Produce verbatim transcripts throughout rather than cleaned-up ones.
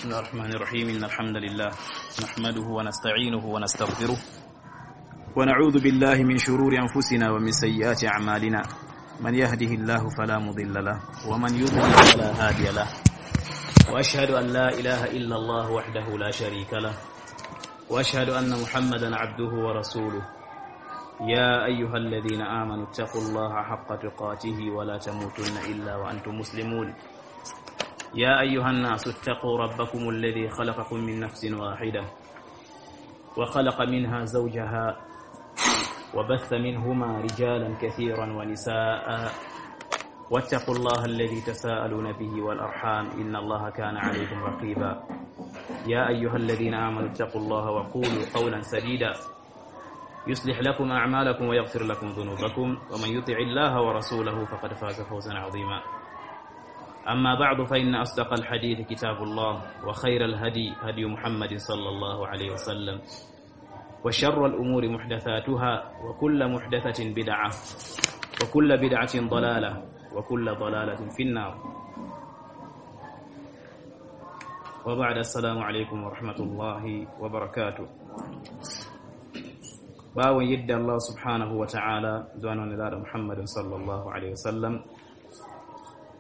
بسم الله الرحمن الرحيم. إن الحمد لله نحمده ونستعينه ونستغفره، ونعوذ بالله من شرور أنفسنا ومن سيئات أعمالنا. من يهده الله فلا مضل له، ومن يضلل فلا هادي له. وأشهد أن لا إله إلا الله وحده لا شريك له، وأشهد أن محمدا عبده ورسوله. يا أيها الذين آمنوا اتقوا الله حق تقاته ولا تموتن إلا وأنتم مسلمون. يا أيها الناس اتقوا ربكم الذي خلقكم من نفس واحدة وخلق منها زوجها وبث منهما رجالا كثيرا ونساء، واتقوا الله الذي تساءلون به والأرحام، إن الله كان عليكم رقيبا. يا أيها الذين آمنوا اتقوا الله وقولوا قولا سديدا، يصلح لكم أعمالكم ويغفر لكم ذنوبكم، ومن يطع الله ورسوله فقد فاز فوزا عظيما. أما بعد، فإن أصدق الحديث كتاب الله، وخير الهدي هدي محمد صلى الله عليه وسلم، وشر الأمور محدثاتها، وكل محدثة بدعة، وكل بدعة ضلالة، وكل ضلالة في النار. وبعد، السلام عليكم ورحمة الله وبركاته. Ɓaawo yidde Allah subhanahu wa ta'ala, du'ano Nelaaɗo Muhammadin sallallahu alayhi wa sallam,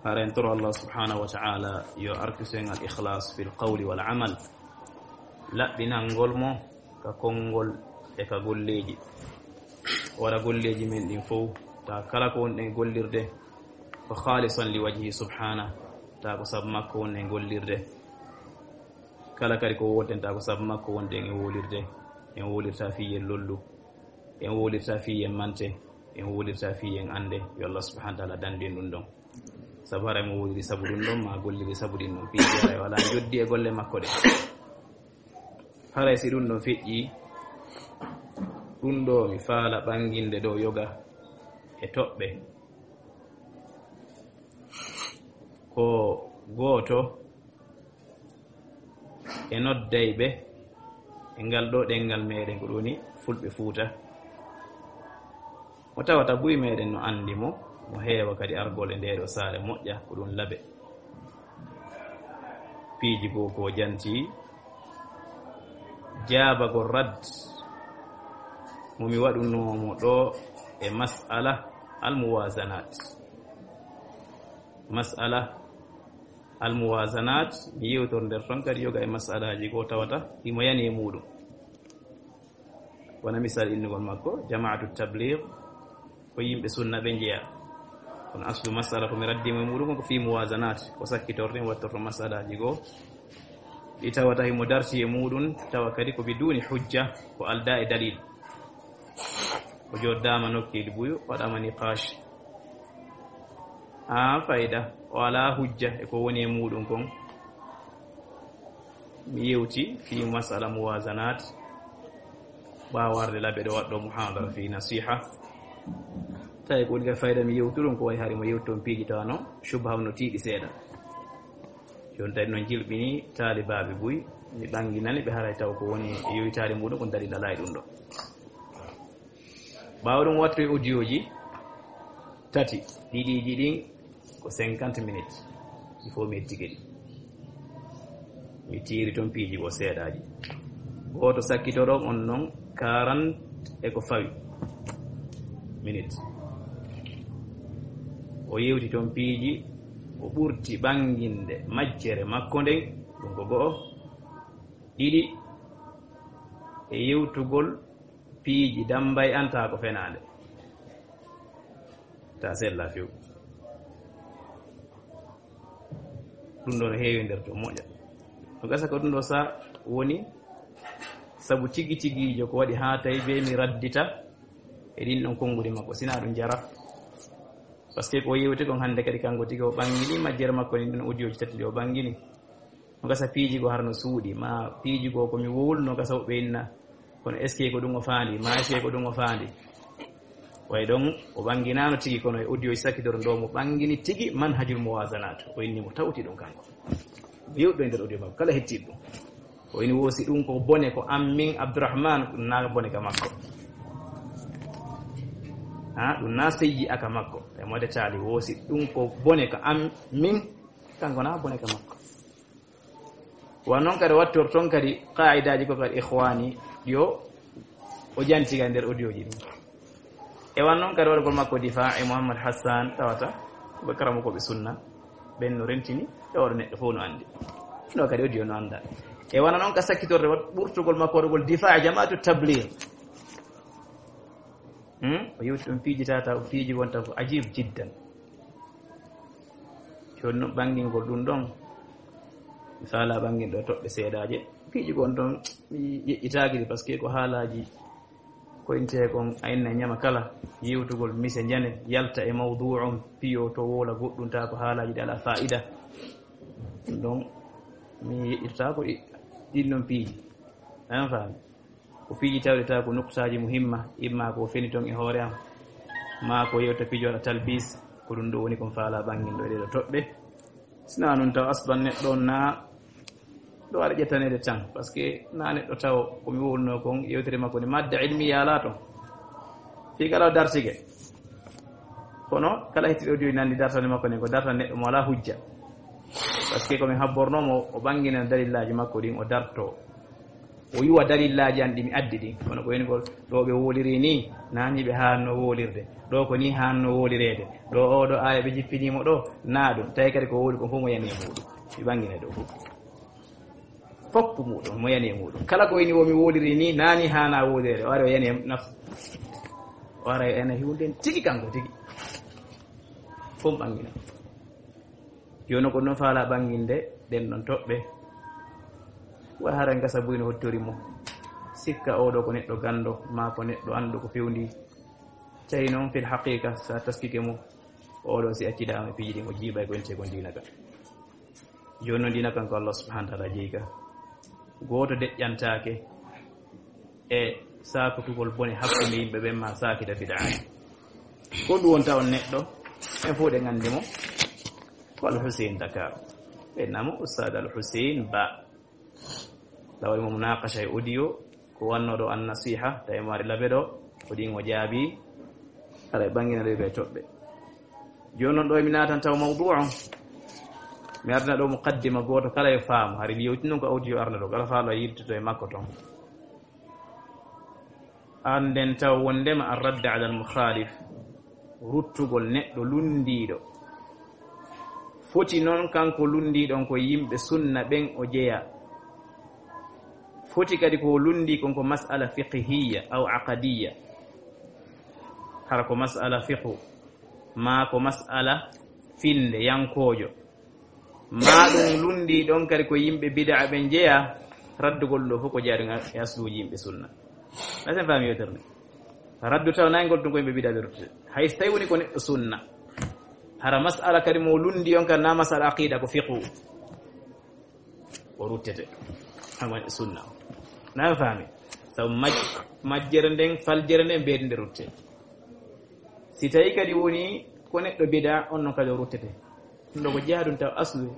hara en toro Allah subhanahu wa ta'ala yo arkisu en al-ikhlas fil qawli wal amal, laɓɓinangol mo ka konngol e ka golleeji. O waɗa golleeji men ɗin fow, ta kala ko wonɗen e gollirde, ko khalisan li wajhi subhanahu, ta ko sabu makko wonɗen e gollirde. Kala kadi ko wowleten, ta ko sabu makko wonɗen e wowlirde. En wowlirta fii yen lollu, en wowlirta fii yen mante, en wowlirta fii yen annde. Yo Allah subhanahu wa ta'ala dandu en ɗum ɗon. Sabu hara mo wowliri sabu ɗum ɗon, ma golliri sabu ɗin ɗon. Fii hara o alaa njoddi e golle makko ɗe. Haray si ɗum ɗon feƴƴi, ɗum ɗo mi faala ɓanginde ɗo yoga e toɓɓe. Ko gooto e noddayɓe e ngal ɗo ɗenngal meɗen, ko ɗum woni Fulɓe Fuuta. Mo tawata buy meɗen no anndi mo, mo heewa kadi argol e ndee ɗo saare moƴƴa, ko ɗum Labe. Piiji goo ko janti, jaabagol rad mo mi waɗunoo mo ɗo e mas'ala al-muwazanat. Mas'ala al-muwazanat, mi yewtor nder ton kadi yoga e mas'alaaji goo tawata himo yani e muuɗum. Wona misal innugol makko, Jamaatu Tabligh, ko yimɓe sunna ɓe njeya. Kono aslu mas'ala ko mi raddi mo e muuɗum ko fii muwazanat, ko sakkitorɗen wattorto mas'alaaji goo. Ɗi tawata himo darti e muuɗum, tawa kadi ko biduni hujja, ko aldaa e dalil. O joddaama nokkeeli buy, waɗaama niqash. Haa fayda, o alaa hujja e ko woni e muuɗum kon. Mi yewti fii mas'ala muwazanat, ɓaawo arde Labe ɗo waɗɗo muhadara fii nasiha. Tawi ko woni ka fayda mi yewtu ɗum, ko wayi hari mo yewti toon piiji tawa no shubha no tiiɗi seeɗa. Jooni tawi noon jilɓini taalibaaɓe buy, mi ɓanginani ɓe haray taw ko woni e yoytaare muuɗum ko dalil alaa e ɗum ɗo. Ɓaawo ɗum wattu e audiooji tati, ɗiɗiiji ɗin ko cinquante minutes, il faut mi ettike ɗi. Mi tiiri toon piiji goo seeɗaaji. Gooto sakkitoɗo on noon quarante e ko fawi minutes. O yewti toon piiji, o ɓurti ɓanginde majjere makko nden, ɗum ko go'o. Ɗiɗi, e yewtugol piiji dambay an taa ko fenaande. Ta sella few. Ɗum ɗo no heewi nder to moƴƴa. No gasa ko ɗum ɗo sa woni sabu tigi tigiijo ko waɗi haa tawi be mi raddita e ɗin ɗon konnguɗi makko. Sina ɗum jara. Parce que ko yewti kon hannde kadi kanko tigi o ɓangini majjere makko ni ɗum audiooji tati ɗi o ɓangini. No gasa piiji goo hara no suuɗi, ma piiji goo ko mi wowluno gasa woɓɓe inna. Kono est-ce que ko ɗum o faandi? Ma est-ce que ko ɗum o faandi? Way ɗon, o ɓanginaano tigi, kono e audio sakkitor ndo mo ɓangini tigi manhajul muwazanat. O inni mo tawti ɗum kanko. Yewɗo e nder audio makko, kala hettiiɗo ɗum. O ini woosi ɗum ko bone ko an min Abdourahmane, ɗum naa bone ka makko. Ha, ɗum naa seyyi aka makko. E mode taali woosi ɗum ko bone ko an min, kanko naa bone ka makko. Wa noon kadi wattor toon kadi qaa'idaaji ko kadi ikhwaani ɗi o, o janti kadi nder audio ji ɗum. E wan noon kadi waɗugol makko difaa e Mouhammad Hassan tawata ko ɓe karamokooɓe sunna, ɓen no rentini, e oɗo neɗɗo fof no anndi. Ɗo kadi audio no annda. E wana noon ka sakkitorde wat-, ɓurtugol makko waɗugol difaa e jamaatu tablir. Hmm? O yewti ɗum piiji tata, o piiji wonta ko ajib jiddan. Jooni noon ɓanngingol ɗum ɗon, mi faala ɓanngin ɗo toɓɓe seedaaje. Piiji gon ɗon mi yeƴƴitaaki ɗi, parce que ko haalaaji ko intee kon a inna ñama kala yewtugol mise njane yalta e mawduu on piyo to woola goɗɗum ta ko haalaaji ɗi alaa faa'ida. Ɗum ɗon mi yeƴƴitataa ko ɗi-, ɗin ɗon piiji. An faami? Ko piiji tawɗi taw ko nuktaaji muhimma, imma ko feni ton e hoore am, maa ko yewta pijo waɗa talbis, ko ɗum ɗo woni kon faala ɓanngin ɗo e ɗee ɗo toɓɓe. Sina noon taw aslan neɗɗo on na ɗo waɗa ƴettaneede tan, parce que na neɗɗo taw ko mi wowluno kon yewtere makko nde madda ilmiya alaa ton. Fii kala o dartige. Kono kala hetti audio nandi dartande makko nden ko dartande neɗɗo mo alaa hujja. Parce que ko min habbornoo mo o ɓanngina dalillaaji makko ɗin o dartoo. O yuwa dalillaaji an ɗi mi addi ɗin. Kono ko woni ko ɗo ɓe woliri ni, na ni ɓe haanno wolirde. Ɗo ko ni haanno wolireede. Ɗo oo ɗo aaya ɓe jippinii mo ɗo, na ɗum. Tawi kadi ko wowli ko fof mo yani e muuɗum. Mi ɓanngina ɗo fof. Fof ko muuɗum, mo yani e muuɗum. Kala ko woni wo mi woliri ni, na ni haana wolireede. O ari o yani e nafsu. O ara o yani e huunde tigi kanko tigi. Fof ɓanngina. Jooni ko no faala ɓannginde ɗen ɗon toɓɓe. Wa hara ngasa buy no hottori mo. Sikka oo ɗo ko neɗɗo ganndo, maa ko neɗɗo anndu ko fewndi. Tawi noon fil haqiqa, so a taskike mo, oo ɗo si accidaama e piiji ɗin, o jiiɓay ko entee kon diina ka. Jooni noon diina kan ko Allah subhanahu wa ta'ala jeyi ka. Gooto deƴƴantaake e saakutugol bone hakkunde yimɓe ɓen maa saakita bid'a. Ko ɗum wonta on neɗɗo, en fof ɗen anndi mo, ko Al Hussein Dakar. Ɓe innaa mo Ustaad Al Hussein Ba. Ɗa waɗi mo munaqasha e audio, ko wannoo ɗo an nasiha, tawi mo ari labe ɗo, ko ɗin o jaabi, aɗa ɓanngina ɗo ɓe toɓɓe. Jooni noon ɗo mi naatan taw mawdu on, mi ardina ɗo muqaddima gooto kala yo faamu, hari mi yewti noon ko audio arna ɗo, kala faalo a yiltoto e makko toon. Annden taw wonndema ar-radd ala al-mukhalif, ruttugol neɗɗo lunndiiɗo. Foti noon kanko lunndiiɗo on ko yimɓe sunna ɓen o jeyaa. Foti kadi ko lundi kon ko mas'ala fiqhiyya aw aqadiyya. Hara ko mas'ala fiqhu, maa ko mas'ala finde yankoojo. Maa ɗum lundi ɗon kadi ko yimɓe bid'a ɓen jeyaa, raddugol ɗo fof ko jaadugal e asluuji yimɓe sunna. Asen faami yewtere nde. Raddu taw nayngol ɗum ko yimɓe bid'a ɓe ruttete. Hay so tawi woni ko neɗɗo sunna. Hara mas'ala kadi mo lundi on kadi na mas'ala aqida ko fiqhu. O ruttete. Hama sunna. Na faami. Sabu maj-, majjere nden, faljere nden, mbeedi nde rutte. Si tawi kadi woni ko neɗɗo bid'a, on non kadi o ruttete. Ɗum ɗo ko jeyaa ɗum taw aslu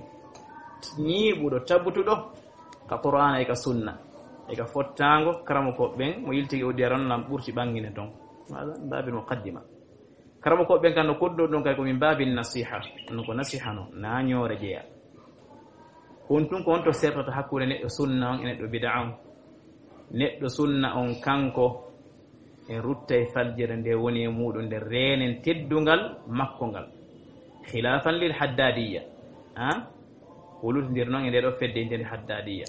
ñiiɓuɗo, tabutuɗo ka Qur'aana e ka sunna. E ka fottaango, karamoko ɓen, mo yiltigi o diyaron lam ɓurti ɓangine ton. Hada min baabil muqaddima. Karamoko ɓen kan no koddo ɗon kay ko min baabil nasiha. Ɗum ko nasiha no, na ñoore jeyaa. Ko on tun ko on to sertata hakkunde neɗɗo sunna on e neɗɗo bid'a on. Neɗɗo sunna on kanko e ruttay faljere nde woni e muuɗum nde reenen teddungal makko ngal. Khilafan lil haddadiyya. Ha? O lutindir noon e nde ɗo fedde intende haddadiyya.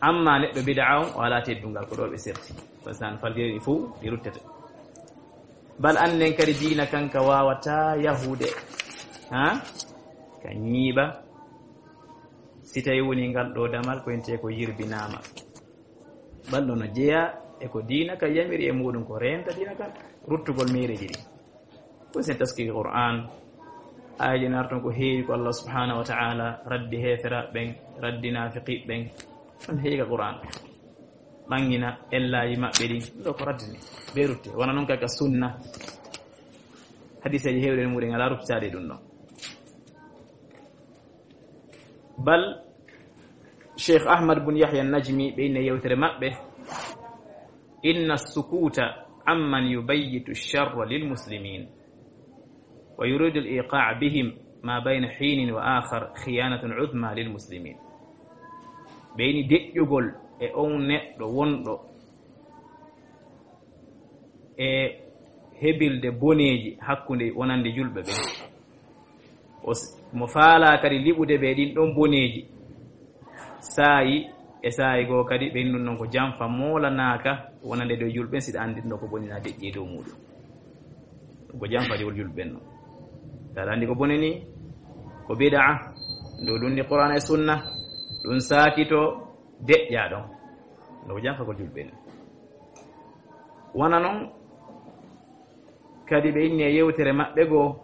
Amma neɗɗo bid'a on, o alaa teddungal, ko ɗo ɓe serti. Parce que an faljere ɗi fof, ɗi ruttete. Bal annden kadi diina kanka waawataa yahude. Ha? Ka ñiiɓa. Si tawi woni ngal ɗo damal, ko intee ko yirbinaama. Bal ɗo no jeyaa e ko diina ka yamiri e muuɗum, ko reenta diina kan, ruttugol meereeji ɗi. Ko sen taskiki Qur'an, aayeeje narton ko heewi ko Allah subhanahu wa ta'ala raddi heeferaaɓe ɓen, raddi naafiqi ɓen. Ɗon heewi ka Qur'an. Ɓangina ellaaji maɓɓe ɗin, ɗo ko raddini. Ɓe rutte, wona non kaka sunna. Hadiseeji heewɗe e muuɗum alaa ruttitaade e ɗum ɗon. Bal Cheikh Ahmad bun Yahya Najmi ɓe inna yewtere maɓɓe, inna sukuta amman yubayyitu sharra lil muslimin wa yuridu al iqaa bihim ma bayna hiinin wa aakhar khiyaanatun uzma lil muslimiin. Ɓeyni deƴƴugol e on neɗɗo wonɗo e hebilde boneeji hakkunde wonande julɓe ɓen. O s-, mo faalaa kadi liɓude ɓe ɗin ɗon boneeji, saayi e saayi goo kadi ɓen ɗum ɗon ko janfa moolanaaka wonande dow julɓe ɓen, siɗa anndi ɗum ɗo ko bonina deƴƴi e dow muuɗum. Ɗum ko janfa jogol julɓe ɓen ɗon. Taala anndi ko bone ni, ko bid'a, ndu lundi Qur'aana e Sunna, ɗum saakito deƴƴa ɗon. Ɗum ko janfagol julɓe ɓen. Wona non, kadi ɓe inni e yewtere maɓɓe goo,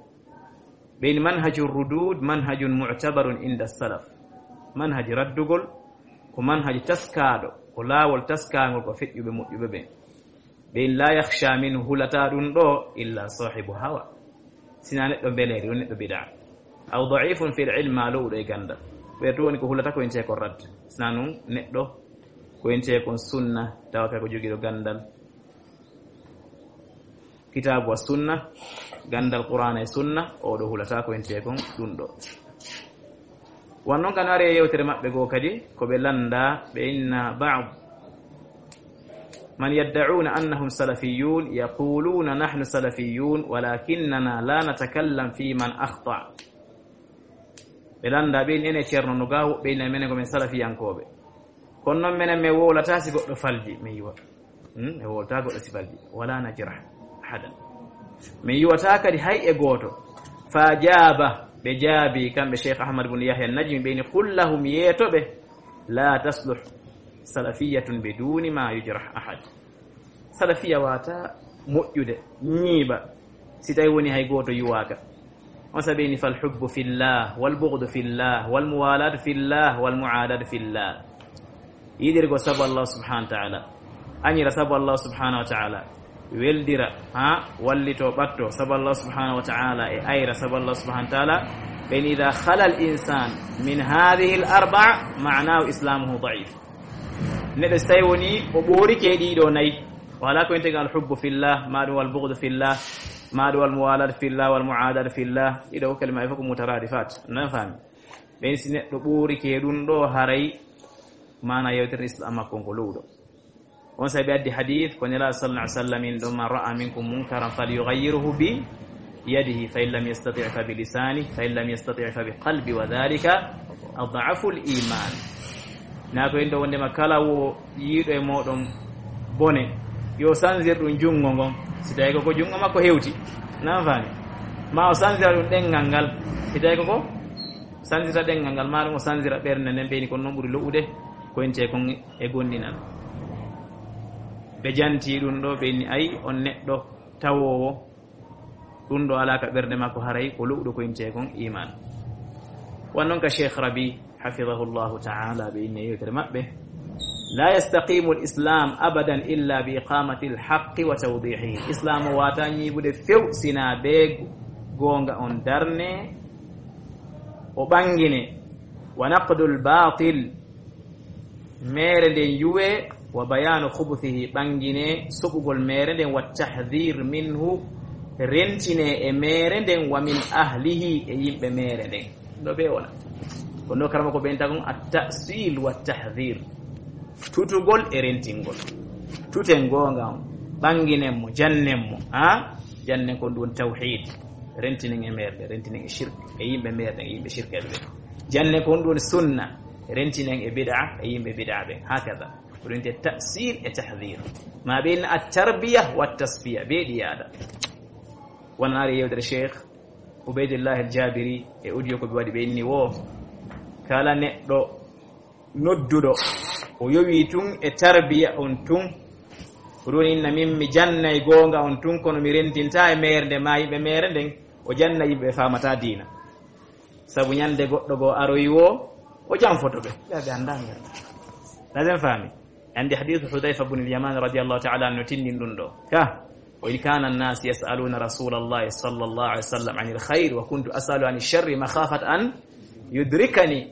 ɓe inni manhaju rudud manhajun mu'tabarun inda salaf. Manhaji raddugol ko manhaji taskaaɗo, ko laawol taskaangol ko feƴƴuɓe moƴƴuɓe ɓen. Ɓe inni la yakhsha minhu, hulataa ɗum ɗo illa sahibu hawa, sina neɗɗo mbeleeri, woni neɗɗo bid'a. Aw da'ifun fil ilm, maa lowɗo e ganndal. Ɓe to woni ko hulata ko intee kon radd. Sina non neɗɗo ko intee kon sunna, tawa ka ko jogiiɗo ganndal kitaabu wa sunna, ganndal Qur'aana e sunna, o ɗo hulata ko intee kon ɗum ɗo. Won non kan ari e yewtere maɓɓe goo kadi, ko ɓe lannda, ɓe inna ba'd man yadda'una annahum salafiyyun yaquluna nahnu salafiyyun walakinnana la natakallam fi man akhta. Ɓe lannda ɓe inni ene ceerno no gaa, woɓɓe inna menen ko men salafiyankooɓe. Kono non menen men wowlata si goɗɗo falji, men yiwa. Hmm? Men wowlata goɗɗo si falji. Wala najrah ahadan. Men yiwata kadi hay e gooto. Fa jaaba, ɓe jaabi kamɓe Cheikh Ahmad bun Yahya Najmi, ɓe inni qul lahum, yeeto ɓe, la tasluh salafiyyatun biduni ma yujrah ahad. Salafiya wata moƴƴude, ñiiɓa, si tawi woni hay gooto yuwaaka. On sabi ni fal hubbu fillah, wal bughdu fillah, wal muwalatu fillah, wal muadatu fillah. Yiɗirgo sabu Allah subhanahu wa ta'ala. Añira sabu Allah subhanahu wa ta'ala. Weldira, ha, wallito, ɓatto sabu Allah subhanahu wa ta'ala, e ayra sabu Allah subhanahu wa ta'ala. Ɓen idha khala al insan min hadhihi al arba'a, ma'nahu islamuhu da'if. Neɗɗo si tawi woni o ɓoorike e ɗiɗo nayi, o alaa ko integel al hubbu fillah, ma ɗum wal bughdu fillah, ma ɗum wal muwalat fillah, wal muadat fillah. Ɗiɗo ko kalima e fof ko mutaradifat. Nan faami? Ɓen si neɗɗo ɓoorike e ɗum ɗo, haray maana yewtere Islam makko on ko lowɗo. On sabi addi hadith ko Nela sallallahu alaihi wasallam in ɗon, man ra'a minkum munkaran falyughayyirhu bi yadihi, fa in lam yastati' fa bi lisani, fa in lam yastati' fa bi qalbi, wa dhalika ad'afu al iman. Na ko en ɗo wondema kala wo yiiɗo e moɗon bone, yo sanzir ɗum junngo ngon, si tawi ko, ko junngo makko hewti. Nan faami? Ma o sanzira ɗum ɗenngal ngal, si tawi ko, ko sanzira ɗenngal ngal, ma ɗum o sanzira ɓernde nden, ɓeyni kon non ɓuri lo'ude ko inte kon e gonndinan. Ɓe janti ɗum ɗo, ɓe inni ay on neɗɗo tawoowo ɗum ɗo alaa ka ɓernde makko, haray ko lo'uɗo ko intee kon iman. Wan non ka Cheikh Rabi, hafidahullahu ta'ala, ɓe inni e yewtere maɓɓe, la yastaqimu al islam abadan illa bi iqamati al haqqi wa tawdihihi. Islam o wata ñiiɓude few sina be goonga on darne, o ɓangine, wa naqdul batil, meere nden yuwe, wa bayanu khubuthihi, ɓangine soɓugol meere nden, wa tahdhir minhu, rentine e meere nden, wa min ahlihi, e yimɓe meere nden. Ɗo ɓe wona. Kono karama ko ɓen tagon at ta'sil wa tahdhir. Tutugol e rentingol. Tuten goonga on. Ɓanginen mo, jannen mo. Ha? Jannen kon ɗum tawhid. Rentinen e meere nden, rentinen e shirk. E yimɓe meere nden, e yimɓe shirk e ɓe. Jannen kon ɗum sunna. Rentinen e bid'a, e yimɓe bid'a ɓen. Hakada. Ko ɗum te ta'sil e tahdhir. Ma ɓe inna at-tarbiya wa tasfiya. Ɓe ɗi yaada. Wonanaari yewtere Cheikh Ubaydillah al-Jabiri e audio ko ɓe waɗi ɓe inni wo. Kala neɗɗo nodduɗo, o yowi tun e tarbiya on tun. Ko ɗum inna min mi jannay goonga on tun, kono mi rentinta e meere nde ma yimɓe meere nden, o janna yimɓe ɓe famata diina. Sabu ñande goɗɗo goo aroyi wo, o janfoto ɓe. Ɓe ɓe annda ngal. Lazen faami. Andi hadithu Hudhayfa bun al-Yaman radiyallahu ta'ala anhu tindin ɗum ɗo. Ka, wa in kana an-nas yas'aluna Rasulallahi sallallahu alaihi wasallam anil khair wa kuntu as'alu anil sharri makhafat an yudrikani.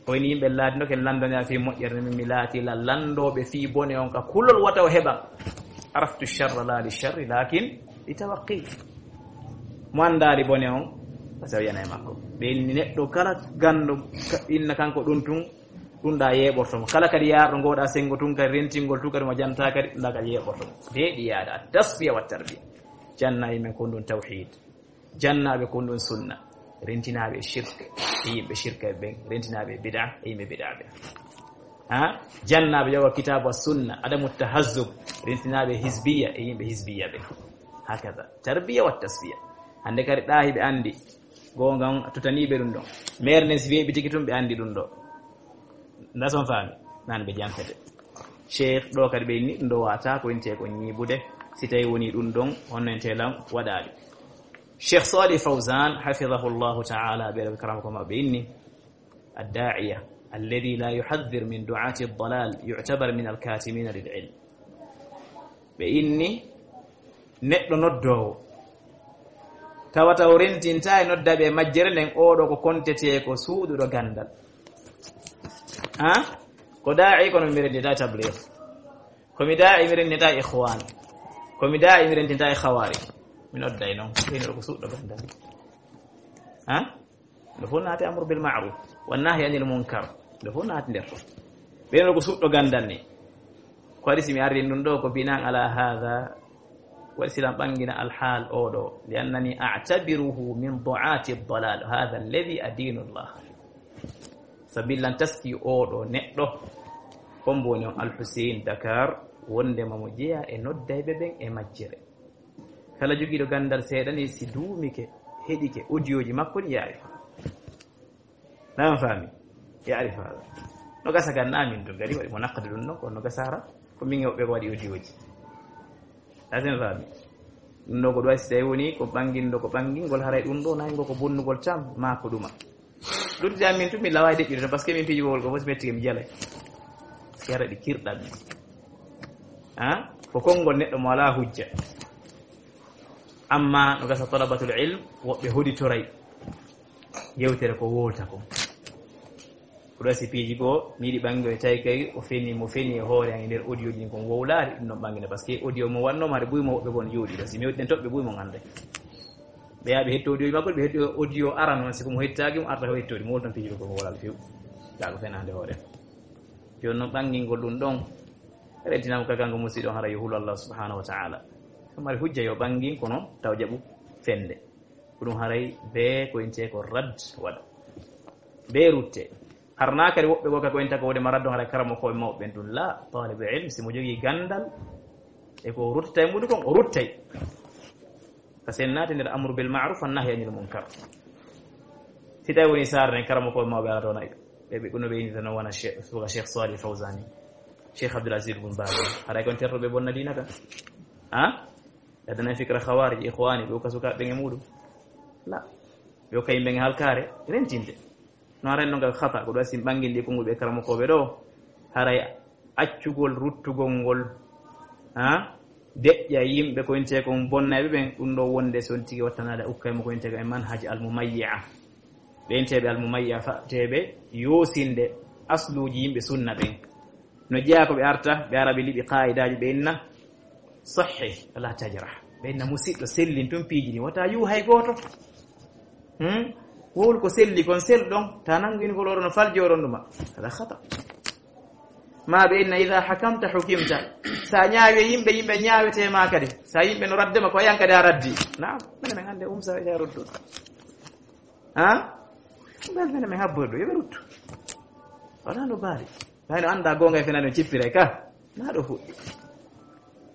O ini yimɓe laatino ke landonira fii moƴƴere, min mi laati la landooɓe fii bone on ka kulol wata o heɓa. Araftu sharra la li sharri lakin li tawaqqi. Mo andaali bone on, Tawi yana e makko. Ɓe inni neɗɗo kala ganndo ka-, inna kanko ɗum tun, ɗum ɗa yeeɓorto mo. Kala kadi yaarɗo ngoɗa senngo tun kadi rentingol tun kadi mo janta kadi, ɗum ɗa kadi yeeɓorto mo. Deeɗi yaada, at-tasfiya wa tarbiya. Janna yimɓe kon ɗum tawhid. Jannaɓe kon ɗum sunna. Rentinaaɓe e shirk, e yimɓe shirka ɓen. Rentinaaɓe e bid'a, e yimɓe bid'a ɓen. Ha? Jannaɓe yoga kitabu wa sunna, adamu tahazzub. Rentinaaɓe hizbiya, e yimɓe hizbiya ɓen. Hakaza. Tarbiya wa tasfiya. Hannde kadi ɗa hiɓe anndi. Goonga on, a tutaniiɓe ɗum ɗon. Meere nden, si weeɓi tigi tun, ɓe anndi ɗum ɗo. Nda son faami? Nan ɓe janfete. Cheikh ɗo kadi ɓe inni ɗum ɗo wata ko inte ko ñiibude. Si tawi woni ɗum ɗon, honno ente lam waɗaali. Cheikh Salih Fawzan, hafidahullahu ta'ala, ɓe ɗo karama ko maɓɓe inni, "Ad-da'iya alladhi la yuhadhdhir min du'ati ad-dalal yu'tabar min al-katimina lil ilm." Ɓe inni neɗɗo noddoowo, tawata o rentinta e noddaɓe e majjere nden, oɗo ko kontetee ko suuɗuɗo ganndal. Ha? Ko daa'i, kono mi rentinta tabligh. Ko mi daa'i, mi rentinta ikhwan. Ko mi daa'i, mi rentinta e khawarij. Mi nodday non, ɓeynuɗo ko suuɗɗo ganndal. Ha? Ɗo fof naati amru bil ma'ruf wa nahyi anil munkar. Ɗo fof naati nder ton. Ɓeynuɗo ko suuɗɗo ganndal ni. Ko waɗi si mi arri ɗum ɗo ko binan ala hadha, waɗi silam ɓangina alhaal oɗo, li annani a'tabiruhu min du'ati ad-dalal, hadha alladhi adinu Allah. Sabilan taski oɗo neɗɗo, hombo woni on Al Hussein Dakar, wondema mo jeya e noddayɓe ɓen e majjere. Kala jogiiɗo ganndal seeɗa ni, si duumike, heɗike, audio ji makko ɗi yaari. Na on faami? Yaari faala. No gasa gan na min to gari waɗi mo nakkade ɗum ɗon, kono no gasara ko min e woɓɓe ko waɗi audio ji. Asen faami? Ɗum ɗo ko ɗo si tawi woni ko ɓanginɗo, ko ɓangingol haray ɗum ɗo nayi ngo ko bonnugol tam, ma ko ɗuma. Luttude am min tun, mi laway deƴƴude tan, parce que min piiji wowol ko fof si metti mi jalay. Yara ɗi kirɗam. Ha? Ko konngol neɗɗo mo alaa hujja. Amma no gasa talabatul ilm, woɓɓe hoditoray yewtere ko wowlata kon. Ko ɗo si piiji goo, mi yiɗi ɓangi o e tawi kay o feni, mo feni e hoore an e nder audio ji ɗin kon wowlaari, ɗum ɗon ɓangina. Parce que audio mo wanno, mari buy mo woɓɓe kon jooɗi. Ɗo si mi waɗi ɗen toɓɓe buy mo ngande. Ɓe yaa ɓe hetto audio ji makko, ɓe hetto audio aran on, si ko mo hettaaki mo arta ko hettoɗi, mo wowlata piiji ko mo wowlaali few. Kaa ko fenaande hoore. Jooni noon ɓangingol ɗum ɗon, rentinama ka kanko musiɗɗo hara yo hulu Allah subhanahu wa ta'ala. So mari hujja yo ɓangin, kono taw jaɓu fende. Ko ɗum haray bee ko intee ko rad waɗa. Bee rutte. Harnaa kadi woɓɓe goo ka ko inta ko wode ma raddo haray karamokooɓe mawɓe ɓen ɗum. La, taalibe ilm, si mo jogii ganndal, e ko ruttata e muɗum kon, o ruttay. Ka sen naati nder amru bil ma'ruf, an nahyi anil munkar. Si tawi woni saare nden, karamokooɓe mawɓe alata wona ɓe, ɓe, ɓe, no ɓe innita noon wona Cheikh, suka Cheikh Salih Fawzani, Cheikh Abdul Aziz Bin Baz. Haray kon tertoɓe bonna diina ka. Ha? Adana fikra khawarij, ikhwani, ɓe ukka sukaaɓe ɓen e muɗum. La. Ɓe ukka yimɓe ɓen e halkaare, rentinde. No haray no ngal khata, ko ɗo si ɓangin ɗi konngol ɓe karamokooɓe ɗo. Haray accugol, ruttugol ngol, ha? Deƴƴa yimɓe ko intee kon bonnayɓe ɓen, ɗum ɗo wonde si on tigi wattanaade ukkay mo ko intee ko e manhaj al mumayyi'a. Ɓe inteeɓe al mumayyi'a fateeɓe yoosinde asluuji yimɓe sunna ɓen. No jeyaa ko ɓe arta, ɓe ara ɓe liɓi qaa'idaaji ɓe inna sahih, wala tajrah. Ɓe inna musiɗɗo sellin tun piiji ɗin, wata yu hay gooto. Hmm? Wowlu ko selli kon, sel ɗon, ta nangini ko loro no faljoron ɗuma. Hada khata. Ma ɓe inna idha hakamta hukimta. Sa ñaawi e yimɓe, yimɓe ñaawete ma kadi. Sa yimɓe no radde ma ko yan kadi a raddi. Naam, mene men hannde um sa ya ruddu. Ha? Bel mene men habbo do, yo ɓe ruttu. Wala no baali. Hay no annda goonga e fena no cippire ka. Na ɗo fuɗɗi.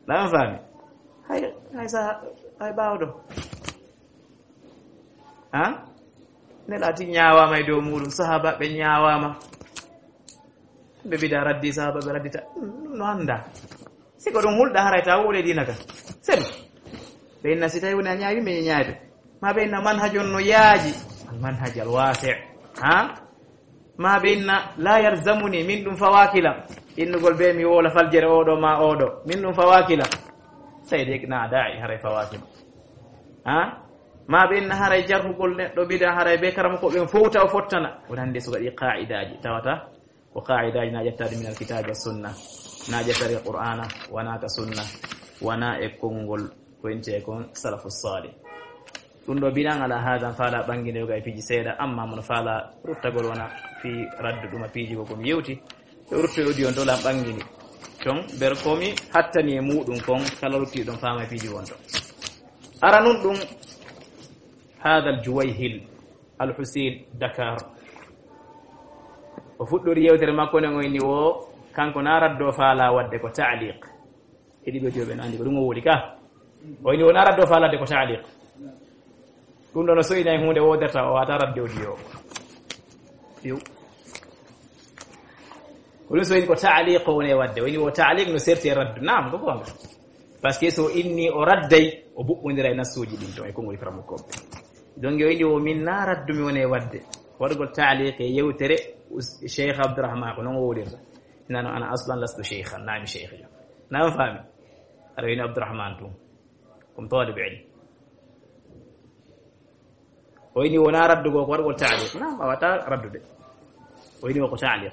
Na on faami. Hay, hay sa, hay ɓaawo ɗo. Ha? Nelaɗo ñaawaama e dow muɗum, sahaabaaɓe ñaawaama. Ɓe bida raddi, sahaabaaɓe raddita. Ɗum no annda. Si ko ɗum hulɗa haray ta wowle diina ka. Selu. Ɓe inna si tawi woni a ñaawi, min ñaayde. Ma ɓe inna manhaj on no yaaji. Al manhaj al wasi'. Ha? Ma ɓe inna la yalzamuni, min ɗum fawaaki lam. Innugol be mi wowla faljere oɗo ma oɗo. Min ɗum fawaaki lam. Sai dai na da'i haray fawaaki ma. Ha? Ma ɓe inna haray jarhugol neɗɗo bida haray be karamokooɓe ɓen fowta o fottana. Woni hannde suka ɗi qaa'idaaji tawata ko qaa'idaaji na ƴettaade min al kitaabi wa sunna. Na ƴettaade ka Qur'aana, wana ka sunna, wana e konngol ko intee kon salafu salih. Ɗum ɗo binan ala hadan faala ɓanginde yoga e piiji seeɗa, amma mono faala ruttagol wona fii raddu ɗuma piiji ko komi yewti. Ɓe rutto e audio on ɗo lan ɓangini. Ton ber komi hattani e muɗum kon kala rutti ɗon faama e piiji won ɗo. Ara nun ɗum hadal Juwayhil Al Husein Dakar. O fuɗɗori yewtere makko nden o inni wo kanko na raddo faala wadde ko taaliq. Heɗi ɓe joɓe no andi ko ɗum o woni ka. O inni wona raddo faalade ko taaliq. Ɗum ɗo no soyinay hunde woderta o wata radde audio. Yo. Ko ɗum soyini ko taaliq o woni wadde. O inni wo taaliq no serti e raddu. Naam, ko gonga. Parce que so inni o radday, o buɓɓondira e nassuji ɗin ton e konngol firamukoɓe. Donc o inni wo min na raddu mi woni wadde. Waɗugol taaliq e yewtere us-, Cheikh Abdourahmane ko non o wolirta. Nano ana aslan lastu cheikhan, nami cheikh jo. Nami fami. Aɗa wini Abdourahmane tun. Comme talib ilm. O ini wona raddugo ko waɗugol taaliq. Na, a wata raddude. O ini wo ko taaliq.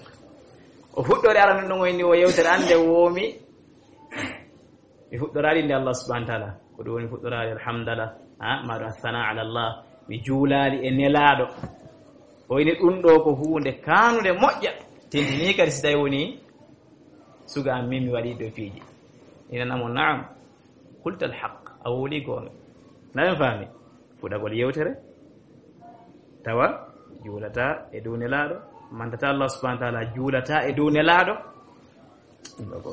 O fuɗɗori ara non ɗon o ini wo yewtere ande womi. Mi fuɗɗoraali nde Allah subhanahu wa ta'ala. Ko ɗum woni fuɗɗoraali alhamdulillah. Ha, ma ɗum athana ala Allah. Mi juulaali e nelaaɗo. O ini ɗum ɗo ko huunde kanude moƴƴa. Tentini kadi si tawi woni suga am min mi waɗi ɗo piiji. Ina namo naam. Qulta alhaq. A wowli goonga. Na en faami? Fuɗagol yewtere. Tawa juulata e dow nelaaɗo. Mantata Allah subhanahu wa ta'ala juulata e dow nelaaɗo. Ɗum ɗo ko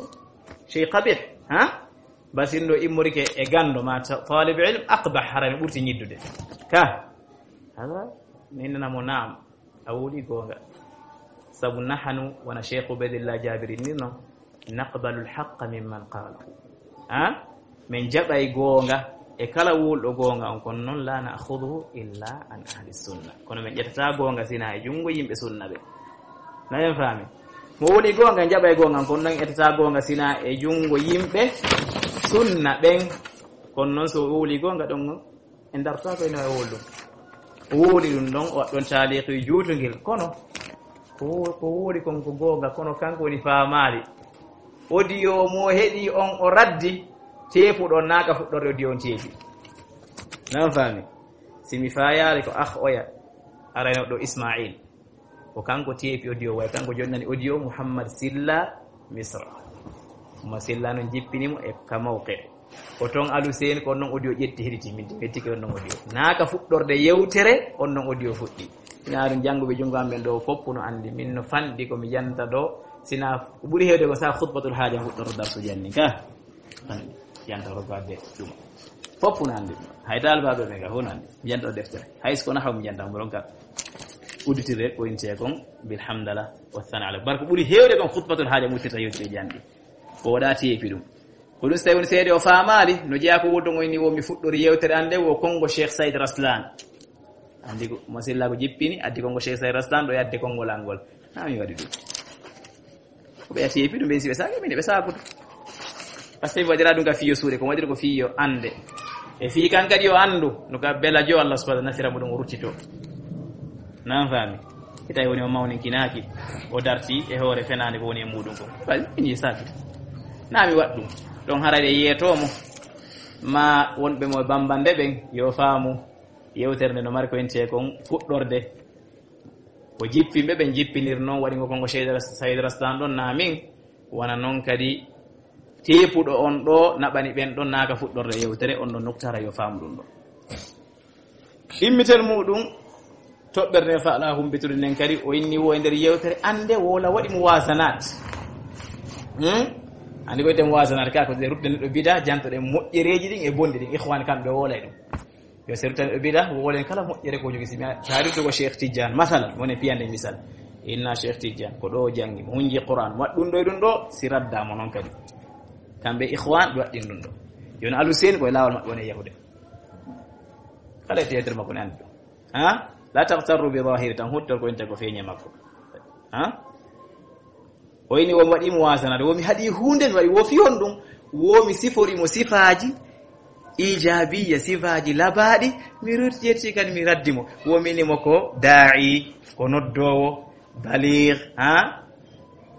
shay qabih, ha? Basin ɗo immorike e gando ma ta-, talib ilm aqbah, haray no ɓurti ñiddude. Ka? Hada, mi innana mo naam. A wowli goonga. Sabu nahanu, wona Cheikh Ubaydillah Jabiri ni no, naqbalu alhaqqa mimman qala. Ha? Min jaɓay goonga e kala wowluɗo goonga on, kono non la na'khudhuhu illa an ahli sunna. Kono min ƴettata goonga sina e junngo yimɓe sunna ɓe. Na en faami? Mo wowli goonga, en jaɓay goonga on, kono non ƴettata goonga sina e junngo yimɓe sunna ɓen. Kono non so wowli goonga ɗon, en dartaako ene wawi wowlude. O wowli ɗum ɗon, o waɗɗon taaliqi juutungel. Kono ko wo-, ko wowli kon ko goonga, kono kanko woni faamaali. Audio mo heɗi on o raddi, teepuɗo naaka fuɗɗorde audio on teepi. Nan faami? Si mi faayaali ko ah oya, arayno ɗo Ismail. Ko kanko teepi audio, way kanko jonnani audio Muhammad Silla Misra. Muhammad Silla non jippini mo e ka mawqe. Ko ton Alu Seen ko on non audio ƴetti heɗiti min, min tike on non audio. Naaka fuɗɗorde yewtere, on non audio fuɗɗi. Ina ɗum jannguɓe junngo am ɓen ɗo fof no anndi. Min no fanɗi ko mi janta ɗo, sina ko ɓuri heewde ko sa khutbatul haaja fuɗɗoto darsu janni ka. Anndi, janta ko gadde ɗum. Fof no anndi ɗum. Hay daalbaaɓe ɓe ga fof no anndi. Mi janta o deftere. Hay so ko nahaw mi janta mo ɗon ka. Udditire ko inte kon bilhamdala wa thana ala. Bar ko ɓuri heewde kon khutbatul haaja muttirta yewtere janɗi. Ko waɗa teepi ɗum. Ko ɗum so tawi woni seede o faamaali, no jeyaa ko wonɗon o inni wo mi fuɗɗori yewtere an nde wo konngo Cheikh Saïd Raslan. Anndi ko mo silla ko jippini, addi konngo Cheikh Saïd Raslan ɗo yadde konngol an ngol. Haa mi waɗi ɗum. Ko ɓe yati e piɗum ɓe si ɓe saaki, min ɓe saakude. Parce que mi waɗira ɗum ka fiyo suuɗe, ko waɗiri ko fiyo annde. E fii kan kadi yo anndu, no ka bela jo Allah subhanahu wa ta'ala nasira mo ɗum o ruttito. Nan faami? Ita woni o mawninkinaaki, o darti e hoore fenaande ko woni e muɗum ko. Bal, min yi saaki. Na mi waɗ ɗum. Ɗon haray ɓe yeetoo mo. Ma wonɓe mo bambande ɓen, yo faamu. Yewtere nde no mari ko inte kon fuɗɗorde. Ko jippinɓe ɓen jippinir non, waɗi ngo kongo Saïd Ras-, Saïd Raslan ɗon na min, wona non kadi teepuɗo on ɗo naɓani ɓen ɗon naaka fuɗɗorde yewtere, on ɗon noktaara yo faamu ɗum ɗo. Ɗimmitel muɗum, toɓɓere nde faala humbitude nden kadi, o inni wo e nder yewtere, annde wola waɗi mo wasanat. Hmm? Anndi ko ite mo wasanat ka, ko ɗe rutde neɗɗo bida, jantoɗen moƴƴereeji ɗin e bonɗi ɗin, ikhwan kamɓe wolay ɗum. Yo sertan ɓe bida, wo wolen kala moƴƴere ko jogi. Si mi taari to ko Cheikh Tidiane, masalan, woni piyande misal. Inna Cheikh Tidiane, ko ɗo o janngi, mo hunji Qur'an, mo waɗi ɗum ɗo e ɗum ɗo, si radda mo non kadi. Kamɓe ikhwan, ɓe waɗi ɗum ɗo. Yo no Alu Seen, ko e laawol maɓɓe woni e yahude. Kala e tiyaatir makko ne anndi ɗum. Ha? La taghtarru bi zahiri, tan huttor ko inta ko feeñe makko. Ha? O ini wo mi waɗi mo wasanade, wo mi haɗi hunde, mi waɗi wo fi honɗum, wo mi sifori mo sifaaji ijabiya, sifaaji labaaɗi, mi rut-, yetti kadi mi raddi mo. Wo mi ini mo ko daa'i, ko noddoowo, baligh, ha?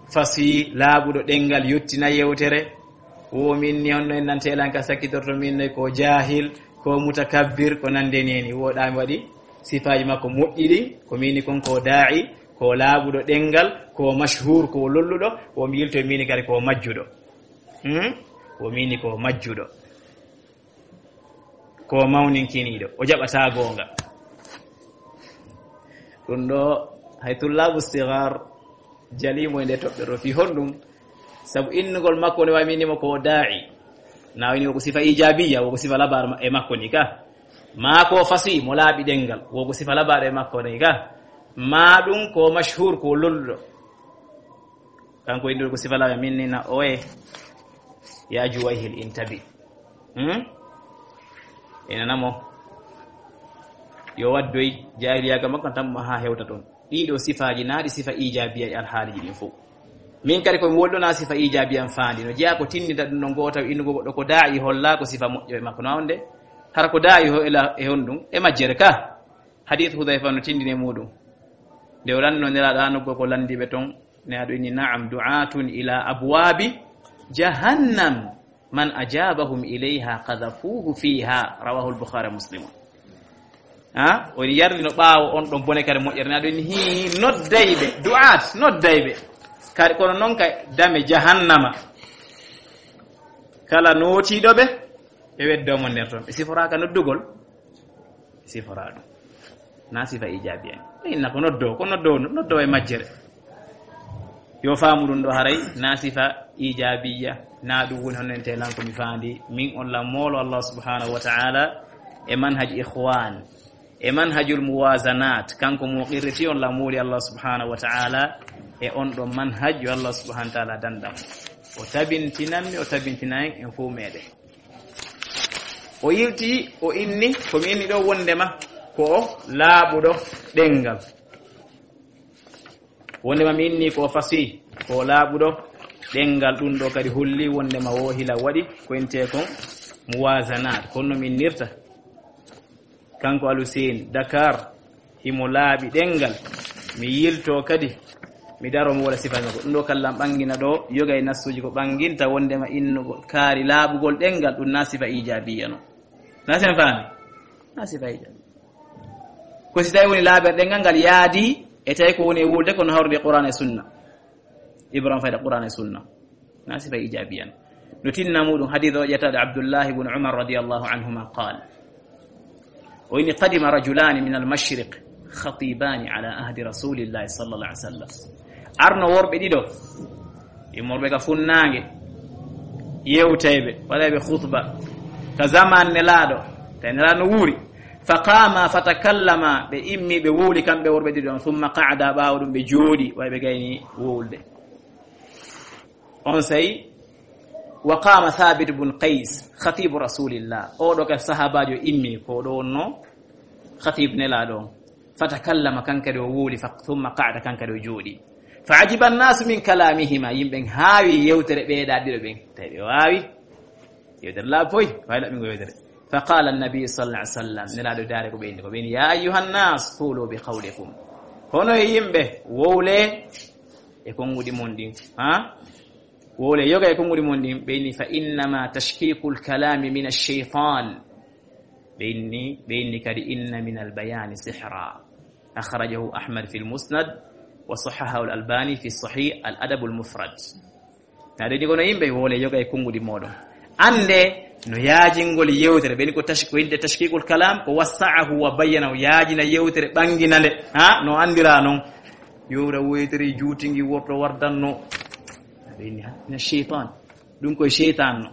Fasi, laaɓuɗo ɗenngal, yottina yewtere. Wo min ni honno en nan teelan ka sakkitorto min noy ko jahil, Ko mutakabbir, ko nande neni, woɗa mi waɗi sifaaji makko moƴƴi ɗin, ko mini kon ko daa'i, ko laaɓuɗo ɗengal, ko mashhur, ko lolluɗo, wo mi yilto mini kadi ko majjuɗo. Hmm? Wo mini ko majjuɗo. Ko mawninkiniiɗo, o jaɓata goonga. Ɗum ɗo, hay tullaabu sigar jaliimo e nde toɓɓe ɗo fii honɗum? Sabu innugol makko ne wawi minimo ko daa'i. Na wini wo ko sifa ijabiya, wo ko sifa labar ma-, e makko ni ka. Ma ko fasi mo laaɓi ɗengal, wo ko sifa labar e makko ni ka. Ma ɗum ko mashhur, ko lolluɗo. Kanko innduɗo ko sifa labar, min ni na oye, ya Juwayhil intabi. Hmm? Ina namo. Yo waddoy jahiliya ga makko tan mo ha hewta ton. Ɗiɗo sifaji na ɗi sifa ijabiya e alhaaliji ɗin fof. Min kadi ko mi wolɗona sifa ijabiya am faandi. No jeyaa ko tindinta ɗum no goota innugo goɗɗo ko daa'i holla ko sifa moƴƴo e makko. No wonde? Hara ko daa'i ho-, e la-, e honɗum? E majjere ka. Hadith Hudhayfa no tindini e muɗum. Nde o lanno Nelaaɗo, an ko landiɓe ton, Nelaaɗo inni, "Na'am, du'atun ila abwabi jahannam, man ajabahum ilayha qadhafuhu fiha." Rawahu al-Bukhari wa Muslim. Ha? O yarlino ɓaawo on ɗon bone kare moƴƴere. Nelaaɗo inni, hi, noddayɓe, du'at, noddayɓe. Kadi kono non ka dame jahannama. Kala nootiiɗo ɓe, ɓe weddo mo nder ton. Ɓe siforaaka noddugol. Sifora ɗum. Na sifa ijabiya. Inna ko noddo, ko noddo, noddo e majjere. Yo faamu ɗum ɗo haray, na sifa ijabiya. Na ɗum woni hono ente lan ko mi faandi. Min on lan moolo Allah subhanahu wa ta'ala e manhaj ikhwan. E manhajul muwazanat. Kanko mo qirriti on lan mooli Allah subhanahu wa ta'ala e on ɗo manhaj yo Allah subhanahu wa ta'ala dandam. O tabintinanmi, o tabintinan en fof meɗen. O yilti, o inni, ko mi inni ɗo wondema ko o laaɓuɗo ɗengal. Wondema mi inni ko o fasi, ko o laaɓuɗo ɗengal, ɗum ɗo kadi holli wondema wo hila waɗi ko intee kon muwazanat, kono no mi innirta. Kanko Aluseen Dakar, himo laaɓi ɗengal. Mi yilto kadi, mi daro mo wala sifa makko. Ɗum ɗo kallan ɓangina ɗo, yoga e nassuji ko ɓanginta wondema innugo kaari laaɓugol ɗengal, ɗum na sifa ijabiya no. Na sen faami? Na sifa ijabiya. Ko si tawi woni laaɓere ɗengal ngal yaadi, e tawi ko woni e wulde kono hawrude Qur'an e Sunna. Ibrahim fayda Qur'an e Sunna. Na sifa ijabiyan. No tinna muɗum hadith o ƴettaɗo Abdullah ibn Umar radiyallahu anhuma qal. O ini qadima rajulani min al-mashriq khatibani ala ahdi rasulillahi sallallahu alaihi wasallam. Arno worɓe ɗiɗo. Immorɓe ka funnaange. Yewtayɓe, waɗayɓe khutba. Ka zaman Nelaaɗo. Tawi Nelaaɗo no wuuri. Fa qama fa takallama, ɓe immi, ɓe wowli kamɓe worɓe ɗiɗo on. Thumma qa'ada, ɓaawo ɗum ɓe jooɗi, way ɓe gayni wowlde. On say, wa qama Thabit bun Qais, khatibu Rasulillah. Oɗo ka sahabajo immi, ko oɗo wonno khatib Nelaaɗo on. Fa takallama, kankadi o wowli, fa, thumma qa'ada, kankadi o jooɗi. Fa ajiba annasu min kalamihima, yimɓe haawi yewtere ɓeeɗa ɗiɗo ɓen. Tawi ɓe waawi. Yewtere laaɓi poy, waawi laɓɓingo yewtere. Fa qala annabi sallallahu alaihi wasallam, Nelaaɗo daare ko ɓeyni, ko ɓeyni, ya ayyuhan nas, qulu bi qawlikum. Hono e yimɓe, wowle e konguɗi mon ɗin. Ha? Wowle yoga e konguɗi mon ɗin, ɓeyni, fa innama tashkikul kalami min ash-shaytan. Ɓeyni, ɓeyni kadi inna min al-bayani sihra. Akhrajahu Ahmad fil Musnad wa sahahahu al-Albani fi Sahih al-Adab al-Mufrad. Na ɗeni kono yimɓe wowle yoga e konguɗi moɗon. Ande no yaajingol yewtere, ɓeni ko tash-, ko innde tashkikul kalam, ko wassa'ahu wa bayyanahu, yaajina yewtere, ɓangina nde. Ha? No andira non. Yowra woytere juutingi worto wardanno. Ɓeyni ha? Mina shaytan. Ɗum koye shaytan no.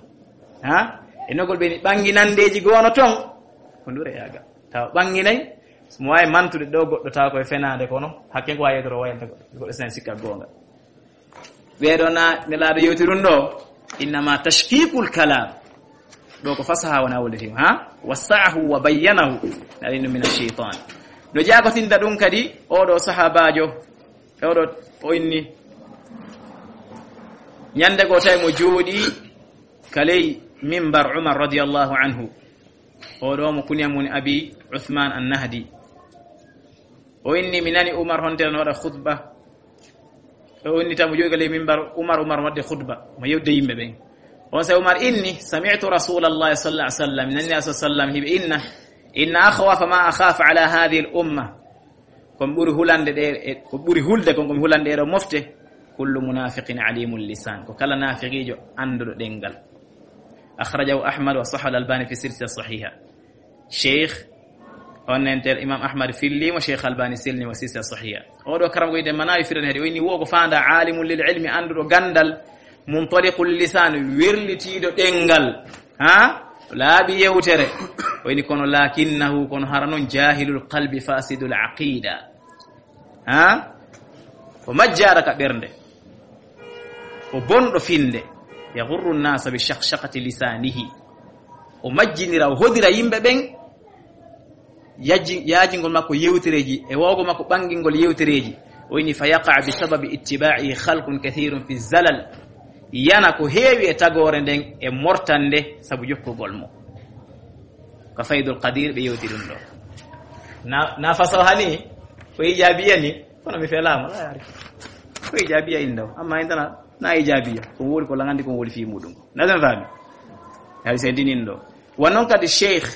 Ha? E nogol ɓeyni ɓanginandeji goono ton. Ko ndure yaaga. Tawa ɓanginay, mo wawi mantude ɗo goɗɗo tawa koye fenaande kono, hakke ko wawi yewtere o wayanta goɗɗo. Goɗɗo sen sikka goonga. Ɓeeɗo na Nelaaɗo yewti ɗum ɗo, innama tashkikul kalam. Ɗo ko fasaha wona wonde fim, ha? Wassa'ahu wa bayyanahu. Na ɗum min ash-shaytan. No jaagotinta ɗum kadi, oɗo sahabajo, e oɗo o inni. Ñande go tawi mo jooɗi ka ley mimbar Umar radiyallahu anhu. Oɗo mo kunya mun Abi Uthman an-Nahdi. O inni mi nani Umar hontere no waɗa khutba. O inni tawi mo jooɗi ka ley mimbar Umar, Umar wadde khutba. Mo yewde yimɓe ɓen. On se Umar inni, sami'tu Rasulallahi sallallahu alaihi wasallam, nani Rasul sallam hiɓe inna, inna akhwafa ma akhafu ala hadhihi al-umma. Kon ɓuri hulande ɗe, e, ko ɓuri hulde kon, ko mi hulande ɗo mofte. Kullu munafiqin alimul lisan. Ko kala nafiqijo anduɗo ɗengal. Akhrajahu Ahmad wa sahha al-Albani fi silsila sahiha. Cheikh, on nen tel Imam Ahmad fillimo, Cheikh Albani selnimo, silsila sahiha. Oɗo karam ko ide manawi firan hedi, o inni wo ko fanda alimun lil ilmi, anduɗo gandal, muntaliqul lisan, wirlitiɗo ɗengal. Ha? Laaɓi yewtere. O inni kono lakinnahu, kono hara non jahilul qalbi fasidul aqida. Ha? O majjara ka ɓernde. O bonɗo finde. Yaghurru nnasa bi shaqshaqati lisanihi. O majjinira, o hodira yimɓe ɓen. Yaji-, yaajingol makko yewtereeji, e wawgo makko ɓangingol yewtereeji. O inni fa yaqa bi sababi ittiba'i khalqun kathirun fi zalal. Yana ko heewi e tagoore nden e mortande sabu jokkugol mo. Ka Faydul Qadir ɓe yewti ɗum ɗo. Na, na façon hani, ko ijabiya ni, kono mi felama, la yari. Ko ijabiya indaw, amma indana, na ijabiya, ko wori ko langandi ko wori fi muɗum. Na zan fami. Hari se dinin ɗo. Wa non kadi Cheikh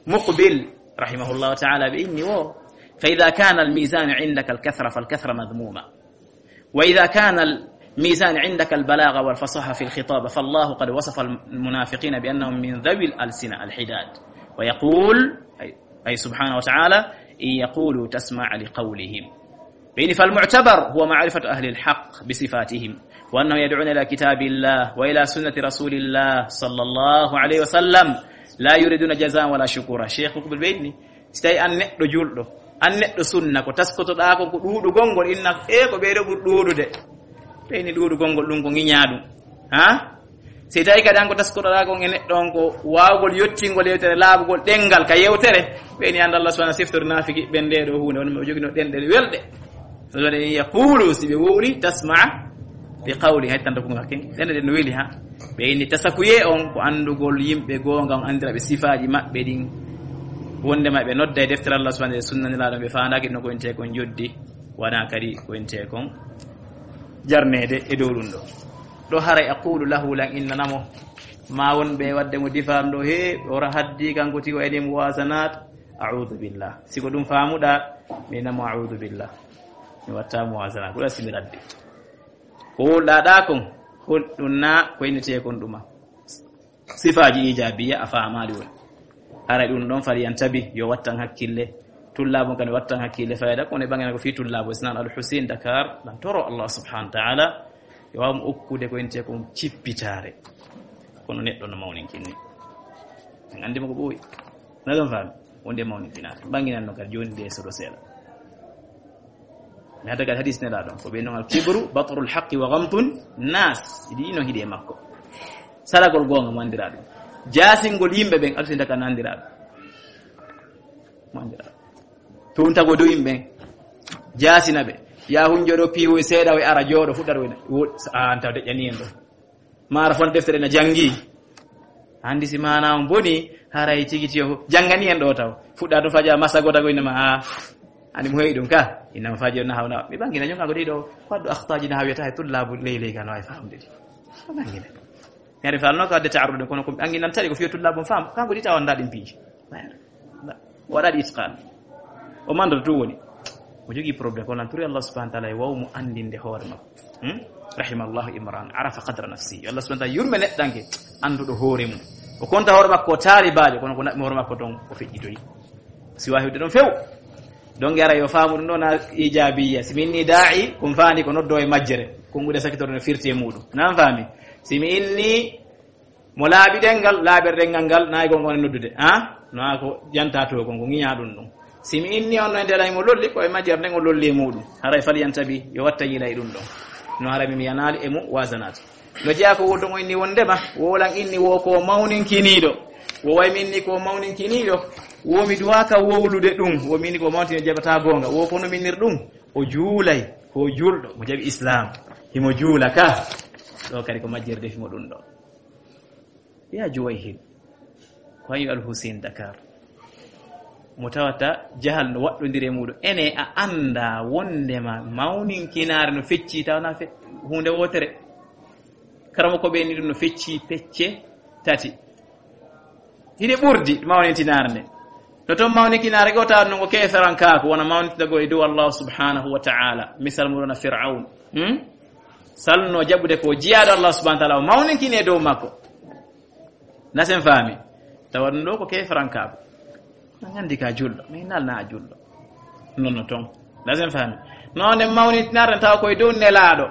Muqbil, rahimahullahu ta'ala, ɓe inni wo. Fa idha kana al-mizanu indaka al-kathra, fal kathra madhmuma. وإذا كان الميزان عندك البلاغة والفصاحة في الخطاب، فالله قد وصف المنافقين بأنهم من ذوي الألسنة الحداد، ويقول، أي، أي سبحانه وتعالى، إن يقولوا تسمع لقولهم. بين فالمعتبر هو معرفة أهل الحق بصفاتهم، وأنهم يدعون إلى كتاب الله وإلى سنة رسول الله صلى الله عليه وسلم، لا يريدون جزاء ولا شكورا. Cheikh Muqbil ɓe inni, si tawi an neɗɗo julɗo, an neɗɗo sunna, ko taskotoɗaa kon ko ɗuuɗugol ngol, inna, e ko ɓeyɗo ɓuri ɗuuɗude. Ɓeyni ɗuuɗugol ngol ɗum ko ŋiñaa ɗum. Ha? Si tawi kadi an ko taskotoɗaa kon e neɗɗo on ko waawgol yottingol yewtere, laaɓugol ɗengal ka yewtere, ɓeyni an Allah subhanahu siftori naafiki ɓen nde ɗo huunde, woni mo jogino ɗenɗe welɗe. So waɗi yaqulu, si ɓe wowli, tasma li qawli, hay tan ko ngakken. Ɗen ɗen no weli ha. Ɓe inni tasakuye on ko andugol yimɓe goonga on, andira ɓe sifaaji maɓɓe ɗin. Wonde ma ɓe nodda e deftere Allah subhanahu wa ta'ala, sunna Nelaaɗo, ɓe faandaaki no ko inte kon joddi, wona kadi ko inte kon jarneede e dow ɗum ɗo. Ɗo haray aqulu lahu, lan innanamo, ma wonɓe wadde mo difaam ɗo, he, ora haddi kanko tigi o eni mo wasanat, a'udhu billah. Si ko ɗum faamuɗa, mi namo a'udhu billah. Mi watta mo wasanat. Ko ɗa simiradde. Ko wowluɗaa ɗaa kon, hol ɗum na ko innetee kon ɗuma? Sifaaji ijabiya a faamaali woni. Haray ɗum ɗon fali yantabi, yo wattan hakkille. Tullaabo kan wattan hakkille fayda, kono e ɓangana ko fii tullaabo Isnan Al Hussein Dakar, lan toro Allah subhanahu wa ta'ala, yo waaw mo okkude ko innetee kon cippitaare. Kono neɗɗo no mawninkinni. En anndi mo ko ɓooyi. Na ɗon faami? Wonde mawninkinaare. Ɓanginan no kadi jooni de soɗo seeɗa. Mi hada kadi hadis Nelaaɗo on, ko ɓe non al kibru, batrul haqqi wa ghamtun nas. Iɗi ino hiɗe makko. Salagol goonga mo anndira ɗum. Jaasingol yimɓe ɓen, aɗa sinda kan anndira ɗum. Mo anndira ɗum. Tuntagol dow yimɓe ɓen. Jaasina ɓe. Ya hunjo ɗo piiwo e seeɗa o e ara jooɗo fuɗɗata o e wo-, a anta deƴƴani en ɗo. Maara fon deftere na janngi. Anndi si maana on boni, haray tigi tiyo jangani en ɗo taw. Fuɗɗa to faja masa gota ko inama, a, ani mo heyi ɗum ka. Inama faji on na hawna. Mi ɓangina ñonga ko ɗiɗo, ko addu akhtaji na hawiyata e tullabu ley ley kan wawi famde ɗi. Ko ɓangina. Mi ari falno ko adde ta'arrude kono ko ɓanginan tari ko fiyo tullabu fam. Kanko ɗi tawa ndaɗin piiji. O waɗaɗi itqan. O mandoto to woni. O jogii problème, kono lan turi Allah subhanahu wa ta'ala e waw mo anndinde hoore makko. Hmm? Rahimallahu imran, arafa qadra nafsi. Allah subhanahu wa ta'ala yurme neɗɗanke, annduɗo hoore mum. O konta hoore makko o taaribaajo, kono ko naɓmi hoore makko ton o feƴƴitoyi. Si wawi ɗum few. Donc ara yo faamu ɗum ɗo na ijabiya. Si min ni da'i, ko mi faani ko noddo e majjere. Konguɗe sakitoro no firti e muɗum. Nan faami? Si mi inni mo laaɓi ɗengal, laaɓere ɗengal ngal, nayi gon wona noddude, ha? No ha ko janta to kon, ko ŋiña ɗum ɗum. Si mi inni on no e ndelay mo lolli, ko e majjere nden o lolli e muɗum. Haray fal yantabi, yo watta yilay ɗum ɗon. No haray mi, mi yanaali e mo wasanat. No jeya ko woto mo inni wondema, wolan inni wo ko mawninkiniɗo. Wo way mi inni ko mawninkiniɗo. Wo mi duwaka wowlude ɗum. Wo mi inni ko mawninkiniɗo jabata gonga. Wo ko no minnir ɗum. O juulay, ko julɗo, mo jaɓi Islam. Himo juula ka. Ɗo kadi ko majjere defi mo ɗum ɗo. Ya Juwayhil, ko hanyu Al Hussein Dakar. Mo tawata jahal no waɗɗondiri e muɗum. Ene a annda wondema mawninkinaare no fecci taw na fe-, huunde wootere. Karamoko ɓe ni ɗum no fecci pecce tati. Hiɗe ɓurdi mawnintinaare nde. No toon mawninkinaare goo tawa ɗum ko keeferankaaku, wona mawnintagol e dow Allah subhanahu wa ta'ala. Misal muɗum na Fir'aun. Hmm? Salno jaɓude ko jiyaaɗo Allah subhanahu wa ta'ala, o mawninkini e dow makko. Nasen faami. Tawa ɗum ɗo ko keeferankaaku. An anndi ka julɗo, mais nal na a julɗo. Non no toon. Nasen faami. No nde mawnintinaare tawa koye dow nelaaɗo.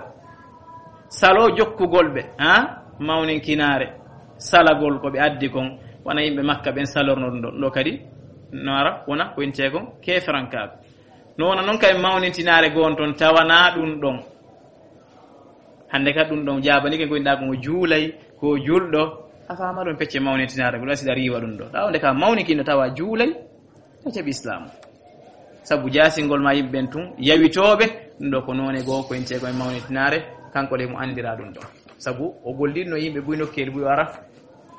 Salo jokkugol ɓe, ha? Mawninkinaare. Salagol ko ɓe addi kon. Wona yimɓe Makka ɓen salorno ɗum ɗo. Ɗo kadi, no ara, wona ko intee kon keeferankaaku. No wona noon kay mawnintinaare goon toon tawana ɗum ɗon. Hannde ka ɗum ɗon jaabani ke goynɗaa ko mo juulay, ko julɗo. A faama ɗum pecce mawnintinaare, ko ɗum asiɗa riiwa ɗum ɗo. Ɗa wonde ka mawninkino tawa juulay, a jaɓi Islaam. Sabu jaasingol ma yimɓe ɓen tun, yawitooɓe, ɗum ɗo ko noone goo ko intee ko e mawnintinaare, kanko le mo anndira ɗum ɗo. Sabu o gollitno yimɓe buy nokkeeli buy o ara,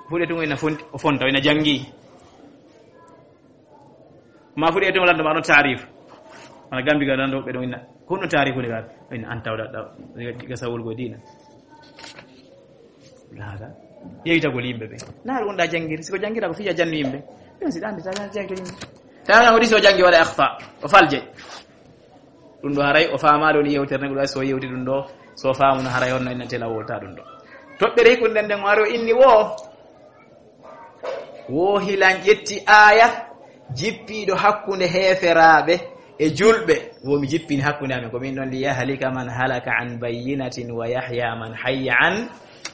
fuɗe tun o ina fonti, o fonta, o ina janngi. Ma fuɗe tun o lanndo ma ɗon taarif. Ana gambi ga lanndo ɓe ɗon ina. Ko ɗum taarif woni ga, ina an tawda, da, ga sawol go diina. Laada. Yeytagol yimɓe ɓe. Na ɗum wonɗa janngiri, siko janngira ko fiya jannu yimɓe. Ɗum si ɗa anndi, tawa janngi yimɓe. Tawa o ɗi so janngi waɗa akhta, o falje. Ɗum ɗo haray o faamaali woni yewtere ne, ɗum ɗo so yewti ɗum ɗo, so faamuno haray on na ina tela wolta ɗum ɗo. Toɓɓere hikkunde nden, nden o ari o inni wo. Wo hilan ƴetti aaya jippiiɗo hakkunde heeferaaɓe e julɓe. Wo mi jippini hakkunde amen, ko min ɗon, "Li yahlika man halaka an bayyinatin wa yahya man hayya an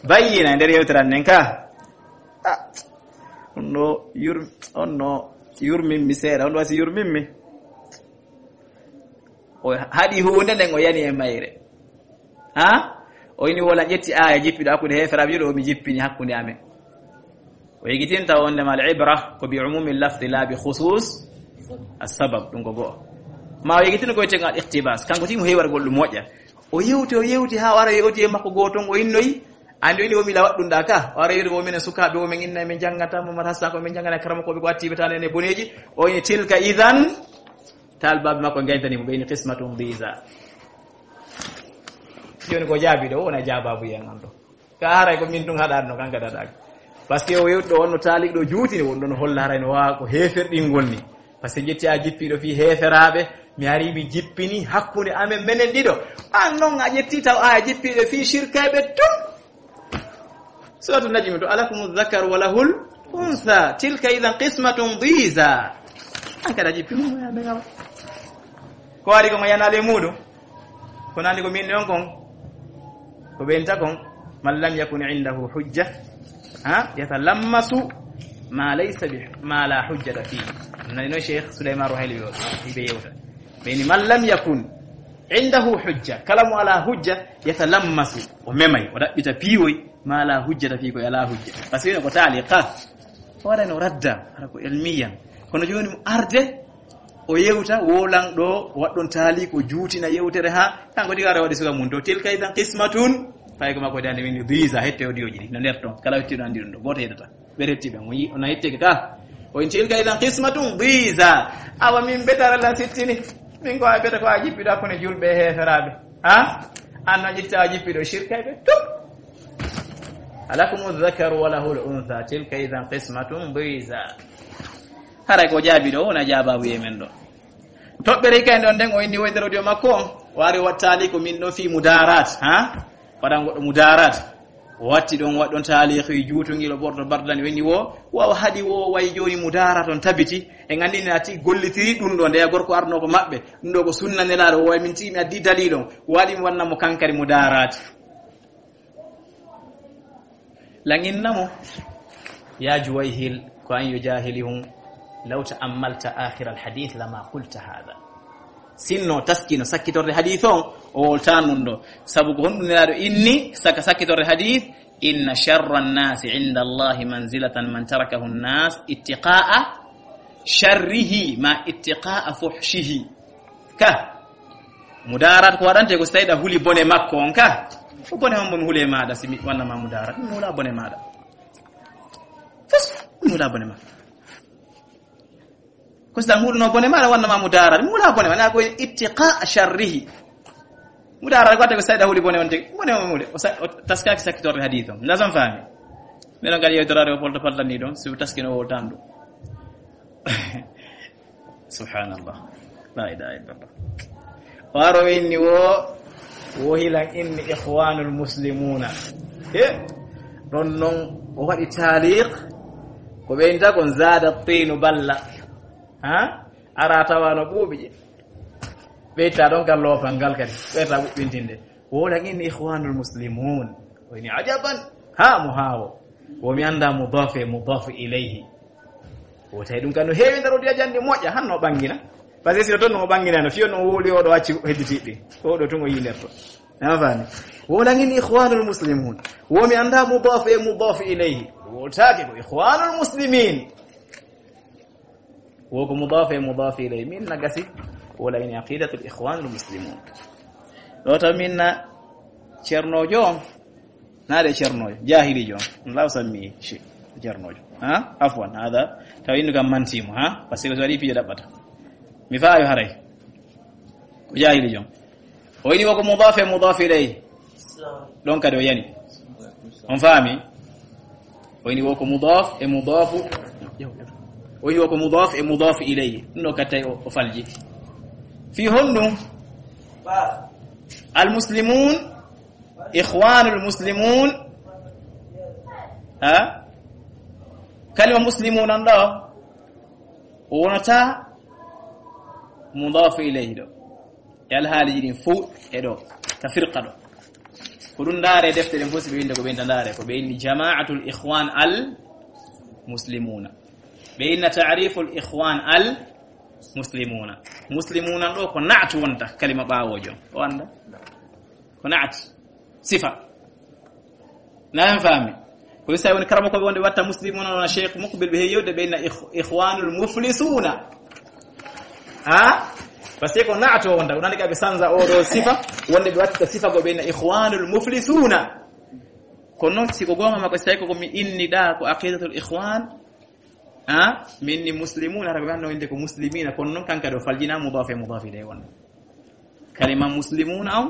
bayyina." E nder yewtere an nden ka. Ah, on no yur-, on no yurmin mi seeɗa, on wasi yurmin mi. O haɗi huunde nden o yani e mayre. Ha? O ini wola ƴetti aaya jippiɗo hakkunde heeferaaɓe julɓe, o mi jippini hakkunde amen. O yegitinta wonde ma al ibra ko bi umumi lafdi la bi khusus as sabab, ɗum ko go'o. Ma o yegitin ko wiyetee iqtibas, kanko tigi mo heewi waɗugol ɗum moƴƴa. O yewti, o yewti haa o ara o yewti e makko gooto on, o innoyi, andi o ini o mila waɗɗum ɗa ka. O ara yewti ko minen sukaaɓe o men inna men janngata, Momar Hassan ko men janngana karamokooɓe ko attiɓe tan ene boneeji. O ini tilka idan, taalibaaɓe makko gayntani mo, ɓe ini qismatun diza. Jooni ko jaabi ɗo, wona jaababu yen on ɗo. Ka haray ko min tun haɗaano, kanka daɗaaki. Parce que o yewɗo on no taaliɗo juutini, won ɗon holla haray no waawa ko heeferɗingol ni. Parce que ƴetti a jippiɗo fii heeferaaɓe, mi ari mi jippini hakkunde amen menen ɗiɗo. An non a ƴetti taw a jippiɗo fii shirkayɓe tun. Suratu Najmi to, "Alakumu dhakaru wa lahul untha, tilka idhan qismatun dhiza." An kada jippi mo ya be gawa. Ko ari ko mo yanale muɗum. Ko nandi ko min non kon. Ko ɓenta kon, "Man lam yakun indahu hujja, ha, yatalammasu ma laysa bi, ma la hujjata fihi." Nani no Cheikh Souleymane Ruhaili yo, ibe yewta. Ɓe ni, "Man lam yakun indahu hujja." Kala mo ala hujja, yatalammasu. O memay, o ɗaɓɓita piiwoy, ma la hujjata fihi, ko ala hujja. Parce que ko taali ka. O waɗano radda, hara ko elmiyan. Kono jooni mo arde, o yewta, wolan ɗo, waɗɗon taali ko juutina yewtere ha, kanko diga ara waɗi suka mun to. Tilka idan qismatun, fay ko makko dande min dhiza, hette o diyoji ɗi, no nder ton. Kala wetti ɗo andi ɗum ɗo, goto yeddata. Ɓe retti ɓe, mo yi, ona yetteke ka. O in tilka idan qismatun dhiza. Awa min betara la sittini. Min ko a beta ko a jippiɗo hakkunde julɓe e heeferaaɓe. Ha? An no ƴitta a jippiɗo shirkayɓe. Tum. Alakumu dhakaru wa lahul untha. Tilka idan qismatun dhiza. Haray ko jaabi ɗo, wona jaababu e men ɗo. Toɓɓere kay ɗon nden o inni woydere audio makko on. Wari wattali ko min ɗon fii mudarat, ha? Waɗan goɗɗo mudarat. O watti ɗon, waɗɗon taalihi juutungilo ɓorto bardani, o inni wo, wa o haɗi wo, wayi jooni mudarat on tabiti. En anndi ni ati gollitiri ɗum ɗo, ndeya gorko arno ko maɓɓe. Ɗum ɗo ko sunna nelaaɗo, o wayi min tii mi addi dalil on. Waɗi mi wanna mo kankari mudarat. Laŋinna mo, ya Juwayhil, ko an yo jahilihun, law ta'ammalta akhir al hadith lama qulta hadha. Sinno taskino sakkitorde hadith on, o wolta nun ɗo. Sabu ko honɗum nelaaɗo inni, saka sakkitorde hadith, inna sharra an-nasi inda Allahi manzilatan man tarakahu an-nas ittiqa'a sharrihi ma ittiqa'a fuhshihi. Ka. Mudarat ko waɗante ko so tawi ɗa huli bone makko on ka. Ko bone on mo mi huli e maɗa si mi wanna ma mudarat. Mi hula bone maɗa. Fos, mi hula bone makko. Ko so ɗa hulno bone maɗa wanna ma mudarat. Mi hula bone maɗa ko ittiqa sharrihi. Mudaara ko ate ko sayda huli bone on tigi. Bone on mude. O sa-, o taskaaki sakkitorde hadiis on. Nda son faami. Mbeɗon kadi yewtoraade o polto paltanni ɗon, si o taskino o tan ɗum. Subhanallah. La ilaha illallah. Waro inni wo, wo hilan inni ikhwanul muslimuna. E, ɗon non o waɗi taaliq, ko ɓe inta kon zada tinu balla. Ha? Ara tawa no ɓuuɓi je. Ɓeyta ɗon kal loofal ngal kadi. Ɓeyta ɓuɓɓintinde. Wola ngin ikhwanul muslimun. O ini ajaban. Ha mo hawo. Wo mi anda mudaf e mudaf ilayhi. Wo tawi ɗum kan no heewi nder o diya jandi moƴƴa hanno ɓangina. Parce que si o ton no ɓangina no fiyo no woli o ɗo acci hedditiɗi. O ɗo tun o yinerto. Na fani. Wola ngin ikhwanul muslimun. Wo mi anda mudaf e mudaf ilayhi. Wo taake ko ikhwanul muslimin. Wo ko mudaf e mudaf ilayhi. Min na gasi. Wola ini aqidatul ikhwanul muslimun. Ɗo taw min na ceernojo on. Na de ceernojo. Jahilijo on. Law sammi shi ceernojo. Ha? Afwan. Hada. Taw innu kam mantimo. Ha? Parce que so waɗi piye ɗaɓɓata. Mi faayo haray. Ko jahilijo on. O ini wo ko mudaf e mudaf ilayhi. Ɗon kadi o yani. On faami? O ini wo ko mudaf e mudafu. O ini wo ko mudaf e mudaf ilayhi. Ɗum ɗo kattay o, o falji. Fi honɗum? Al muslimun, ikhwanul muslimun. Ha? Kalima muslimun on ɗo. O wonata mudaf ilayhi ɗo. E alhaaliji ɗin fof e ɗo, ka firqa ɗo. Ko ɗum ndaare defte ɗen fof si ɓe winde ko ɓe inta ndaare, ko ɓe inni jama'atul ikhwan al muslimuna. Ɓe inna ta'riful ikhwan al muslimuna. Muslimuna ɗo ko naatu wonta kalima ɓaawojo. O anda? Ko naat. Sifa. Na en faami? Ko isa woni karamo ko ɓe wonde watta muslimuna, wona Cheikh Mukbil ɓe heewi yewde ɓe inna ikh-, ikhwanul muflisuna. Ha? Parce que ko naato wonta, ko nani ka ɓe sanza o ɗo sifa, wonde ɓe watta sifa ko ɓe inna ikhwanul muflisuna. Kono noon si ko goonga makko, si tawi ko mi inni ɗa ko aqidatul ikhwan, ha? Min ni muslimuna, hara ɓe ɓe anno inde ko muslimina, kono noon kanka ɗo faljina mudaf e mudaf ilayhi wonde. Kalima muslimuna on,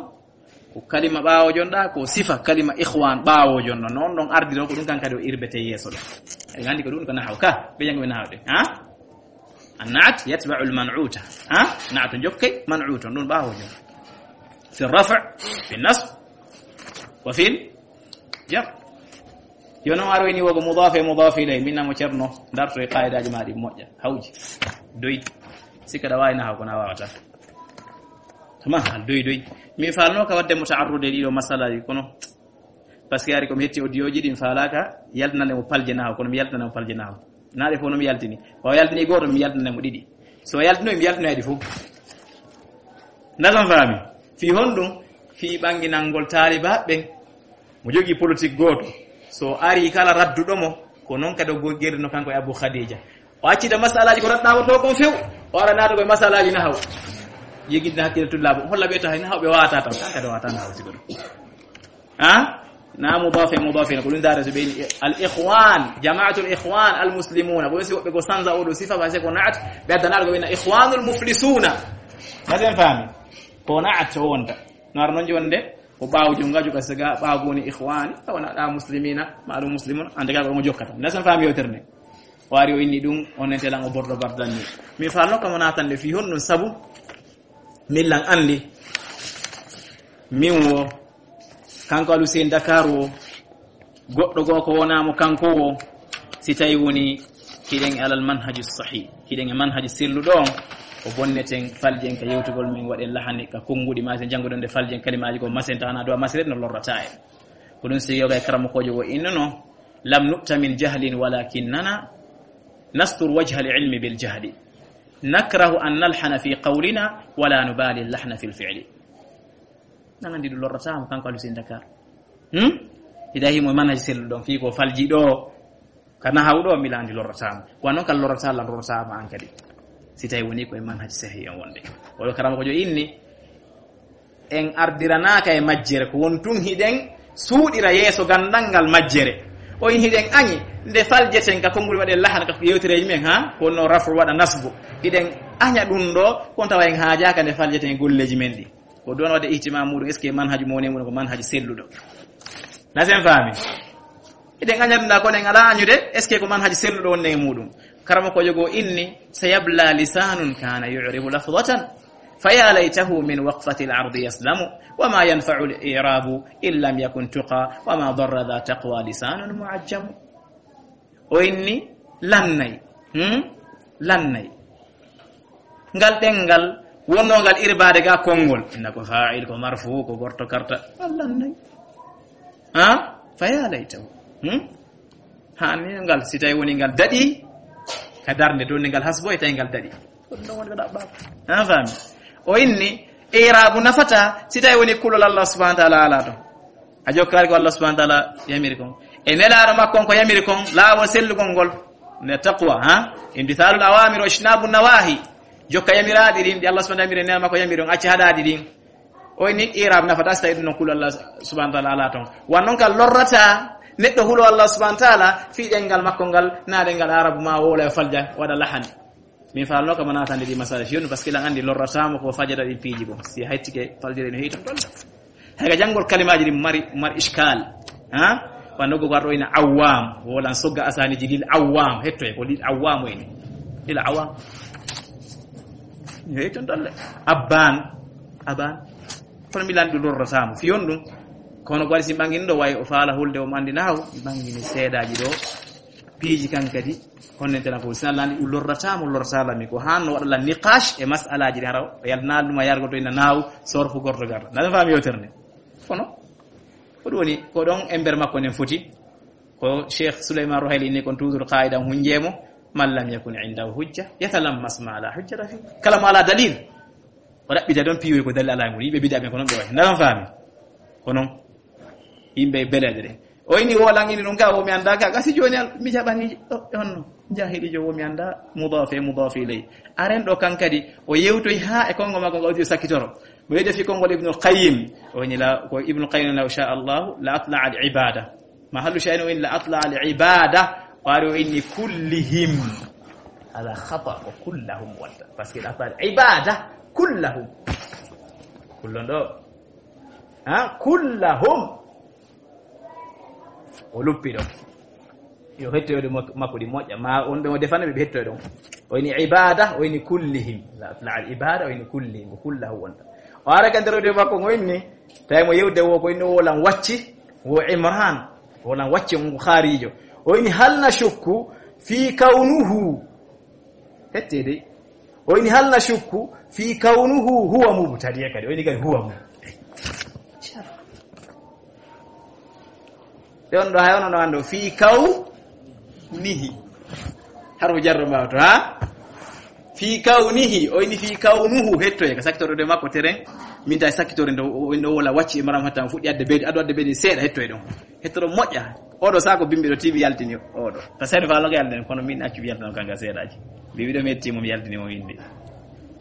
ko kalima ɓaawo jon ɗa, ko sifa kalima ikhwan ɓaawo jon ɗon. Noon ɗon ardi ɗon, ko ɗum kan kadi o irbete yeeso ɗo. Eɗen anndi ko ɗum ko nahaw ka, ɓe janngo ɓe nahaw ɗe. Ha? An naat yatba'u al man'uta. Ha? Naat jokkay man'uta, ɗum ɓaawo jon. Fi rafa', fi nasb, wa fil jar. Yo noon aroyni wo ko mudaf e mudaf ilay, min namo ceerno, darto e qaidaaji ma ɗi moƴƴa, hawji, doy. Sikka ɗa waawi nahaw kono a waawata. Tuma hal doy doy. Mi faalno ka wadde mo ta'arrude ɗiɗo masalaaji kono. Parce que ari ko mi hetti audio ji ɗin faalaaka, yaltinande mo palje nahaw, kono mi yaltinande mo palje nahaw. Naaɗe fof no mi yaltini. O yaltini gooto, mi yaltinande mo ɗiɗi. So yaltinoy, mi yaltinoy ɗi fof. Ndasan faami? Fii honɗum? Fii ɓanginangol taalibaaɓe ɓen. Mo jogii politique gooto. So ari kala radduɗo mo, ko noon kadi o gogirno kanko e Abu Khadija. O accita masalaaji ko radɗaama to kon few. O ara naata ko e masalaaji nahaw. Yegidna hakkille tullaaɓe. Holla ɓe tahay nahaw ɓe waata tan. Kan kadi waata nahaw sigo ɗum. Ha? Na mudaf e mudaf ilayhi, ko ɗum daara so ɓe ni al ikhwan, jama'atul ikhwan al muslimuna. Ko si woɓɓe ko sanza o ɗo sifa, parce que ko naat, ɓe addanaɗo ko ɓe na ikhwanul muflisuna. Ndasen faami? Ko naat o wonta. No ara noon jonde, ko ɓaawo jom ngaju ka siga, ɓaawo ko woni ikhwan, wona ɗa muslimina, ma ɗum muslimun, ande ka ko mo jokkata. Ndasen faami yewtere nde. O ari o inni ɗum, on ente lan o bordo bardanni. Mi faalno kamo naatande fii honɗum sabu, min lan anndi. Min wo, kanko Alu Seen Dakar wo, goɗɗo goo ko wonaa mo kanko wo, si tawi woni hiɗen alal manhaju sahih, hiɗen e manhaju selluɗo on, o bonneten faljen ka yewtugol men waɗen lahani ka konnguɗi ma sen jannguɗen nde faljen kalimaaji ko masen tawana dowa masire no lorrata en. Ko ɗum si yoga e karamokoojo wo innuno, lam nu'ta min jahlin walakinnana nastur wajha al ilmi bil jahli. Nakrahu an nalhana fi qawlina wala nubali lahna fil fi'li. Nan anndi ɗum lorrataama kanko Alu Seen Dakar. Hmm? Ida himo manhaji sellu ɗon fii ko falji ɗo ka nahaw ɗo mila anndi lorrataama. Wa noon kala lorrataama lan lorrataama an kadi. Si tawi woni ko e manhaji sahi en wonde. Wala karama ko jo inni en ardiranaaka e majjere ko won tun hiɗen suuɗira yeeso gandal ngal majjere. O in hiɗen añi nde faljeten ka konngol waɗe lahan ka yewtereeji men ha ko wonno rafu waɗa nasbu. Hiɗen aña ɗum ɗo kon tawa en haajaaka nde faljeten e golleeji men ɗi. Ko ɗon waɗde ihtimam muɗum, est-ce que manhaju mo woni e muɗum ko manhaju selluɗo? Na sen faami? Eɗen aña ɗum ɗa, kono en alaa añude, est-ce que ko manhaju selluɗo wonde e muɗum? Karamokojo goo inni: "Sayabla lisanun kana yu'ribu lafzatan, faya laytahu min waqfati al-ardi yaslamu, wa ma yanfa'u al-i'rabu in lam yakun tuqa, wa ma darra dha taqwa lisanun mu'ajjamu." O inni lannay, hmm? Lannay. Ngal ɗenngal wonnoo ngal irbaade ga konngol. Inna ko fa'il, ko marfu, ko gorto karta. Ngal lannay. Ha? Faya laytahu. Hmm? Hani ngal, si tawi woni ngal daɗi, ka darnde ɗon ngal hasbo e tawi ngal daɗi. Ko ɗum ɗon woni ko ɗaɓɓaaka. An faami? O inni, i'raabu nafata, si tawi woni kulol Allah subhanahu wa ta'ala alaa ton. A jokkaali ko Allah subhanahu wa ta'ala yamiri kon. E nelaaɗo makko on ko yamiri kon, laawol sellugol ngol. Ne taqwa, ha? Imtithalul awamir wa ijtinabu nawahi. Jokka yamiraaɗi ɗin, ɗi Allah subhanahu wa ta'ala yamiri, nena makko yamiri on, acca haɗaaɗi ɗin. O inni i'raab nafata si tawi ɗum non kulol Allah subhanahu wa ta'ala alaa ton. Wan non kal lorrata neɗɗo hulo Allah subhanahu wa ta'ala fii ɗenngal makko ngal, na ɗenngal Arabu ma wowla e falja waɗa lahan. Min faalno kam a naatande ɗi masala si yonnu, parce que lan anndi lorrata mo ko fajata ɗin piiji goo. Si a hettike faljere no heyi ton ɗon. Hay ka janngol kalimaaji ɗin mari, mari iskal. Ha? Wano go garɗo ina awwam, wolan sogga asaniji lil awwam, hetto e ko lil awwam woni. Lil awwam. Yo hetton dolle. Abban, aban. Kono mi landu lorrata mo. Fiyon ɗum. Kono ko waɗi si ɓangini ɗo, way o faala hulde o mandi nahaw, mi ɓangini seedaaji ɗo. Piiji kan kadi, konnen tana ko sina landi ɗum lorrata mo, lorrata lami. Ko hanno waɗa la niqash e mas'alaji ɗin hara, o yalnaali ɗum a yargo to ina nahaw, sorfu gorto garta. Na faami yewtere nde. Kono, ko ɗum woni, ko ɗon ember makko nden foti. Ko Cheikh Souleymane Ruhaili inni kon toujours qaida hunjeemo, "Man lam yakun indahu hujja, yatalammas ma la hujjata fi." Kala mo ala dalil, o ɗaɓɓita ɗon piiwoy ko dalil ala e mum. Yimɓe bid'a ɓen ko non ɓe wayi. Ndaran faami? Ko non. Yimɓe beleɗe ɗen. O ini wo langini ɗum ka, wo mi annda ka. Gasi jooni al-, mi jaɓani, o, e honno? Jahilijo wo mi annda mudaf e mudaf ilay. Aren ɗo kan kadi, o yewtoy ha e kongo makko ngo o sakkitoro. Mo yewde fi kongol Ibnul Qayyim. O ini la, ko Ibnul Qayyim la, sha Allah, la atla al ibada. Mahallu shay'in o inni la atla al ibada, o ari o inni kullihim. Ala khata ko kullahum wonta. Parce que la atla al ibada kullahum. Kullon ɗo. Ha? Kullahum. O luppi ɗon. Yo hettoyde mak-, makko ɗi moƴƴa. Ma on ɓe o defana ɓe, ɓe hettoy ɗon. O ini ibada, o ini kullihim. La, la al ibada, o ini kullihim. Ko kullahu wonta. O ara ka nder o de makko ngo inni. Tawi mo yewde wo ko inni o wolan wacci. Wo Imran. Wolan wacci on ko kharijo. O ini hal nashukku fi kawnuhu. Hette dey. O ini hal nashukku fi kawnuhu huwa mubtadi' kadi. O ini kadi huwa mu. Ɓe on ɗo hay ono no ando fi kawnihi. Harfu jarro mbawto, ha? Fi kawnihi, o ini fi kawnuhu hettoye. Ka sakkitorde makko teren. Min tawi sakkitorde ndo, o, o wola wacci e maram hatta o fuɗɗi adde beedi, ado adde beedi seeɗa hettoye ɗon. Hettoro moƴƴa. Oɗo sako bimbi ɗo tiiɓi yaltini oɗo. Ta sani fa loga yaltini, kono min accu yaltino kanga seeɗaji. Mbi wiɗo mi hetti mo, mi yaltini mo windi.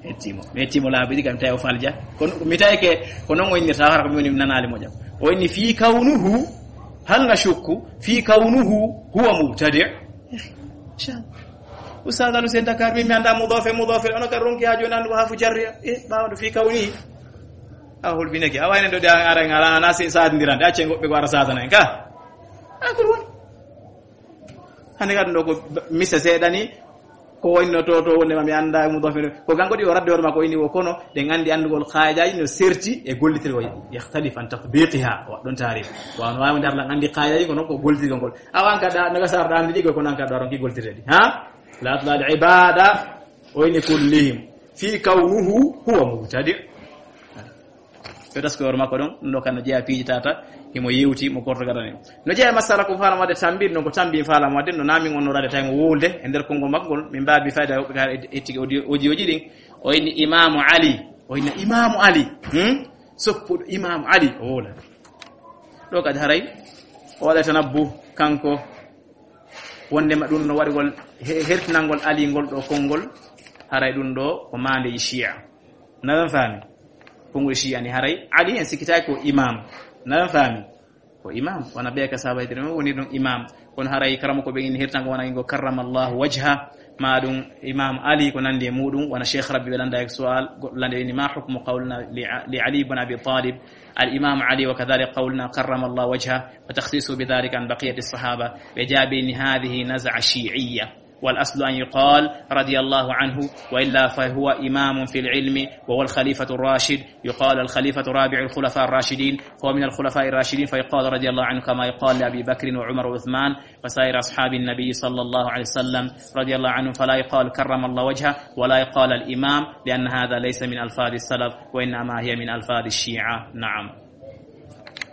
Hetti mo. Mi hetti mo laabi ɗi kam tawi o falja. Kono mi tawi ke, ko non o innirta, hara ko mi woni mi nanaali moƴƴa. O inni fi kawnuhu, hal nashukku, fi kawnuhu, huwa mubtadi'. Sha. Ustaz Alu Sen Dakar, min mi anda mudofe, mudofe, ono ka ronki ha joni andu ko hafu jarriya. E, ɓawo ɗo fi kawnihi. A hulbineke, a wayne ɗo de an ara ngala, na si sadindirande, acce goɓɓe ko ara sadana en ka. A ko ɗum woni. Hande kadi ɗo ko misa seeɗa ni, ko wayno to, to wonde ma mi anda e mum ɗo fere. Ko kanko ɗi o radde hoore makko ini wo kono, ɗen andi andugol kaayidaji no serti e gollitirgol, yakhtalif an tatbiqiha, wa ɗon taarif. Wa no wawi ndar lan andi kaayidaji kono ko gollitirgol ngol. Awan ka da, naga sar da andi ɗi ko nan ka ɗo ronki gollitirde ɗi. Ha? La atla al ibada, o ini kullihim. Fi kawnuhu huwa mubtadi'. Ɓe taski hoore makko ɗon, ɗum ɗo kan no jeyaa piiji tata, himo yewti mo korto gadani. No jeyaa e masala ko faala wadde tambi, ɗum ko tambi faala wadde, no naamin on no rade tawi mo wowlde e nder konngol makko ngol, min mbaabi fayda woɓɓe kala et-, ettike audio, audio ji ɗin. O inni Imaamu Ali, o inni Imaamu Ali, hmm? Soppuɗo Imaamu Ali, o wowla. Ɗo kadi haray, o waɗa tanabbu, kanko, wondema ɗum no waɗugol he-, hertinangol Ali ngol ɗo konngol, haray ɗum ɗo ko maandeji Shia. Naɗan faami? Konngol Shia ni haray Ali en sikkitaaki ko imam. Naɗan faami? Ko imam. Wona ɓe ka sahabaytere men woni ɗum imam. Kono haray karama ko ɓe ini hertango wona ingo karramallahu wajha. Maɗum Imam Ali ko nandi e muɗum, wona Cheikh Rabbi ɓe landa e sual, goɗɗo lande ni, "ما حكم قولنا لع-، لعلي بن أبي طالب، الإمام علي، وكذلك قولنا كرم الله وجهه، وتخصيصه بذلك عن بقية الصحابة؟" Ɓe jaabi ni, "هذه نزعة شيعية، والأصل أن يقال رضي الله عنه، وإلا فهو إمام في العلم، وهو الخليفة الراشد، يقال الخليفة رابع الخلفاء الراشدين، فهو من الخلفاء الراشدين، فيقال رضي الله عنه كما يقال لأبي بكر وعمر وعثمان وسائر أصحاب النبي صلى الله عليه وسلم رضي الله عنه، فلا يقال كرم الله وجهه، ولا يقال الإمام، لأن هذا ليس من ألفاظ السلف، وإنما هي من ألفاظ الشيعة." نعم.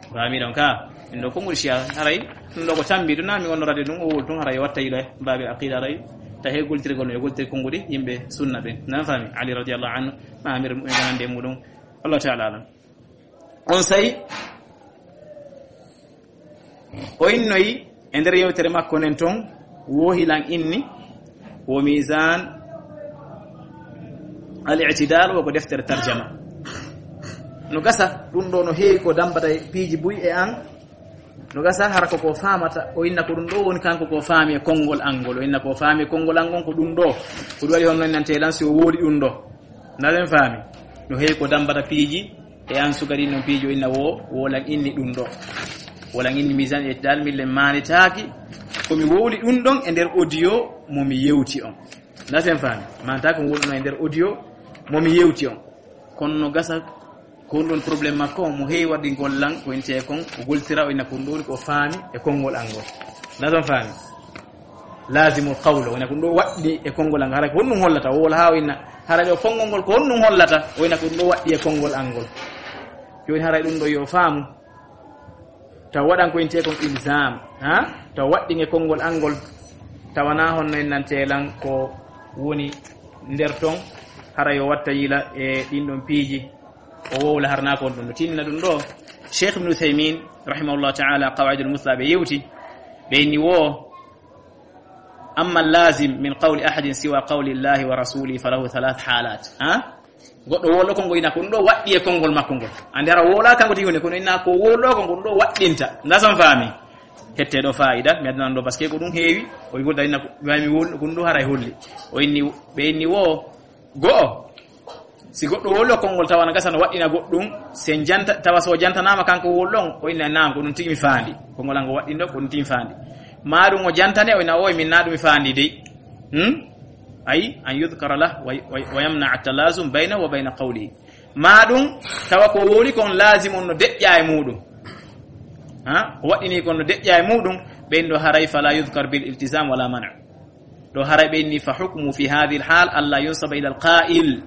Faami ɗon ka? En ɗo konngol Shiya, haray ɗum ɗo ko tambi, ɗum na mi wonno radio ɗum, o wol tun, haray watta yilo e baabi aqida, haray ta he goltirgol no e goltir konnguɗi yimɓe sunna ɓen. Nan faami? Ali radiyallahu anhu, ma amir mu'minin hande muɗum. Allah ta'ala alam. On say, o innoyi e nder yewtere makko nden ton, wo hilan inni, wo Mizan al-I'tidal, wo ko deftere tarjama. No gasa, ɗum ɗo no heewi ko dambata e piiji buy e an. No gasa, hara ko ko faamata, o inna ko ɗum ɗo woni kanko ko faami e konngol angol. O inna ko faami e konngol angol ko ɗum ɗo. Ko ɗum waɗi honno innante lan si o wooli ɗum ɗo. Ndaɗen faami. No heewi ko dambata piiji e an suka ɗin non piiji, o inna wo, wolan inni ɗum ɗo. Wolan inni Mizan e dal millen maanitaaki. Ko mi wowli ɗum ɗon e nder audio mo mi yewti on. Ndaɗen faami. Maanata ko wowluno e nder audio mo mi yewti on. Kono no gasa ko ɗum ɗon problème makko, mo heewi waɗi gollan ko inte kon, o goltira, o inna ko ɗum ɗon ko faami e konngol angol. Ndaɗen faami. Lazimul qawlo, wona ko ɗum ɗo waɗɗi e konngol an, hara ko honɗum hollata, o wowla haa o inna, hara ɗo konngol ngol ko honɗum hollata, o inna ko ɗum ɗo waɗɗi e konngol an ngol. Jooni hara ɗum ɗo yo faamu, taw waɗan ko intee kon ilzam, ha? Taw waɗɗin e konngol an ngol, tawana honno en nante lan ko woni nder ton, hara yo watta yila e ɗin ɗon piiji, o wowla harna ko ɗum ɗo tinna ɗum ɗo. Cheikh Ibn Uthaymin, rahimahullah ta'ala, Qawaidul Musla ɓe yewti, ɓe inni wo, أما اللازم من قول أحد سوى قول الله ورسوله فله ثلاث حالات. Ha? Goɗɗo wolo ko ngoyna ko ɗum ɗo waɗɗi e konngol makko ngol. Ande hara wola kanko tigi woni, kono inna ko wolo ko ngol ɗo waɗɗinta. Ndason faami. Hette ɗo faayida, mi addan ɗo parce que ko ɗum heewi, o yigol da inna ko, mi wol, ko ɗum ɗo haray holli. O inni, ɓe inni wo, go'o. Si goɗɗo wolo konngol tawa na gasa no waɗɗina goɗɗum, sen janta, tawa so jantanaama kanko wol ɗon, o inna naam, ko ɗum tigi mi faandi. Konngol an ngo waɗɗin ɗo, ko ɗum tigi mi faandi. Ma ɗum o jantane, o inna o min na ɗum mi faandi dey. Hmm? Ay, أن يذكر له و، و، ويمنع التلازم بينه وبين قوله. Ma ɗum, tawa ko wowli kon lazim on no deƴƴa e muɗum. Ha? Ko waɗɗini kon no deƴƴa e muɗum, ɓen ɗo haray فلا يذكر بالالتزام ولا منع. Ɗo haray ɓe inni فحكمه في هذه الحال ألا ينسب إلى القائل.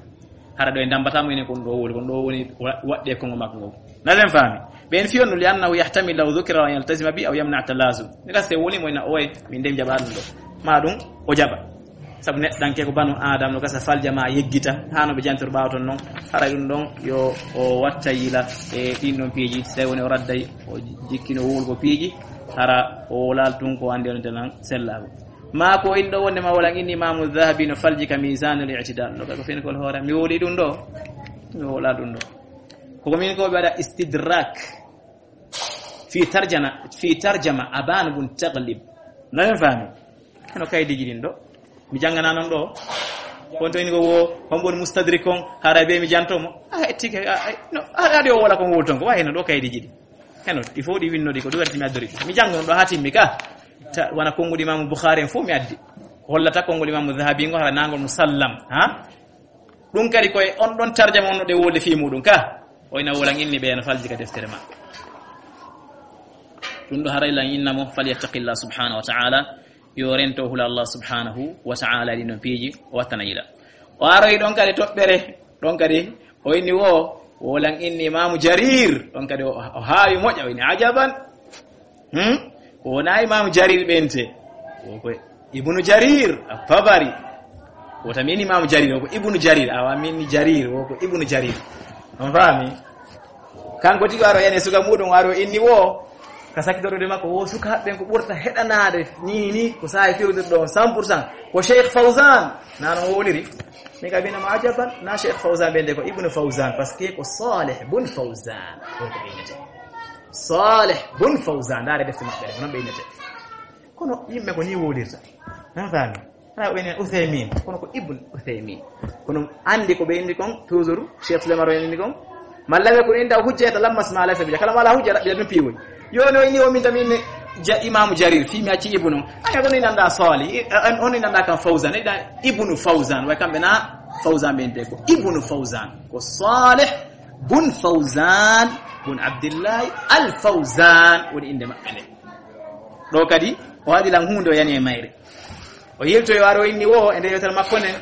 Hara ɗo e dambata mo enen kon ɗo wowli, kon ɗo woni wa-, waɗɗe kongo makko ngo. Ndaɗen faami. Ɓen fiyon no لأنه يحتمل لو ذكر أن يلتزم به أو يمنع التلازم. Mi gasa woni mo ina oye, min dem jaɓa ɗum ɗo. Ma ɗum, o jaɓa. Sabu neɗɗanke ko banu Adam no gasa falja ma yeggita, haa no ɓe jantor ɓaawo ton non. Hara ɗum ɗon yo o watta yila e ɗin ɗon piiji, tawi woni o radday, o jikkino wowlugo piiji, hara o wolal tun ko andi on tenan sellaago. Ma ko inɗo wonde ma wala inni Imamu Dhahabi no falji ka Mizanul I'tidal. No ko fen ko hoore, mi woli ɗum ɗo, mi wola ɗum ɗo. Ko min ko ɓe waɗa istidrak fi tarjana, fi tarjama Aban bun Taglib. No en faami? Heno kaydiji ɗin ɗo. Mi jangana non ɗo. Kon to ini ko wo, hombo woni mustadrik on, hara be mi janto mo. Ah, ettike, ah, ah, no, ah, adi o wala ko wol ton ko, wa heno ɗo kaydiji ɗi. Heno, il faut ɗi winno ɗi ko ɗum waɗi mi addori. Mi jango non ɗo ha timmi ka. Ta, wana konguɗi Imamu Bukhari en fof mi addi. Ko hollata konguɗi Imamu Dhahabi ngo hara nangol musallam, ha? Ɗum kadi koye on ɗon tarjama on no ɗe wolde fii muɗum ka. O ina wolan inni ɓe no falji ka deftere ma. Ɗum ɗo haray lan inna mo, "فليتق الله سبحانه وتعالى." Yo rento hula Allah subhanahu wa ta'ala ɗi non piiji, o wattana yila. O aroyi ɗon kadi toɓɓere, ɗon kadi o inni wo, wolan inni Imamu Jarir, ɗon kadi o, o haawi moƴƴa, o inni ajaban. Hmm? Ko wona Imamu Jarir ɓente. Wo ko Ibnu Jarir At-Tabari. Wota min Imamu Jarir, wo ko Ibnu Jarir. Awa min ni Jarir, wo ko Ibnu Jarir. On faami? Kanko tigi waro yani suka muɗum waro inni wo. Ka sakitorde makko wo suka haɓɓen ko ɓurta heɗanaade ni ni ko sahi firdude ɗon cent pour cent. Ko Cheikh Fawzan. Nano woliri. Mi ka bina ma ajaban, na Cheikh Fawzan ɓende ko Ibnu Fawzan, parce que ko Saleh bun Fawzan. Ko ko ɓe innete. Saleh bun Fawzan, ndaare defte maɓɓe ɗe, ko non ɓe innete. Kono yimɓe ko ni wolirta. Na faami? Tawi o enen Uthaymin, kono ko Ibn Uthaymin. Kono andi ko ɓe indi kon, toujours, Cheikh Souleymane o indi kon. Malla ɓe ko inda hujja ta lammas ma laysa bi, kala mala hujja raɓɓi ɗum piwoy. Yo no ini o min tamin ja Imam Jarir, fi mi acci Ibnu. Aya, on inanda Salih, on inanda kan Fawzan, ida Ibnu Fawzan, way kamɓe na Fawzan ɓe inde ko Ibnu Fawzan. Ko Salih bun Fawzan, bun Abdillahi Al Fawzan, woni inde maɓɓe nde. Ɗo kadi, o waɗi lan huunde o yani e mayre. O yiltoyi o ari o inni wo, e nde yewtere makko nden,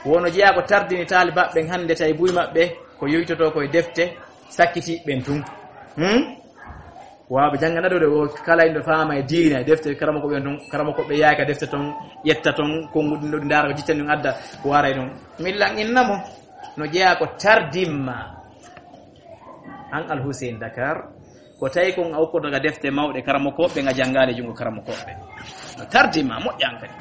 wono jeyaa ko tardini taalibaɓe ɓen hannde tawi buy maɓɓe, ko yoytotoo ko e defte, sakkiti ɓen tun. Hmm? Waaɓe jannga naɗude o kala inɗo faama e diina, e defte karama ko ɓen tun, karama ko ɓe yaaka defte ton, ƴetta ton, konnguɗi ɗo ɗi ndaara ko jiccani ɗum adda, ko waray ɗum. Min lan inna mo, no jeyaa ko tardimma. An Al Hussein Dakar, ko tawi kon a ukkoto ga defte mawɗe karamokooɓe, nga janngaali junngo karamokooɓe. No tardima, moƴƴa an kadi.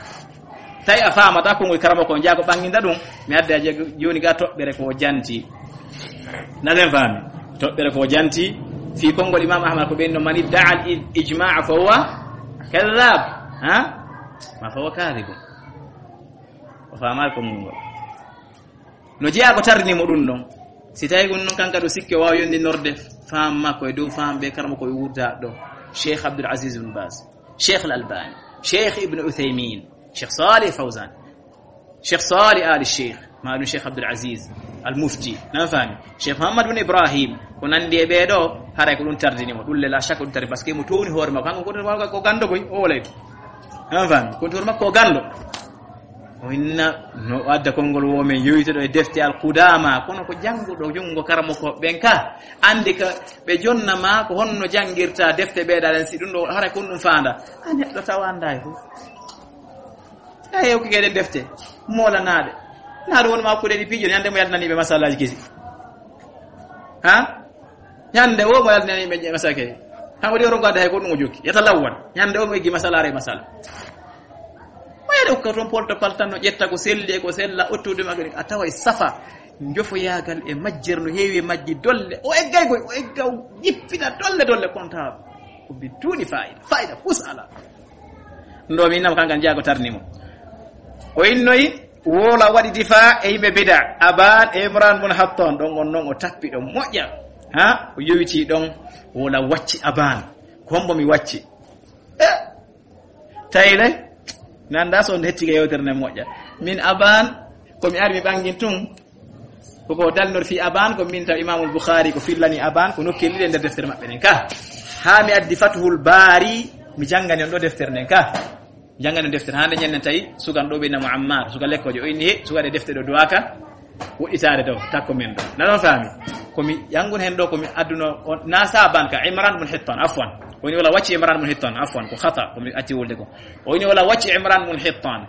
Tawi a faamata konngol karamoko on, jaa ko ɓannginta ɗum, mi adda je-, jooni ga toɓɓere ko janti. Na sen faami? Toɓɓere ko janti, fii konngol Imam Ahmad ko ɓen no mani da'a al ijma'a fa huwa kadhab. Ha? Ma fa huwa kadhibun. O faamaali konngol ngol. No jeyaa ko tardini mo ɗum ɗon. Si tawi ɗum ɗon kanka ɗo sikke o waawa yondinorde faham makko e dow faham ɓe karamo ko e wurda ɗo. Cheikh Abdul Aziz bin Baz, Cheikh Al Albani, Cheikh Ibn Uthaymin, Cheikh Salih Fawzan, Cheikh Salih Ali Cheikh, ma ɗum Cheikh Abdul Aziz Al Mufti, nan faami? Cheikh Muhammad bin Ibrahim, ko nandi e ɓee ɗo, haray ko ɗum tardini mo. Ɗum le la shakka ɗum tardini, parce que mo towni hoore makko, kanko ko, ko, ko ganndo koy, o wolay. Nan faami? Ko hoore makko o ganndo. O inna no adda konngol wo men yoytuɗo e defte Al Qudama, kono ko jannguɗo junngo karamoko ɓen ka, andi ka ɓe jonna ma ko honno janngirta defte ɓeeɗa ɗen, si ɗum ɗo haray kon ɗum faanda. A neɗɗo tawa annda e fof. Tawi hewki kay ɗen defte, moolanaaɗe. Naa ɗum woni ma kuɗe ɗi piijo, ñande mo yaltinani ɓe masalaji kesi. Ha? Ñande wo mo yaltinani ɓe masala kesi. Hanko ɗi o ronko adda hay ko ɗum o jokki. Yata lawwan. Ñande wo mo eggi masala are masala. Mayre hokka toon polto paltanno, ƴetta ko selli e ko sella, ottude makko, a tawa e safa, njofoyaagal e majjere no heewi e majji dolle. O eggay koy, o egga, o jippina dolle, dolle, comptable. Ko bi duuni fayida, fayida, hus ala. Ndo mi nam kankan jaago tarni mo. O innoyi, wola waɗi difa e yimɓe bida, Aban e Imran bun Hatton, ɗon on non o tappi ɗon moƴƴa. Ha? O yowiti ɗon, wola wacci Aban. Ko hombo mi wacci? Eh, Tayle, mi anndaa so on hettike yewtere nden moƴƴa. Min Aban, ko mi ari mi ɓangin tun. Ko ko dalnor fii Aban, ko min taw Imamul Bukhari ko fillani Aban, ko nokkel ɗiɗi e nder deftere maɓɓe nden ka. Haa mi addi Fathul Bari, mi janngani on ɗo deftere nden ka. Mi janngani on deftere, haa nde ñannen tawi sukan ɗo ɓe innamo Ammar, suka lekkojo, o inni he, suka ɗe defte ɗo duwaka. Woɗɗitaade ɗo, takko men ɗo. Na ɗon faami? Ko mi janngun heen ɗo, ko mi adduno on, na Saban ka, Imran bun Hittan, afwan. Woni wala wacci Imran bun Hittan, afwan, ko khata, ko mi acci wolde ko. O woni wala wacci Imran bun Hittan.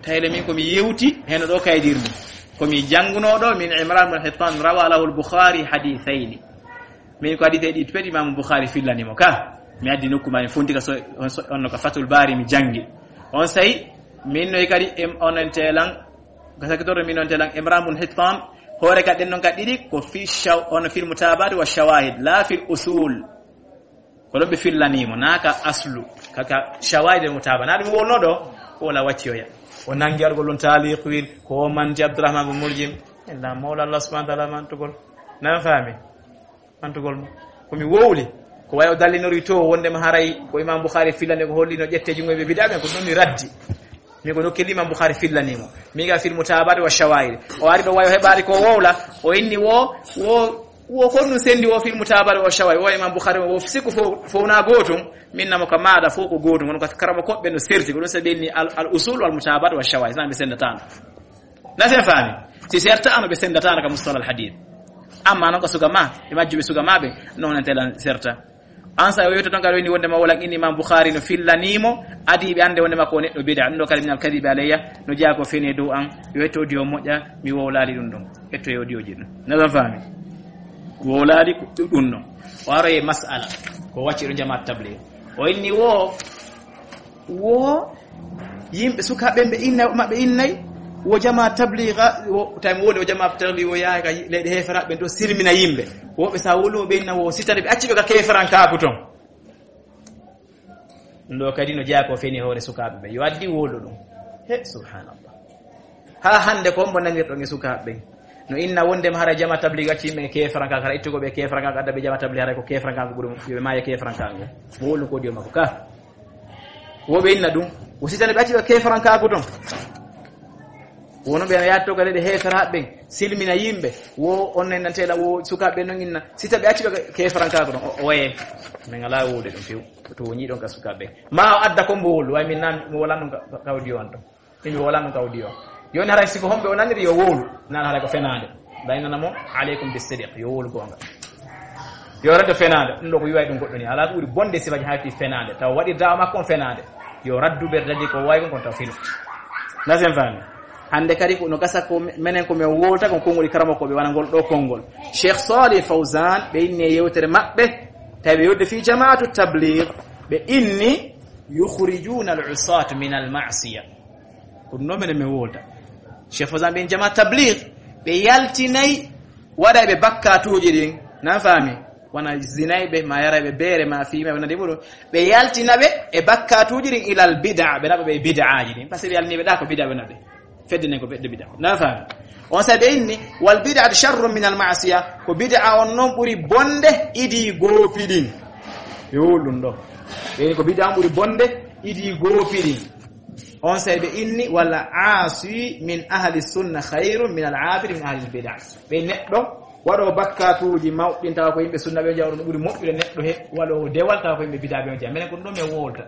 Tayle min ko mi yewti, heen ɗo kaydirmi. Ko mi janngunoo ɗo, min Imran bun Hittan, rawa lahul Bukhari hadithayni. Min ko hadithayni ɗi pedi Imam Bukhari fillani mo ka. Mi addi nokku ma, mi fondi ka so, on so, on no ka Fathul Bari mi janngi. On sayi, min noy kadi, em, onon telan, Ka sakitoro min on telan Imran bun Hittan, hoore ka ɗen non ka ɗiɗi, ko fi shaw-, on fil mutabat wa shawahid, la fil usul. Ko ɗon ɓe fillani mo, na ka aslu, ka, ka shawahid e mutaba. Na ɗum wonno ɗo, ko wala wacci oya. O nangi argol ɗon taliq wil, ko o manti Abdurrahman bun Muljim. Illa Mawla Allah subhanahu wa ta'ala mantugol. Nan faami? Mantugol mo. Ko mi wowli. Ko wayi o dallinori to wondema haray ko Imam Bukhari fillani ko holli no ƴette jungo ɓe bid'a ɓen, ko ɗum mi raddi. Mi ko no kelli Imam Bukhari fillani mo. Mi ga fil mutabat wa shawahid. O ari ɗo wayo heɓaari ko wowla. O inni wo, wo, wo ko ɗum sendi wo fil mutabat wa shawahid. Wo Imam Bukhari wo siku fo, fo na gotum. Min namo ka maada fo ko gotum. Kono ka karamo ko ɓe no serti. Ko ɗum sabi ni al, al usul wal mutabat wa shawahid. Nan ɓe sendatano. Na sen faami? Si serta ano ɓe sendatano ka mustalah al hadith. Amma non ka suga ma, e majjuɓe suga ma ɓe, non en telan serta. An sa o yewto ton kadi woni wonde ma wala inni Imam Bukhari no fillani mo, adi ɓe ande wonde ma ko neɗɗo bid'a, ɗum ɗo kadi min al kadhibi alayya, no jeyaa ko fene dow an, yo etto audio moƴƴa, mi wowlali ɗum ɗon. Etto e audio ji ɗum. Na ɗon faami? Wowlali ko ɗum ɗon. O aro e mas'ala, ko wacci ɗo jamaat tabligh. O inni wo, wo yimɓe sukaaɓe ɓe inna, maɓɓe innay, wo jamaat tabligh, wo, tawi mo woni o jamaat tabligh, wo yahay ka leyɗe heeferaɓe to sirmina yimɓe. Woɓɓe sa wolumo ɓe inna wo sitade ɓe acci ɓe ka keeferankaaku ton. Ɗum ɗo kadi no jeyaa ko feni hoore sukaaɓe ɓe. Yo addi wowlo ɗum. He, subhanallah. Haa hannde ko mbo nanirɗon e sukaaɓe ɓen. No inna wonde ma hara jama tablig acci yimɓe keefranka, hara ittugo ɓe keefranka, adda ɓe jama tablig, hara ko keefranka ko ɓuri, yo ɓe maaye keefranka ngo. Mo wolu ko diyo makko ka. Wo ɓe inna ɗum. Wo sitane ɓe acci ɓe keefranka ko ton. Wono ɓe no yaatto kadi ɗe heeferaaɓe ɓen, silmina yimɓe. Wo on en nanteɗa wo sukaaɓe non inna. Sita ɓe acci ɓe keefranka ko ton. O, o waye. Min alaa wowde ɗum few. To woni ɗon ka sukaaɓe. Ma o adda ko mbo wolu, way min nan mo wala non ka, ka, ka audio on ton. Min mi wala non ka audio. Yo ni haray siko homɓe o naniri yo wowlu. Nan haray ko fenaande. Nda inna mo, "Alaykum bis sidiq." Yo wowlu gonga. Yo rento fenaande. Ɗum ɗo ko wiway ɗum goɗɗo ni. Alaa ko ɓuri bonde sifaji hayti fenaande. Taw waɗi dawa makko on fenaande. Yo raddu ɓe dadi ko way kon kon taw filo. Na sen fami. Hannde kadi ko no gasa ko me-, menen ko men wowlata kon konngol karamokooɓe wona ngol ɗo konngol. Cheikh Salih Fawzan ɓe inni e yewtere maɓɓe. Tawi ɓe yewde fii jamaatu tabligh. Ɓe inni, "Yukhrijuna al-usat min al-ma'siya." Ko ɗum ɗo menen men wowlata. Cheikh Fawzan ɓe inni jamaatu tabligh. Ɓe yaltinay waɗayɓe bakkatuuji ɗin. Nan fami. Wona zinayɓe, ma yarayɓe beere, ma fiimayɓe, wona deɓuɗo. Ɓe yaltina ɓe e bakkatuuji ɗin ilal bid'a, ɓe naɓa ɓe e bid'aaji ɗin. Parce que ɓe yaltini ɓe ɗa ko bid'a ɓe naɓe. Fedde nden ko ɓedde bid'a. Na fami? On sa ɓe inni, "Wal bid'atu sharrun min al ma'siya." Ko bid'a on non ɓuri bonde idi goopi ɗin. Yo ɗum ɗo. Ɓe inni ko bid'a on ɓuri bonde idi goopi ɗin. On sa ɓe inni, "Wal aasi min ahli sunna khayrun min al aabid min ahli al bid'a." Ɓe neɗɗo waɗo bakkatuuji mawɗin tawa ko yimɓe sunna ɓe jawɗo no ɓuri moƴƴude neɗɗo he waɗo dewal tawa ko yimɓe bid'a ɓe on jeya. Menen ko ɗum ɗo men wowlata.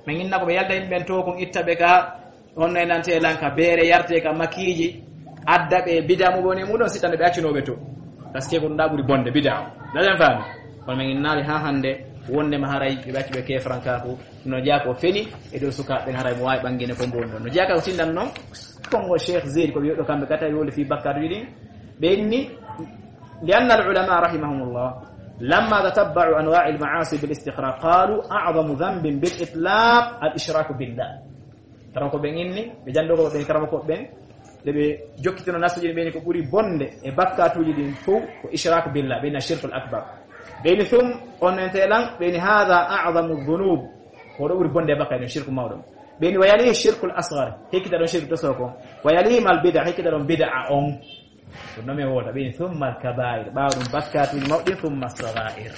Men inna ko ɓe yalda yimɓe ɓen to kon itta ɓe ka honno e nante lan ka beere yarte ka makiiji adda ɓe bid'a mu woni muɗon sittande ɓe accunooɓe to. Parce que ko ɗum ɗa ɓuri bonde bid'a. Daɗen faami. Kono men innaali ha hannde wonde ma haray ɓe ɓacci ɓe ke frankaku no jeya ko feni e dow sukaaɓe ɓen haray mo waawi ɓangine ko mbo woni ɗon. No jeya ka ko tindan non. Konngol Cheikh Zeydi ko ɓe yoɗɗo kamɓe kata woli fii bakkaatuuji ɗin. Ɓe inni, لأن العلماء رحمهم الله لما تتبعوا أنواع المعاصي بالاستقراء قالوا أعظم ذنب بالإطلاق الإشراك بالله. Karamoko ɓen inni, ɓe janndo ko ɓen karamoko ɓen, nde ɓe jokkitino nasuji ɓen ko ɓuri bonde e bakkaatuuji ɗin fow ko ishraku billah, ɓe inni shirkul akbar. Ɓe inni ثم, on ente lan, ɓe inni هذا أعظم الذنوب. Ko ɗo ɓuri bonde e bakkaatuuji ɗin, shirku mawɗo. Ɓe inni ويليه الشرك الأصغر. Hekkita ɗon shirku toso ko. ويليهما البدع, hekkita ɗon bid'a on. Ko no men wowlata, ɓe inni ثم الكبائر. Ɓaawo ɗum bakkaatuuji mawɗi, ثم الصغائر.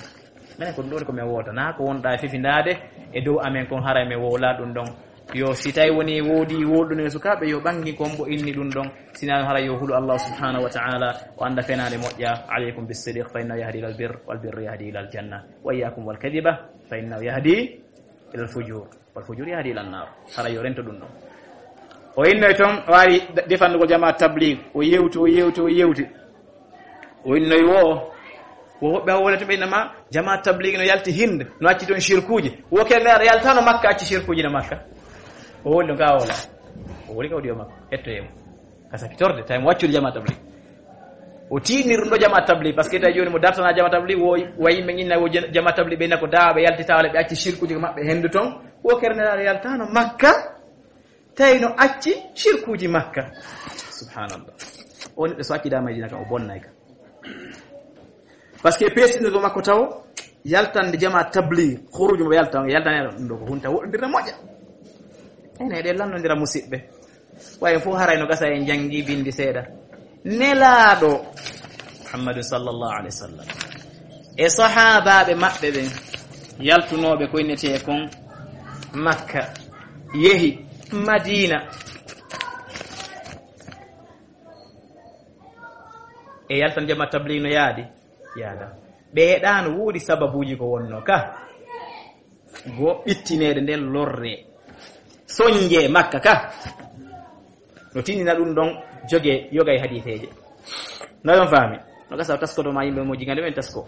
Menen ko ɗum ɗo ko men wowlata. Na ko wonɗa e fifindaade e dow amen kon haray men wowla ɗum ɗon. Yo si tawi woni woodi wowluɗo e sukaaɓe, yo ɓangi kon mbo inni ɗum ɗon. Sinaa haray yo hulu Allah subhanahu wa ta'ala, o annda fenaande moƴƴa. عليكم بالصدق فإنه يهدي إلى البر والبر يهدي إلى الجنة. وإياكم والكذب فإنه يهدي إلى الفجور. Wal fujur yahdi ilan naar. Hara yo rento ɗum ɗon. O innoy ton, o ari defandugol jama tablig. O yewti, o yewti, o yewti. O innoy wo, wo woɓɓe hawole to ɓe innama jama tablig no yalti Hind, no acci ton shirkuuji. Wo ke ngar yaltano Makka, acci shirkuuji no Makka. O woli no gawola. O woli kawdi o makko. Hetto yemo. Ka sakitorde, tawi mo waccude jama tablig. O tiinir ɗum ɗo jama tablig, parce que tawi jooni mo dartana jama tablig, wo, wayi men inna wo jen-, jama tablig ɓe nako da ɓe yalti tawale ɓe acci shirkuji maɓɓe hendu ton. Wo kernelaɗo yaltano Makka, tawi no acci shirkuji Makka. Subhanallah. O neɗɗo so acci da Madina kan o bonnay ka. Parce que peesino ɗo makko taw, yaltande jama tablig, khuruju mo yalta, yaltane ɗum ɗo ko hunta woɗɗondirde moƴƴa. Ene ɗe lannondira musidɓe. Wayen fof haray no gasa en janngi bindi seeɗa. Nelaaɗo Muhammadu sallallahu alaihi wasallam e sahaabaaɓe maɓɓe ɓen yaltunooɓe ko innetee kon Makka, yehi Madina. E yaltan jama tablig no yaadi? Yaada. Ɓe heɗaano woodi sababuuji ko wonno ka. Go ɓittineede nden lorre. Sonje Makka ka. No tinina ɗum ɗon joge yoga e hadiiseeje. No ɗon faami. No gasa taskoto ma yimɓe mo jigande men tasko.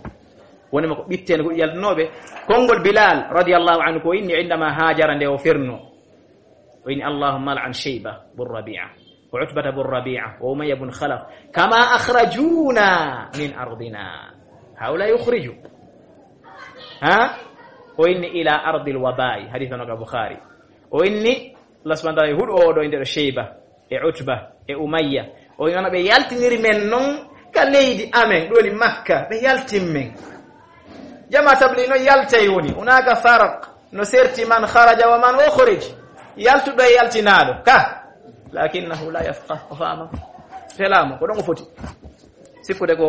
Woni ma ko ɓitteende ko yaltunooɓe. Konngol Bilal radiyallahu anhu ko inni indama haajara nde o ferno. O inni, اللهم العن شيبة بن ربيعة وعتبة بن ربيعة وأمية بن خلف كما أخرجونا من أرضنا. هؤلاء أخرجوا. Ha? O inni إلى أرض الوباء. Hadith on ka Bukhari. O inni, Allah subhanahu wa ta'ala huɗo o ɗo inde ɗo Shayba, e Utba, e Umayya. O inni, ɓe yaltiniri men non ka leydi amen, ɗo woni Makka, ɓe yaltin men. Jama tabli no yaltay woni, هناك فرق. No serti من خرج ومن أخرج. Yaltuɗo e yaltinaaɗo, ka. Lakinnahu la yafqah, o faama. Felaama, ko ɗon o foti. Sikkude ko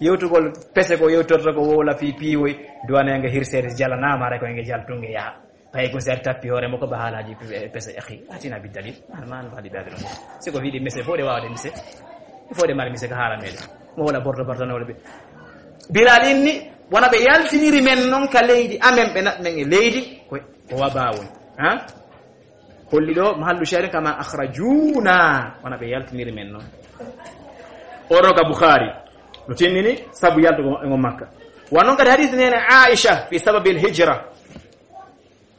yewtugol pese ko yewtorta ko wowla fii piiwoy, duwanee nga hirseede jalanaama, hara ko nge jaltunge yaha. Ɓay ko si ari tappi hoore makko ba haalaaji pe-, pese, akhi, atina bi dalil. An, man, wadi baade ɗon. Si ko wiide mise, fode waawde mise. Fode mari mise ka haala meɗen. Mo wala borto borto no wala ɓe. Bilal inni, wona ɓe yaltiniri men non ka leydi amen, ɓe naɓ men e leydi, ko, ko wabaa woni. Ha? Holli ɗo, mahallu shahid, kama akhrajuna, wona ɓe yaltiniri men non. Oro ka Bukhari. No tinnini, sabu yaltugo maɓɓe ngon Makka. Wa non kadi hadith nene Aisha fi sababil hijra.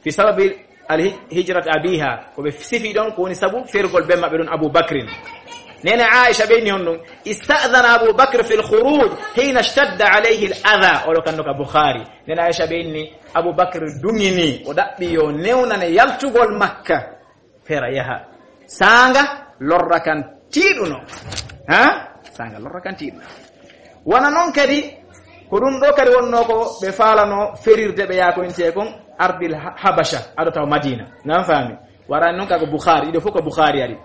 Fi sababi al hij-, hijrat abiha. Ko ɓe sifi ɗon, ko woni sabu fergol ben maɓɓe ɗon Abu Bakrin. Nene Aisha ɓe inni honɗum, ista'dhana Abu Bakr fil khuruj hina ishtadda alayhi al adha. Oro kan no ka Bukhari. Nene Aisha ɓe inni, Abu Bakr duŋini, o ɗaɓɓi yo newnane yaltugol Makka. Fera yaha. Saanga lorra kan tiiɗuno. Ha? Saanga lorra kan tiiɗuno. Wona non kadi, ko ɗum ɗo kadi wonno ko ɓe faalano ferirde ɓe yaakoyntee kon ardil Ha-, Habasha, ado taw Madina. Nan faami? Warani non ka ko Bukhari, iɗo fof ko Bukhari ari.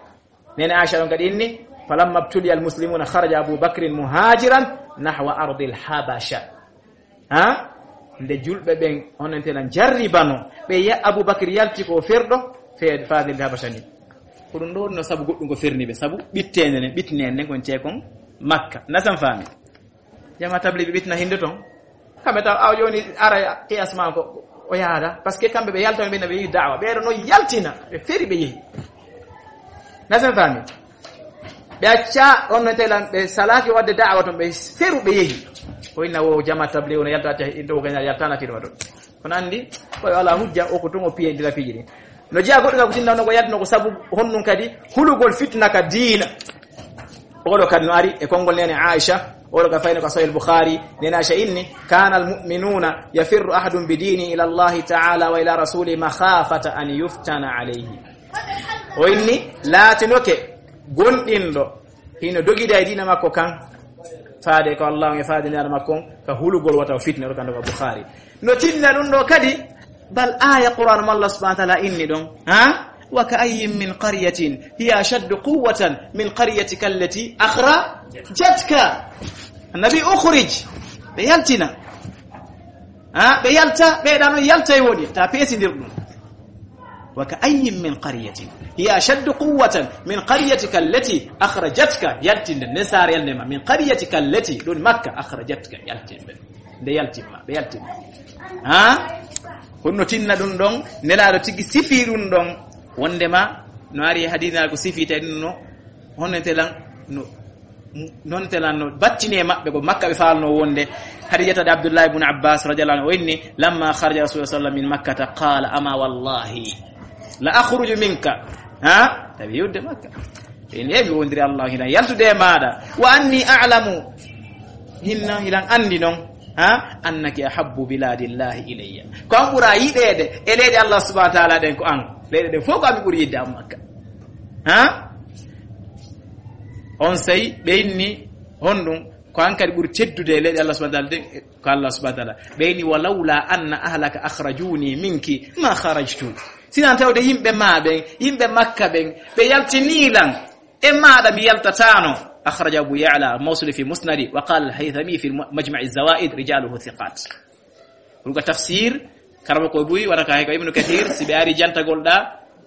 Nene Aisha ɗon kadi inni, falamma btuliya al muslimuna kharaja Abu Bakrin muhajiran nahwa ardil Habasha. Ha? Nde julɓe ɓen, onon tena jarribano, ɓe ya-, Abu Bakr yalti ko ferɗo, fe-, faade nde Habasha ni. Ko ɗum ɗo wonno sabu goɗɗum ko ferni ɓe, sabu ɓitteende nden, ɓittineende nden kon tee kon Makka. Nasan faami? Jama tabli ɓe ɓittina hinde ton. Kamɓe taw awa jooni ara qiyas ma ko o yaada. Parce que kamɓe ɓe yalta ɓe ɓe yi da'wa. Ɓe no yaltina, ɓe feri ɓe yehi. Nasan faami? Ɓe acca on no telan ɓe salaki wadde da'wa ton ɓe feru ɓe yehi. Ko inna wo jama tabli wono yalta te indo ko yaltana ti ɗum ɗon. Kono anndi, ko yo ala hujja, o ko tun o piye ndira piiji ɗin. No jeya goɗɗo ka ko tinna no ko yaltino ko sabu honɗum kadi hulugol fitna ka diina. Oɗo kadi no ari e konngol nene Aisha, oɗo ka fayno ka Sahih Bukhari, nene Aisha inni, kana al mu'minuna yafirru ahadun bi dini ila Allahi ta'ala wa ila rasuli makhafata an yuftana alayhi. O inni, laatinoke gonɗinɗo hino dogida e diina makko kan, faade ko Allah on e faade nelaɗo makko on, ka hulugol wata o fitna, ɗo ka ndoga Bukhari. No tinna ɗum ɗo kadi, bal aya Qur'an mo Allah subhanahu wa ta'ala inni ɗon, ha? Wa ka ayyin min qaryatin hiya ashaddu quwwatan min qaryatika allati akhrajatka. Annabi ukhrij, ɓe yaltina. Ha? Ɓe yalta, ɓe ɗa non yalta e woni, ta pesindir ɗum. Wa ka ayyin min qaryatin hiya ashaddu quwwatan min qaryatika allati akhrajatka, yaltinde nde saare yalnde ma, min qaryatika allati, ɗum Makka, akhrajatka, yaltinde. Nde yaltimma, ɓe yaltimma. Ha? Honno tinna ɗum ɗon, nelaaɗo tigi sifi ɗum ɗon, wondema, no ari e hadina ko sifi tawi ɗum no, honno telan, no, non telan no battine maɓɓe ko Makka ɓe faalno wonde. Hadijata de Abdullah ibn Abbas radiyallahu anhu o inni, lamma kharaja Rasulullah sallallahu alaihi wasallam min Makkata qala, ama wallahi la akhruju minka. Ha? Tawi yewde Makka. Ɓe inni, e mi wondiri Allah hina yaltude e maɗa. Wa anni a'lamu. Hinna hilan andi non. Ha? Annaki ahabbu biladillahi ilayya. Ko an ɓura yiɗeede e leyɗe Allah subhanahu wa ta'ala ɗen ko an. Leyɗe ɗen fof ko an mi ɓuri yiɗde an Makka. Ha? On sey ɓe inni honɗum ko an kadi ɓuri teddude e leyɗe Allah subhanahu wa ta'ala ɗen, ko Allah subhanahu wa ta'ala. Ɓe inni, walawla anna ahlaka akhrajuni minki ma kharajtu. Sinan tawde yimɓe ma ɓen, yimɓe Makka ɓen, ɓe yaltini lan, e maɗa mi yaltatano. Akhraja Abu Ya'la Mawsili fi Musnadi, wa qala al-Haythami fi Majma'i Zawaid, rijaluhu thiqat. Ɗum ko tafsir, karama ko buy, wona ka hay ko Ibnu Kathir, si ɓe ari jantagol ɗa,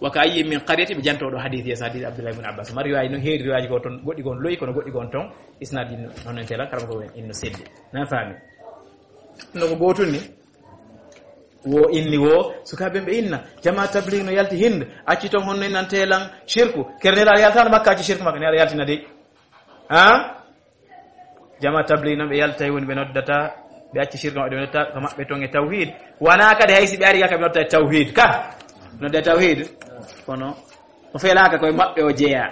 wa ka ayyin min qaryatin, ɓe janto ɗo hadith, yes, hadith Abdullah ibn Abbas. Mari riwaaji no heeri riwaaji ko ton, goɗɗi gon loyi, kono goɗɗi gon ton, isnad ɗin non en tela, karama ko en no seddi. Nan faami? No ko gootun ni? Wo inni wo, sukaaɓe ɓe inna, jama tabligh no yalti Hind, acci ton honno innante lan shirku, kere nela yaltano Makka acci shirku Makka, nela yaltina dey. Ha? Jama tabligh non ɓe yaltay woni ɓe noddata, ɓe acci shirku maɓɓe, ɓe noddata ko maɓɓe ton e tawhid. Wana kadi hay si ɓe ari ka ɓe noddata e tawhid, ka? Nodda e tawhid. Kono, o felaka koye maɓɓe o jeeya.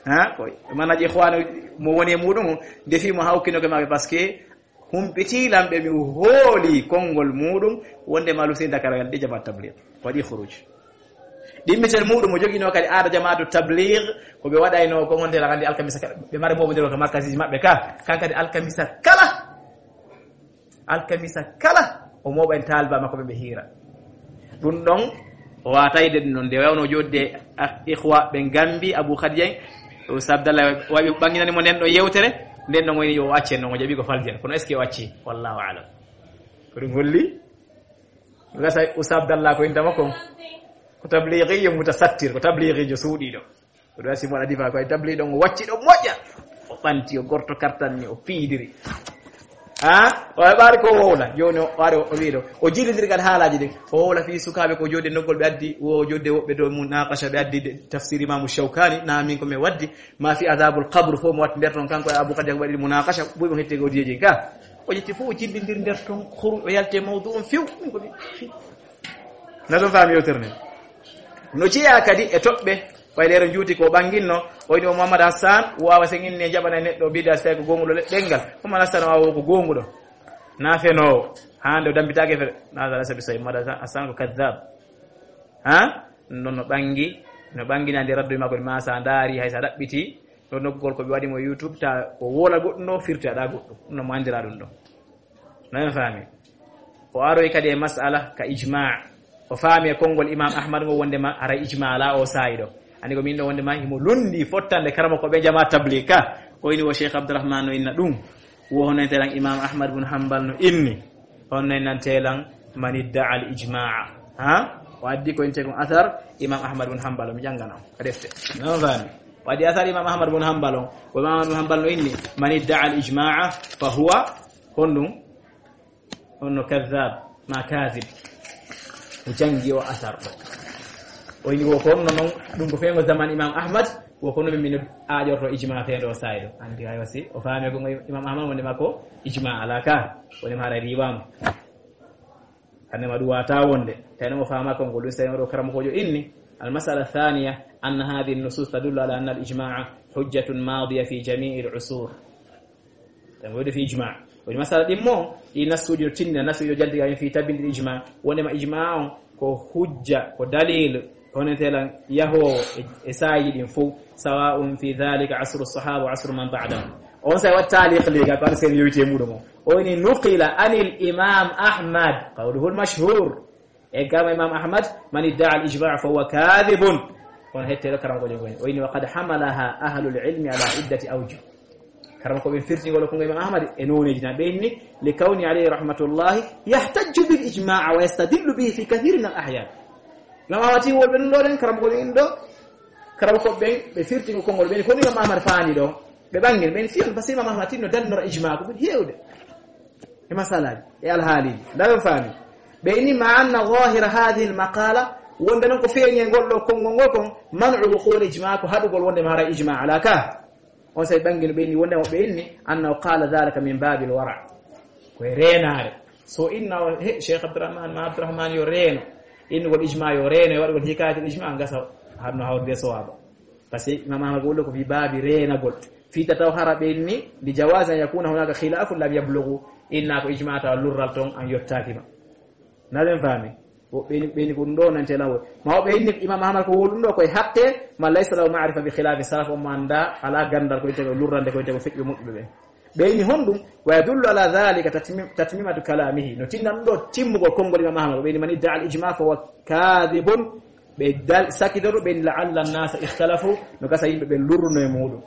Ha? Koye, manaji ikhwanu mo woni e muɗum, defi mo hawkino koye maɓɓe, parce que humpiti lan ɓe mi hooli konngol muɗum, wonde ma lusinda kala ɗi jama tabligh. Waɗi khuruj. Ɗimmitel muɗum o joginoo kadi aada jamaatu tabligh, ko ɓe waɗaynoo ko ngonte lan anndi alkamisa kala. Ɓe mara mooɓondirol ka markasiji maɓɓe ka, kan kadi alkamisa kala. Alkamisa kala, o mooɓa en taaliba makko ɓe ɓe hiira. Ɗum ɗon, O waawata yiide ɗum ɗon, nde waawno joodde, ah, ikhwa ɓen Gambi, Abu Khadija en, Oustaz Abdallah wawi ɓanginani mo nden ɗon yewtere, nden ɗon woni yo o acce non, o jaɓi ko faljere. Kono est-ce que o acci? Wallahu a'lam. Ko ɗum holli? Gasa Oustaz Abdallah ko inta makko. Ko tabligiyo mutasattir, ko tabligijo suuɗiiɗo. Ko ɗum wasi mo waɗa difa ko e tabli ɗon o wacci ɗo moƴƴa. O ɓanti, o gorto kartan ni, o piidiri. Ha? O ɓaari ko wowla. Jooni o ari o wiɗo. O jillindirgal haalaaji ɗin. O wowla fii sukaaɓe ko joodde noggol ɓe addi, wo joodde woɓɓe dow munaqasha ɓe addi de-, tafsir Imaamu Shawkani, na min ko mi waddi, ma fi adabul qabr fof mo watti nder ton kanko e Abu Khadija ko waɗi munaqasha, buy mo hetti ko diyeji ka. O ƴetti fof o jillindir nder ton, horu o yalti e mawdu on few. Min ko mi, na ɗon faami yewtere nden. No jeyaa kadi e toɓɓe, ɓay leero njuuti ko ɓanginno, o woni o Mouhammad Hassan, waawa sen inni e jaɓana e neɗɗo bida si tawi ko goonguɗo le-, ɗenngal. Mouhammad Hassan waawa ko goonguɗo. Na fenoowo. Hande o dambitaake fere. Na dara sabi sawi Mouhammad Hassan ko kazzab. Ha? Non no ɓangi, no ɓanginande raddu makko ma sa ndaari hay sa ɗaɓɓiti. Ɗo noggol ko ɓe waɗi mo YouTube ta ko wola goɗɗum ɗo firti aɗa goɗɗum. Ɗum no mo andira ɗum ɗo. No en faami. O aroy kadi e masala ka ijma. O faami e konngol Imam Ahmad ngo wondema haray ijma ala o saa'i ɗo. Ani ko min ɗo wondema himo lundi fottande karama ko ɓe jama tablig ka. Ko ini wo Cheikh Abdourahmane no inna ɗum. Wo hono en telan Imam Ahmad bun Hanbal no inni. Hono en nan telan man idda'a al ijma'a. Ha? O addi ko inte kon athar Imam Ahmad bun Hanbal mi jangana. Ka defte. No faami. O addi athar Imam Ahmad bun Hanbal on. Ko Imam Ahmad bun Hanbal no inni. Man idda'a al ijma'a fa huwa honɗum? On no kazzab, ma kazib. O jangi o asar ɗo. O ini wo ko honno non, ɗum ko fewngo zaman Imam Ahmad, wo ko no min aaƴorto ijma feendo o saa'i ɗo. Andi ayo si, o faami ko Imam Ahmad wonde makko ijma ala ka, wonde ma haray riiwaama. Hande ma ɗum wata wonde, tawi o faama ko ngol ɗum sey o karamokoojo inni. Al masala thaniya, anna hadhihi an-nusus tadullu ala anna al-ijma'a hujjatun madiya fi jami'i al-usur. Tan woni fi ijma. Woni masala ɗin mo, ɗi nassuuji no tinna, nassuuji no jaldi fi tabinde ijma. Wonde ma ijma on ko hujja, ko dalil, hono telan yahoowo e, e saaji ɗin fof, sawa'un fi dhalika asru sahaba wa asru man ba'dahum. On sa wat taliq liga ko sen yewti e muɗum o. O woni nuqila anil imam Ahmad, qawluhu al mashhur. E gama Imam Ahmad, man idda'a al-ijma' fa huwa kadhibun. Kono hetteɗo karamoko jogo en. O inni, wa qad hamalaha ahlul ilmi ala iddati awjuh. Karamoko ɓe firti ngol ko Imam Ahmad e noneji na ɓe inni, li kawni alayhi rahmatullahi yahtajju bil ijma' wa yastadillu bihi fi kathirin min al ahyan. Imam Ahmad ti wolɓe ɗum ɗo ɗen, karamoko ɓe inni ɗo, karamoko ɓe, ɓe firti ko konngol ɓe inni, kono Imam Ahmad faani ɗo, ɓe ɓangin, ɓe fiyon, parce que Imam Ahmad tinno dannora ijma' ko ɓuri heewde. E masalaji, e alhaali. Ndawen faami. Ɓe inni ma anna zahira hadhihi al maqala, wonde non ko feeñi e ngol ɗo konngol ngol kon, man'u wuqul ijma, ko haɗugol wonde ma haray ijma ala ka. On say ɓangino ɓe inni, wonde mo ɓe inni, annahu qala dhalika min babil wara. Ko e reenaare. So inna o, he, Cheikh Abdourahmane, ma Abdourahmane yo reeno. Innugol ijma yo reeno, e waɗugol hikayatul ijma, ngasa hanno hawrude sowaba. Parce que Imam Ahmad ko woni ko fi baabi reenagol. Fi tataw hara ɓe inni, li jawazi an yakuna hunaka khilafun lam yablughu. Inna ko ijma tawa lurral ton an yottaaki ma. Na ɓen faami? Wo ɓeni, ɓeni ko ɗum ɗo nante lawo. Ma o ɓe inni Imam Ahmad ko woni ɗum ɗo koye haqqe, ma laysa lahu ma'rifa bi khilafi salaf, o ma annda, ala gandal ko ite ko lurrande ko ite ko feƴƴo moƴƴuɓe ɓen. Ɓe inni honɗum? Wa yadullu ala dhalika tatmi-, tatmimatu kalamihi. No tinna ɗum ɗo timmugol konngol Imam Ahmad. Ɓe inni man idda'a al ijma fa huwa kadhibun. Ɓe dal-, sakitoro, ɓe inni la'alla an-nasa ikhtalafu. No gasa yimɓe ɓen lurruno e muɗum.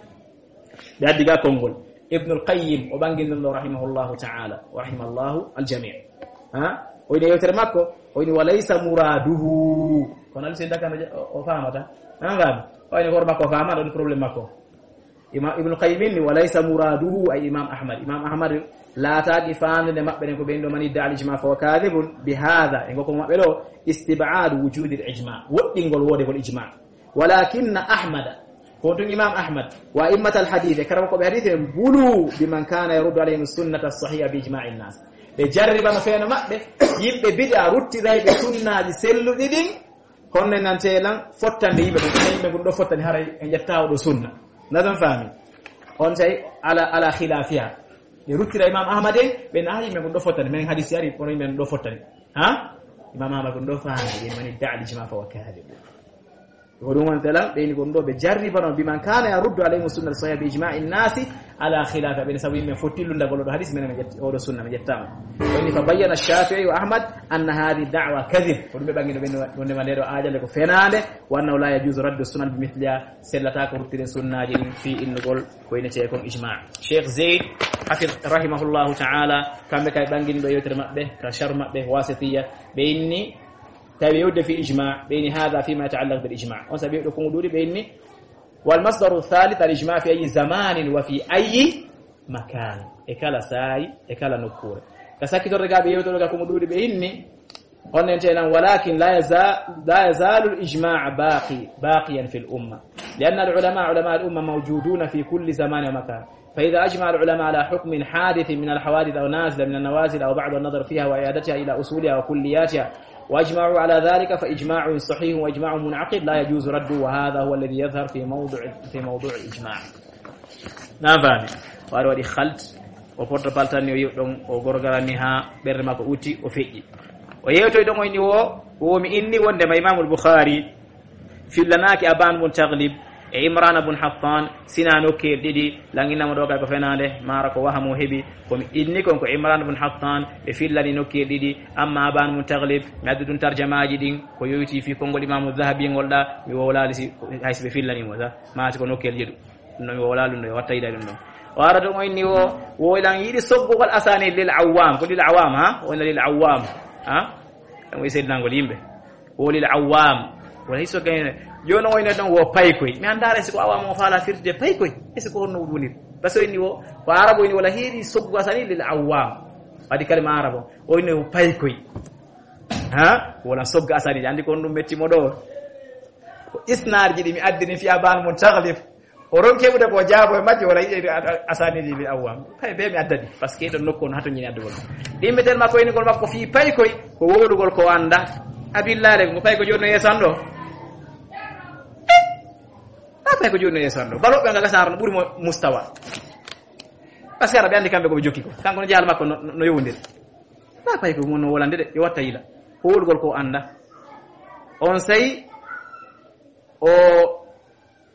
Ɓe addi ga konngol. Ibnul Qayyim, o ɓangi ɗum ɗo rahimahullahu ta'ala. Wa rahimallahu al-jami'. Ha? O ini yewtere makko, o ini wa laysa muraduhu. Kono alsi dakano je-, o, o famata. An gam. O ini hoore makko o famata, ɗon problème makko. Ima-, Ibn Qayyim inni, wa laysa muraduhu ay Imam Ahmad. Imam Ahmad laataaki faandude maɓɓe ɗen ko ɓen ɗo man idda'a al-ijma fa huwa kadhibun bi hadha. E ngol ko maɓɓe ɗo, istib'adu wujudil ijma. Woɗɗingol woodegol ijma. Walakinna Ahmada, ko tun Imam Ahmad, wa a'immatal hadith, e karama ko ɓe hadith en, bulu bi man kana yaruddu alayhim sunnata sahiha bi ijma'in nas. Ɓe jarribano feeno maɓɓe, yimɓe bid'a ruttirayɓe sunnaaji selluɗi ɗin, Honno nante lan fottande yimɓe ɓen, yimɓe ɓen ɗo fottani haray en ƴetta o ɗo sunna. Na ɗon faami? On tawi ala, ala khilafiha. Ɓe ruttira Imam Ahmad en, ɓe na yimɓe ɓen ɗo fottani. Men hadisi ari, kono yimɓe ɓen ɗo fottani. Ha? Imam Ahmad ɓen ɗo faami, ɓe mani da'al ijma fa wa kadhib. Ko ɗum wonte lan, ɓeyni ko ɗum ɗo ɓe jarribano, biman kana yaruddu alayhim sunna sahiha bi ijma'i nnasi ala khilafi, ɓeyni sabu yimɓe fotti lundagol oɗo hadis, minen mi ƴetti, oɗo sunna mi ƴettama. Ɓeyni fa bayyana Shafi'i wa Ahmad anna hadhihi da'wa kadhib, ko ɗum ɓe ɓangino ɓe, wonde ma nde ɗo aajale ko fenaande, wa annahu la yajuzu raddu sunan bi mithliha, sellata ko ruttiren sunnaji ɗin fi innugol ko inete kon ijma'. Cheikh Zayd Hafiz rahimahullahu ta'ala, kamɓe kay ɓangini ɗo yewtere maɓɓe ka sharh maɓɓe Wasitiya, ɓe inni tawi yewde fi ijma, ɓe inni hadha fima yata'allaq bil ijma. On sabi ɗo kongo ɗuuɗi, ɓe inni wal masdaru thalith al ijma fi ayi zamanin wa fi ayi makan, e kala saayi, e kala nokkure. Ka sakkitorde ga ɓe yewtoɗo ga kongo ɗuuɗi, ɓe inni on nen tenan, walakin la yaza-, la yazalu al ijma baqi, baqiyan fi al umma, li anna al ulama, ulama al umma mawjuduna fi kulli zaman wa makan. Fa idha ajma al ulama ala hukmin hadithin min al hawadith aw nazila min an nawazil aw ba'd an nadar fiha wa i'adatiha ila usuliha wa kulliyatiha wa ajma'u ala dhalika fa ijma'un sahihun wa ijma'un mun'aqid la yajuzu raddu wa hadha huwa alladhi yadhhar fi mawdu', fi mawdu' al ijma'. Na faami? O ari waɗi khalt, o porto paltanni, o yiw ɗon, o gorgarani ha ɓernde makko utti, o feƴƴi. O yewtoy ɗon, o inni wo, wo mi inni wonde ma Imamul Bukhari fillanaaki Aban bun Taglib e Imran bun Hattan, sina nokkeel ɗiɗi, langinamo ɗo kay ko fenaande, mara ko wahamo heɓi, ko mi inni kon ko Imran bun Hattan ɓe fillani nokkeel ɗiɗi, amma Aban bun Taglib, mi addu ɗum tarjamaaji ɗin, ko yoyti fi konngol Imamu Dhahabi ngol ɗa, mi wowlaali si, hay si ɓe fillanimo sa, ma si ko nokkeel jeɗu. Ɗum ɗon mi wowlaali ɗum ɗo, watta yiɗa ɗum ɗon. O ara ɗum o inni wo, wo ilan yiɗi soggugol asani lil awwam, ko lil awam, ha? O ina lil awwam, ha? Ɗum o seedinangol yimɓe. Wo lil awam. Wala hiso gayne. Jooni o ina ɗon wo paykoy. Mi anndaara si ko awam o faala firde paykoy. E si ko honno woni? Parce que o inni wo, ko arabo inni wala heeri soggu asani lil awam. Waɗi kalima arabo. O inni wo paykoy. Ha? Wala sogga asani. Andi ko honɗum metti mo ɗo. Ko isnaarji ɗi mi addini fi Aban bun Taglib. O ronki heɓude ko jaabo e majje wala yiɗe a-, a-, asani lil awam. Pay be mi addani. Parce que ɗon nokku on hato ñini addugol. Ɗimmitel makko inigol makko fii paykoy ko wowlugol ko annda. Abillahi ko payko jooni no yeeso an ɗo. Eh? A payko jooni no yeeso an ɗo. Balo ɓe nga gasar no ɓuri mo mustawa. Parce que ara ɓe andi kamɓe ko ɓe jokki ko. Kanko no jahal makko no, no, no yowndiri. Na payko mo no wolande de, yo watta yila. Ko wowlugol ko annda. On sey o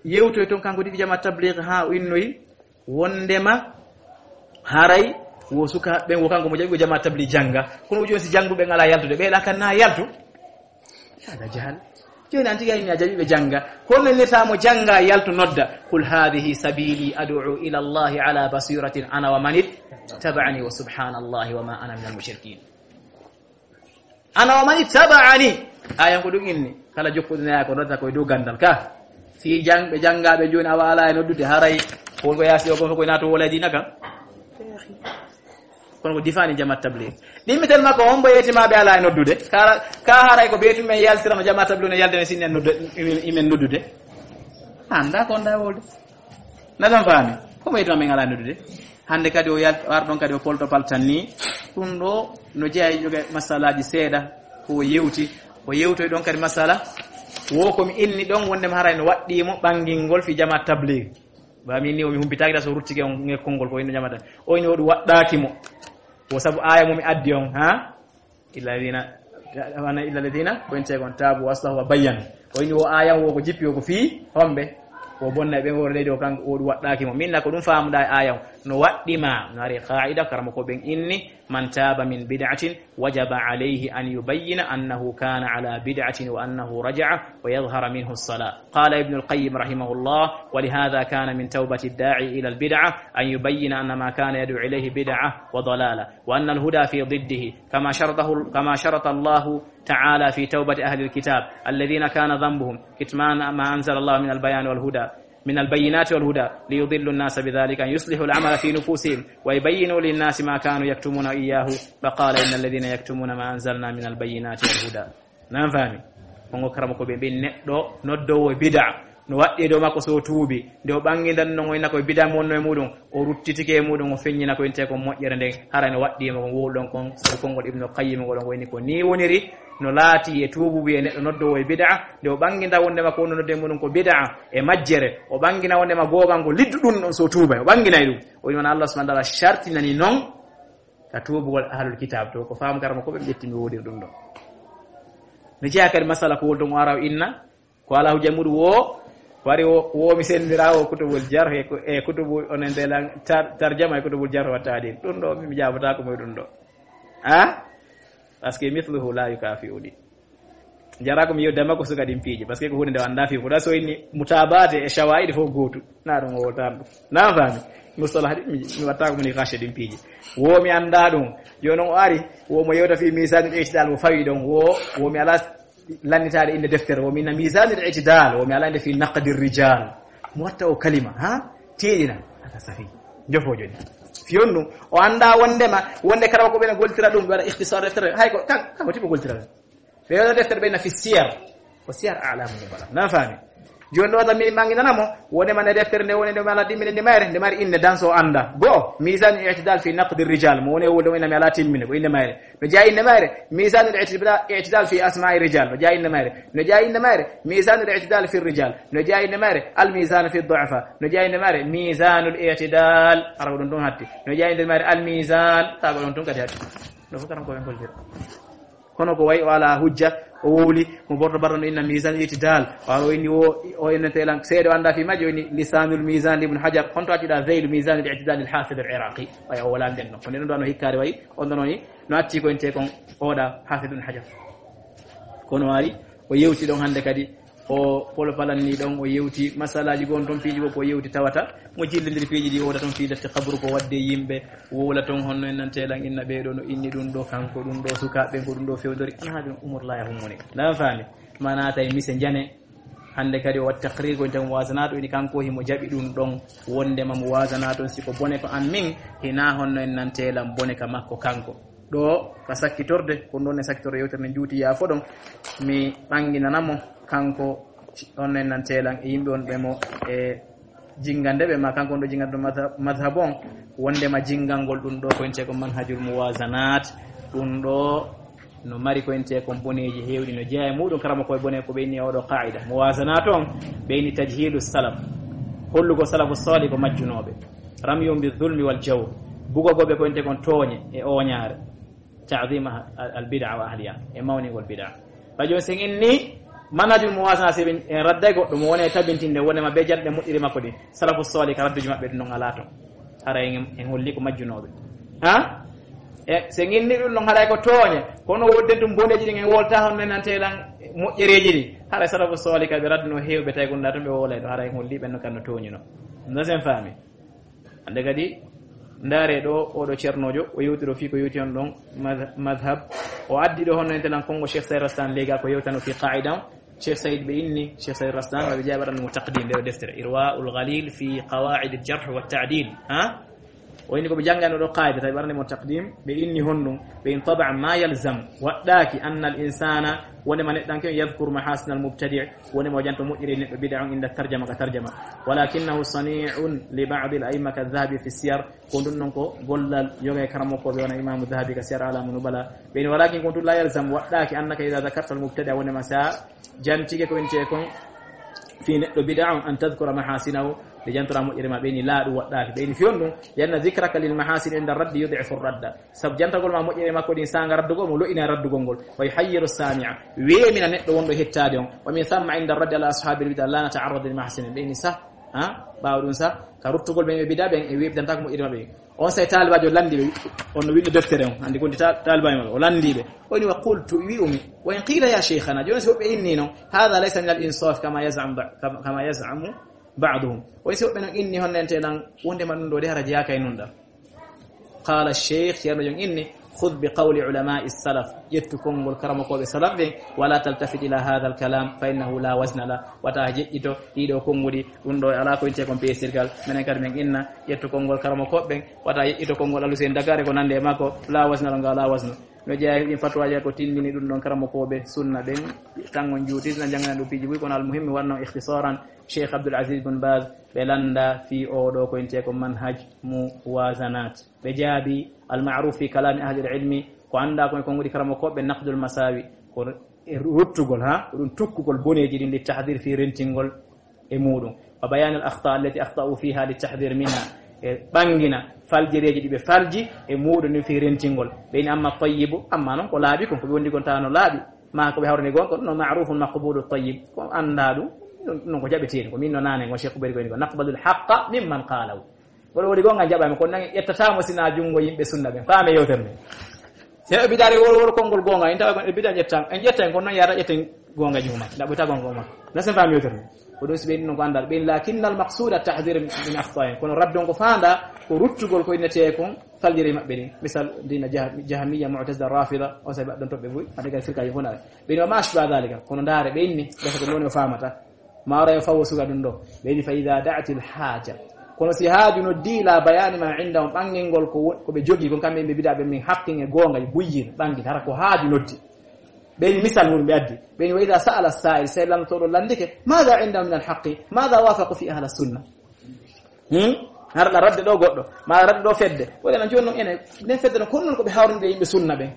yewtoy toon kanko ɗiɗi jama tabligh haa o innoyi wondema haray wo sukaaɓe ɓen wo kanko mo jaɓi ko jama tabligh jannga. Kono o jooni si jannguɓe ɓen alaa yaltude, ɓe ɗa kan na yaltu? Hada jahal. Jooni an tigi a inni a jaɓi ɓe jannga. Kono nennirta mo jannga yaltu nodda. Qul hadhihi sabili ad'u ila Allahi ala basiratin ana wa man ittaba'ani wa subhanallahi wa ma ana minal mushrikin. Ana wa man ittaba'ani. Ayan ko ɗum inni. Kala jokkuɗo naya ko noddata koye dow gandal ka. Si jang-, ɓe janngaɓe jooni awa ala e noddude haray. Ko ko yaasi o ko ko nato wala dina ka. Kono ko difani jamaat tabligh. Ɗimmitel makko on mbo yetima ɓe ala e noddude. Ka, ka haray ko beetu men yaltirano jamaat tabligh no yalde ne sinni en noddu-, imen, imen noddude. Anda ko nda wolde. Na ɗon faami? Ko mo yetuma min alaa noddude. Hannde kadi o yal-, war ɗon kadi o polto paltan ni. Ɗum ɗo no jeyaa e joge masalaaji seeɗa ko o yewti. O yewtoy ɗon kadi masala. Wo ko mi inni ɗon wonde mi haray no waɗɗii mo ɓanngingol fi jama tabligh. Ba min ni o mi humpitaaki da so ruttike on ngel konngol ko inno jama tabligh. O inni o ɗum waɗɗaaki mo. Wo sabu aaya mo mi addi on, ha? Illa alladhina, wana illa alladhina, ko en tegon tabu wa aslahu wa bayyanu. O ini o ayan wo ko jippi o ko fii homɓe. O bonna ɓe ngoro leydi o kanko o ɗum waɗɗaaki mo. Minna ko ɗum faamuɗa e ayan. No waɗɗi ma, no ari qaida karamo ko ɓen inni, man taba min bid'atin wajaba alayhi an yubayyina annahu kana ala bid'atin wa annahu raja'a wa yadhhara minhu as-salah. Qala Ibn al-Qayyim rahimahullah, wa lihadha kana min tawbati ad-da'i ila al-bid'ah an yubayyina anna ma kana yad'u ilayhi bid'ah wa dalalah. وأن الهدى في ضده كما شرطه، كما شرط الله تعالى في توبة أهل الكتاب الذين كان ذنبهم كتمان ما أنزل الله من البيان والهدى، من البينات والهدى، ليضل الناس بذلك أن يصلحوا العمل في نفوسهم ويبينوا للناس ما كانوا يكتمون إياه، فقال: إن الذين يكتمون ما أنزلنا من البينات والهدى. Nan faami? Kongo karamo ko ɓe mbi neɗɗo noddowo bid'a. No waɗɗi e dow makko so o tuubi. Nde o ɓanngindan non o inna koye bid'a mo wonno e muɗum. O ruttitike e muɗum, o feññina ko inte kon moƴƴere nden. Hara no waɗɗi e mo kon wowluɗon kon. Sabu konngol Ibnu Qayyim ngol on ko inni ko ni woniri. No laati e tuububu e neɗɗo noddowo e bid'a. Nde o ɓannginda wonde ma ko wonno nodde muɗum ko bid'a e majjere. O ɓanngina wonde ma googango liddu ɗum ɗon so tuubay. O ɓannginay ɗum. O wi'i wona Allah subhanahu wa ta'ala shartinani non ka tuubugol ahlul kitab to. Ko faamu karamo ko ɓe ƴetti mi wowliri ɗum ɗon. No jeyaa kadi masala ko wol ɗon o ara o inna. Ko alaa hujja muɗum wo, wari wo, wo mi senndira wo kutubul jarh e ku-, e kutubu onen de lan tar-, tarjama e kutubul jarh wa ta'dil. Ɗum ɗo mi jaabataako mo e ɗum ɗo. Ah? Parce que mithluhu la yukafi'uni. Jara ko mi yewde makko suka ɗin piiji, parce que ko hunde nde o anndaa fii. Ko ɗa so inni mutabaate e shawaa'id fof gootu. Na ɗum o woltaan ɗum. Na faami? Mustalah ɗi, mi, mi wattaako mo niqash e ɗin piiji. Wo mi anndaa ɗum. Jooni o ari, wo mo yewta fii misanul i'tidal mo fawi ɗon. Wo, wo mi alaa lannitaade innde deftere. Wo mi inna misanul i'tidal. Wo mi alaa innde fii naqdir rijal. Mo watta o kalima, ha? Teeɗina. Haka safi. Jofo jooni. Fiyon ɗum. O anndaa wondema, wonde kala ko ɓen goltira ɗum, ɓe waɗa ikhtisar deftere. Hay ko, kan, kan ko tipo goltira ɗum. Ɓe waɗa deftere ɓe na fi siyar. Ko siyar a'lamu nubala. Na faami? Jooni ɗo tan mi ɓanginana mo, wonde man e deftere nde woni nde mala ɗimminde nde mayre, nde mari innde dan so annda. Go, mizan i'tidal fi naqdi rijal, mo woni e wulde woni mi ala timminde, ko innde mayre. No jeyaa innde mayre, mizan i'tidal, i'tidal fi asma'i rijal, no jeyaa innde mayre. No jeyaa innde mayre, mizan i'tidal fi rijal. No jeyaa innde mayre, al mizan fi du'afa. No jeyaa innde mayre, mizanul i'tidal. Ara ko ɗum ɗum hatti. No jeyaa innde mayre, al mizan. Tawa ko ɗum ɗum kadi hatti. No fof karam ko ɓen goltira. Kono ko wayi o alaa hujja, o wowli, mo borto barɗo no inna misan itidal. Wa o inni o, o innete lan seede o anndaa fii majjo, o inni lisanul misan li Ibn Hajar. Honto accuɗa zeylu misanul itidal lil hafid al iraqi? Waya o wala nden no. Ko nden ɗo no hikkaade wayi, on ɗon woni no acci ko inte kon oɗa hafid Ibn Hajar. Kono waari, o yewti ɗon hannde kadi, o polopalanni ɗon, o yewti masalaaji gon ton piiji goo ko o yewti tawata. Mo jillindiri piiji ɗi, o woda ton fii defte kaburu ko wadde yimɓe, wowla ton honno en nante lan inna ɓee ɗo no inni ɗum ɗo, kanko ɗum ɗo, sukaaɓe ɓen ko ɗum ɗo fewndori. Ana haaju umur laya hummoni. Na faami? Mana tawi mise njane. Hannde kadi o waɗi taqrir ko inta mo wasanaato, ini kanko himo jaɓi ɗum ɗon, wondema mo wasanaato, si ko bone ko an min, hina honno en nante lan bone ka makko kanko. Ɗo ka sakkitorde, ko ɗon e sakkitorde yewtere nde juuti yaafo ɗon, mi ɓanginana mo kanko, honno en nante lan e yimɓe on ɓe mo e jingande ɓe, ma kanko on ɗo jingande ɗo madha-, madhab on, wondema jingangol ɗum ɗo ko inte ko manhajul muwazanat, ɗum ɗo no mari ko inte kon boneeji heewɗi, no jeyaa e muɗum karama koye bone ko ɓe inni e oɗo qaida. Muwazanat on, ɓe inni tajhilu salaf, hollugo salafu salih ko majjunooɓe. Ramyum bi zulmi wal jawr, bugogoɓe ko inte kon tooñe e ooñaare. Ta'zim ah-, al, al bid'a wa ahliha, e mawningol bid'a. Ɓay jooni sen inni manhajul muwazana, si ɓe en radday goɗɗo mo woni e tabintinde wonema be janɗe moƴƴiri makko ɗin. Salafu salih ka radduji maɓɓe ɗum non alaa ton. Hara en, en holli ko majjunooɓe. Ha? E, sen inni ɗum non haray ko tooñe. Kono wodden ɗum boneeji ɗin en wolta hon men nante lan moƴƴereeji ɗin. Hara salafu salih ka ɓe radduno heewɓe tawi gonɗa ton ɓe wolay ɗo. Hara en holli ɓen no kan no tooñuno. No sen faami? Hannde kadi, ndaare ɗo, oɗo ceernoojo, o yewtiro fii ko yewti on ɗon madh-, madhab. O addi ɗo honno enten lan konngo Cheikh Saïd Rastan leega ko yewtano fii qaida on. Cheikh Saïd ɓe inni, Cheikh Saïd Rastan, ɓe jaaɓi waɗande mo taqdim, nde o deftere, Irwaul Ghalil fi Qawaid al Jarh wa Ta'dil. Ha? O inni ko ɓe janngano ɗo qaida, tawi waɗande mo taqdim, ɓe inni honɗum, ɓe in taban ma yalzam, waɗɗaaki anna al insana, wonde ma neɗɗanke on yadhkur mahasin al mubtadi', woni mo janto moƴƴiri neɗɗo bid'a on inda tarjama ka tarjama. Walakinnahu sani'un li ba'd al a'imma ka Dhahabi fi siyar, ko ɗum ɗon ko gollal yoga e karamokkoɓe wona Imamu Dhahabi ka siyar alamu nubala. Ɓe ni walakin ko ɗum la yalzam waɗɗaki annaka idha dhakarta al mubtada woni ma sa jantike ko winte kon fi neɗɗo bid'a on an tadhkura mahasinahu, ɓe jantora moƴƴere ma ɓe ni laa ɗum waɗɗaki. Ɓe ni fiyon ɗum, lianna dhikraka lil mahasin inda raddi yud'ifu radda. Sabu jantagol ma moƴƴere makko ɗin sanga raddugol mo lo'ina raddugol ngol. Wa yuhayyiru sami'a. Weemina neɗɗo wonɗo hettaade on. Wa min thamma inda raddi ala ashabil bid'a la nata'arradu li mahasinin. Ɓe ni sah, ha? Ɓaawo ɗum sah, ka ruttugol ɓe ɓe bid'a ɓen e weɓdanta ko moƴƴere maɓɓe. On say taalibajo landi ɓe, on no winndo deftere on. Andi gondi ta-, taalibajo maɓɓe. O landi ɓe. O ni wa qultu wi'umi. Wa in qila ya shaykhana. Jooni si woɓɓe inni non. Hadha laysa min al insaf kama yaz'am ba-, kama, kama yaz'amu ba'duhum. O si woɓɓe non inni honne ente lan wonde ma ɗum ɗo de hara jeyaaka e nun ɗa. Qala Cheikh, Ceerno Jon inni, "Khudh bi qawli ulama'i salaf." Ƴettu konngol karamokooɓe salaf ɓen, "Wa la taltafit ila hadha al kalam, fa innahu la wazna la." Wata jeƴƴito ɗiɗo konnguɗi, ɗum ɗo alaa ko winte kon peesirgal. Menen kadi men inna, ƴettu konngol karamokooɓe ɓen, wata jeƴƴito konngol Alusen Dakar e ko nande e makko, la wazna la, ngal la wazna. No jeyaa e ɗin fatwaaji ko tindini ɗum ɗon karamokooɓe sunna ɓen, tan on juuti, na janngana ɗum piiji buy, kono al muhimmi wanno ikhtisaran, Cheikh Abdul Aziz bin Baz, ɓe landa fii oo ɗo ko winte ko manhaj muwazanat. Ɓe jaabi, al ma'ruf fi kalami ahli al ilmi, ko annda ko, ko ngudi karamokooɓe naqdul masawi, ko ruttugol, ha, ko ɗum tukkugol boneeji ɗin li tahdir fii rentingol e muɗum. Wa bayan al akhta allati akhta'u fiha li tahdir minha. E ɓangina faljereeji ɗi ɓe falji e muɗum ni fii rentingol. Ɓe ni amma tayyibu, amma non ko laaɓi kon, ko ɓe wondi kon tawano laaɓi. Ma ko ɓe hawrini gonga, ko ɗum no ma'rufun maqbulu tayyib. Ko annda ɗum, ɗum ko jaɓeteeɗo. Ko min no nane, ngo Cheikh Bari ko ni ko, "Naqbalu al-haqqa mimman qalahu." Wala woni gonga jaɓaama, kono nan ƴettataamo sina junngo yimɓe sunna ɓen. Faame yewtere nde. Se ɓe bidaare wol, wol konngol gonga, en tawa ko ɓe bida ƴetta, en ƴetta en, kono nan yaata ƴetten gonga juma. Nda ɓe ta gonga ma. Na sen faame yewtere nde. Ko ɗum si ɓe ɗum ko andal. Ɓen lakinnal maqsuda tahdhir min akhta'in. Kono raddon ko faanda, ko ruttugol ko innete kon faljere maɓɓe ɗin. Misal, dina jah-, Jahmiya, Mu'tazila, Rafida, on sa ɓe ɗon toɓɓe buy. Ade gal firka yo fona. Ɓen wa ma ashba dhalika. Kono ndaare ɓe inni, gasa ko woni o faamata. Maaro e fawo suga ɗum ɗo. Ɓe inni fa idha da'atil haja. Kono si haaju noddi la bayani ma indahum ɓangingol ko wo-, ko ɓe jogi kon kamɓe ɓe bida ɓe min haqqin e gonga e buyyin ɓangin hara ko haaju noddi. Ɓe inni misal mun ɓe addi. Ɓe inni wa idha sa'ala sa'il, sey lanndotooɗo lanndike, madha indahum min al haqqi? Madha wafaqu fi ahli sunna? Hmm? Har la radde ɗo goɗɗo, ma radde ɗo fedde. Wala na jooni non ene, nden fedde no kono non ko ɓe hawrinde yimɓe sunna ɓen.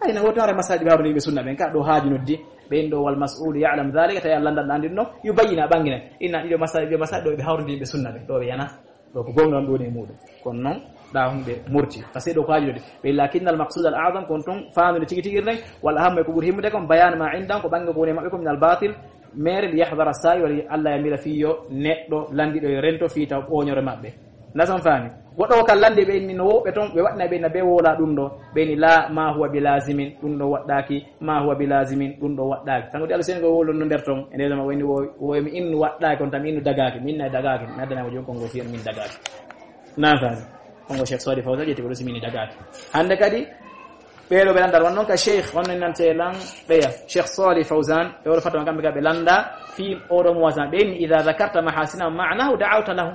Ay, na woto hara masala ɗi ɓe hawrinde yimɓe sunna ɓen. Ka ɗo haaju noddi, ɓen ɗo wal mas'ulu ya'lam dhalika, tawi Allah lanndal ɗan ɗin no, yo bayyina ɓangina. Inna ɗiɗo masala, ɓe masala ɗo ɓe hawrinde yimɓe sunna ɓen. Ɗo ɓe yana, ɗo ko gonga on ɗo woni e muɗum. Kono non, ɗa hon ɓe murti. Parce que ɗo ko haaju noddi. Ɓe lakinnal maqsud al a'zam, kon ton, faandude tigi tigi ren, wal ahammu e ko ɓuri himmude kon, bayan ma indan, ko ɓange ko woni e maɓɓe ko min al batil, mere li yahdara sa'i, wala Allah ya mira fiyo neɗɗo landiɗo yo rento fi taw ɓoñore maɓɓe. Ndason faami. Woɗɗo ko kala lande ɓe inni no woɓɓe ton, ɓe waɗna ɓe na ɓe wola ɗum ɗo. Ɓe ni la ma huwa bi lazimin, ɗum ɗo waɗɗaki, ma huwa bi lazimin, ɗum ɗo waɗɗaki. Sango di Allah sen ko wolo no nder ton, e nder ma woni wo, wo mi innu waɗɗaki, on tam innu dagaki, min na dagaki, mi addana ko jom kongo fiyen min dagaki. Nan faami. Kongo Cheikh Sadi Fawzan ƴetti ko ɗo simini dagaki. Hande kadi, ɓeɗo ɓe landar won non ka Cheikh, on nan te lan ɓeya. Cheikh Sadi Fawzan, e wolo fatama kamɓe ka ɓe landa, fi oɗo mo wasan, ɓe ni idha dhakarta mahasina ma'nahu da'awta lahu.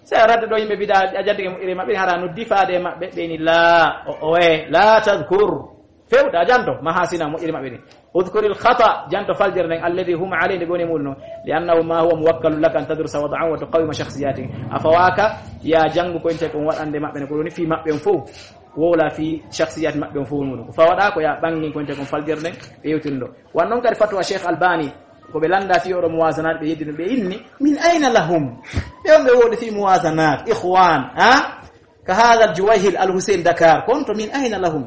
Se a radde ɗo yimɓe bida a jaddi e moƴƴere maɓɓe, hara noddi faade e maɓɓe, ɓe ni la, o, o, e, la tadhkur. Fewta a janto, mahasina moƴƴere maɓɓe ɗin. Udhkuril khata, janto faljere nden, alladhi hum alayhi, nde ɓe woni e muɗum non. Li annahu ma huwa muwakkalun laka an tadrusa wad'ahum wa tuqawwima shakhsiyatihim. A fawaka, ya jangu ko inte kon waɗande maɓɓe ne, ko woni fi maɓɓe on fof. Wola fi shakhsiyat maɓɓe on fof muɗum. Ko fawaɗa ko ya ɓangi ko inte kon faljere nden, ɓe yewtino ɗo. Wan non kadi fatwa Cheikh Albani, ko ɓe lannda fii oɗo muwasanat, ɓe yeddi ɗum, ɓe inni, min ayna lahum? Ɓe on ɓe woodi fii muwasanat, ikhwan, ha? Ka hadha al-Juwayhil al-Hussein Dakar, konto min ayna lahum?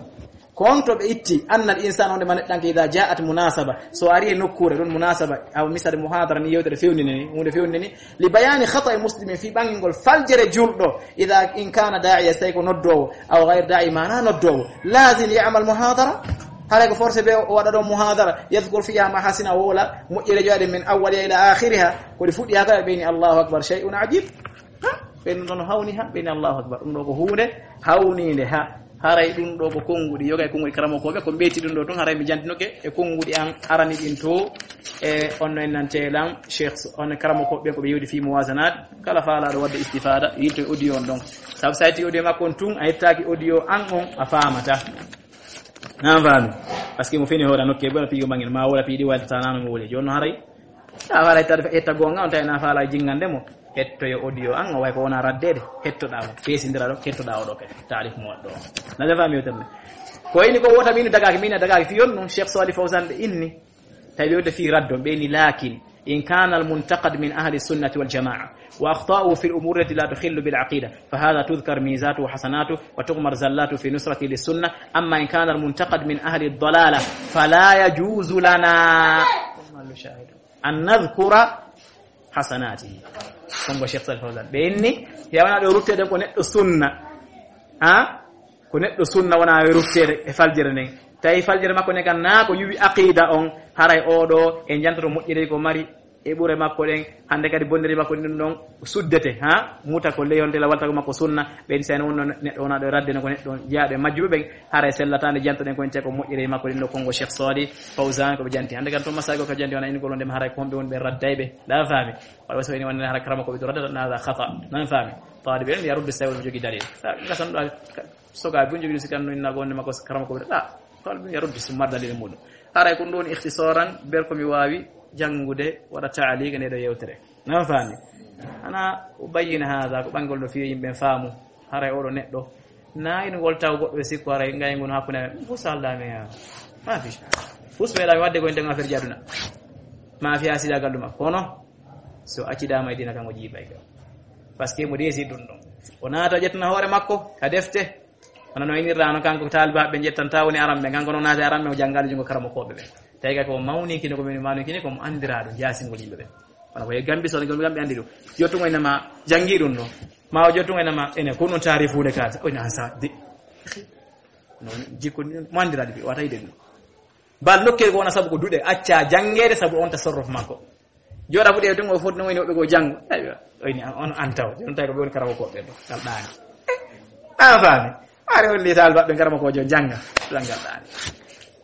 Konto ɓe itti, anna al-insan wonde ma neɗɗanke, idha ja'at munasaba, so ari e nokkuure, ɗon munasaba, aw misal muhadara ni, yewtere fewndinde ni, huunde fewndinde ni, li bayani khata'i muslimin, fii ɓangingol faljere julɗo, idha in kana da'iya, so tawi ko noddoowo, aw ghayr da'i, mana noddoowo, lazim ya'mal muhadara, haray ko forcé ɓe o waɗa ɗon muhadara, yadhkur fiha mahasina, wola moƴƴere joɗe min awwaliha ila akhiriha, ko ɗi fuɗɗi ha kala ɓe ni Allahu akbar, shay'un ajib. Ha? Ɓen ɗon hawni ha, ɓe ni Allahu akbar. Ɗum ɗo ko huunde hawniinde ha. Haray ɗum ɗo ko konnguɗi, yoga e konnguɗi karamokooɓe, ko mbeyti ɗum ɗo tun, haray mi jantinoke e konnguɗi an arani ɗin to, e on no en nante lan, Cheikh, on karamokooɓe ɓen ko ɓe yewdi fii muwasanat, kala faalaaɗo waɗde istifada, yilto e audio on ɗon. Sabu so a yettii audio makko on tun, a yettaaki audio an on, a faamata. Nan faami. Parce que mo fini hoore nokke, bona piigo mangel, ma wala piidi walta nano mo wole. Jono haray. A haray ta etta gonga on tawi na faala jingande mo. Hetto yo audio an, o way ko wona raddede. Hettoɗa mo. Pesindira ɗo, hettoɗa o ɗo kadi. Taalif mo waɗɗo. Na da faami o tammi. Ko ini ko wota min dagaki, min dagaki fi on non, Cheikh Salih Fawzan ɓe inni. Tawi ɓe wonde fii raddo, ɓe ni, "Lakin in kana al-muntaqad min ahli sunnati wal jama'a, wa akhta'uhu fil umuri allati la tukhillu bil aqida, fa hadha tudhkar mizatuhu wa hasanatuhu, wa tughmar zallatuhu fi nusrati lis sunna, amma in kana al-muntaqad min ahli ad-dalala, fala yajuzu lana an nadhkura hasanatihi." Kongo Cheikh Salih Fawzan. Ɓe inni, yawana ɗo ruttede ko neɗɗo sunna. Ha? Ko neɗɗo sunna wona e rutteede e faljere nden. Tawi faljere makko nden kan, naa ko yuwi aqida on, haray oɗo e jantoto moƴƴere ko mari e ɓure makko ɗen, hande kadi bonnere makko ɗin ɗon suddete, ha? Muta ko leyonte la walta ko makko sunna, ɓen sen wonno neɗɗo wona ɗo e radde no ko neɗɗo jeyaaɓe majjuɓe ɓen, haray sellataande jantoɗen ko ente ko moƴƴere makko ɗin ɗo kongo Cheikh Sali Fawzan ko ɓe janti. Hande kan to masago ka janti wona in ko londe haray ko homɓe wonɓe raddayɓe. La faami. Wala so woni wonde haray karama ko ɓe to radda na khata. Nan faami. Taalibe en yarudde sawi no jogi dalil. Ngasan ɗo Soga bun jogii si kan no inna gonde makko karama ko ɓe ɗa. Kala bun yarudde si mar dalil muɗum. Haray ko ɗum ɗon ikhtisaran ber ko mi waawi janngude waɗa taaliq nde ɗo yewtere. Nan faami. Ana ubayyin hada ko ɓangol no fiye yimɓe faamu. Haray oɗo neɗɗo. Na ino ngol taw goɗɗo e sikko haray ngay ngon hakkunde amen. Fus halda me ya. Ma fi. Fus ɓe ɗa mi wadde ko inde affaire ji aduna. Ma fi asida galluma. Kono so accida ma e dina kan o jiibay ka. Parce que mo desi ɗum ɗon. O naata ƴettana hoore makko ka defte. Hono no inirɗa no kanko taalibaaɓe ɓe njettanta woni aran ɓe, kanko no naati aran ɓe, o janngaali junngo karamokooɓe ɓe. Tawi kay ko mawni kine, ko mawni kine, ko mo anndiraaɗo jaasingol yimɓe ɓe. Kono ko e Gambi, so Gambi anndi ɗum. Jottungo ene ma janngi ɗum ɗo. Ma o jottungo ene ma ene ko non taarifuude kaasa. O ina sa de. No jikko ni mo anndiraaɗo ɓe wata yiɗe ɗum. Bal nokkee ko wona sabu ko duɗe acca janngeede sabu on tasarruf makko. Jooɗa fu ɗe tungo foti no woni woɓɓe ko janngo. Aywa, o ini on antaw. Ɗum tawi ko ɓe woni karamo ko ɓe ɗo. Ngal ɗaani. A faami. Are on li taal baɓɓe karamo ko jo jannga. Ɗum ngal ɗaani.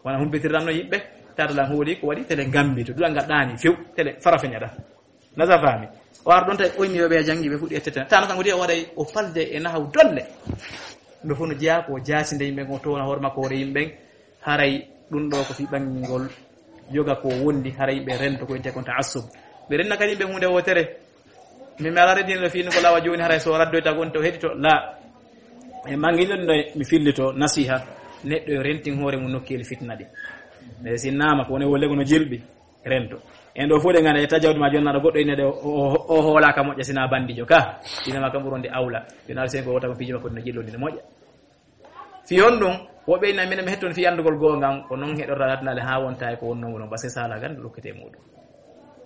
Wona humpitirɗam no yimɓe. Tata lan hooli ko waɗi tele Gambi to. Ɗum ngal ɗaani few. Tele farafeña ɗa. Nasa faami. O ar ɗon tawi oyni yo ɓe janngi ɓe fuɗɗi ettete. Tana kanko de o waɗay o falde e nahaw dolle. Ɗum ɗo fof no jeyaa ko jaasinde yimɓe ko toona hoore makko hoore yimɓe. Haray ɗum ɗo ko fii ɓangingol yoga ko wondi, haray ɓe rento ko wiyetee kon ta'assub. Ɓe renna kadi ɓe huunde wootere. Min mi alaa reddino fii no ko lawa jooni, haray so raddoyta ko on to heɗito. La. E mangilon ɗo mi fillito nasiha. Neɗɗo yo rentin hoore mum nokkeeli fitna ɗi. E si naama ko woni wo lego no jilɓi, rento. En ɗo fof ɗe ngannda e tajawdi ma jonnaaɗo goɗɗo ine ɗe o, o, o hoolaaka moƴƴa sina banndijo ka. Ina ma kam ɓuronde awla. Yo naal sen ko wota ko piiji makko ɗi no jillodi no moƴƴa. Fii honɗum? Woɓɓe ina minen mi hetton fii anndugol goonga, ko non heɗorta natnaale haa wonta e ko wonnoo ngol, parce que sala gan lukkete muɗum.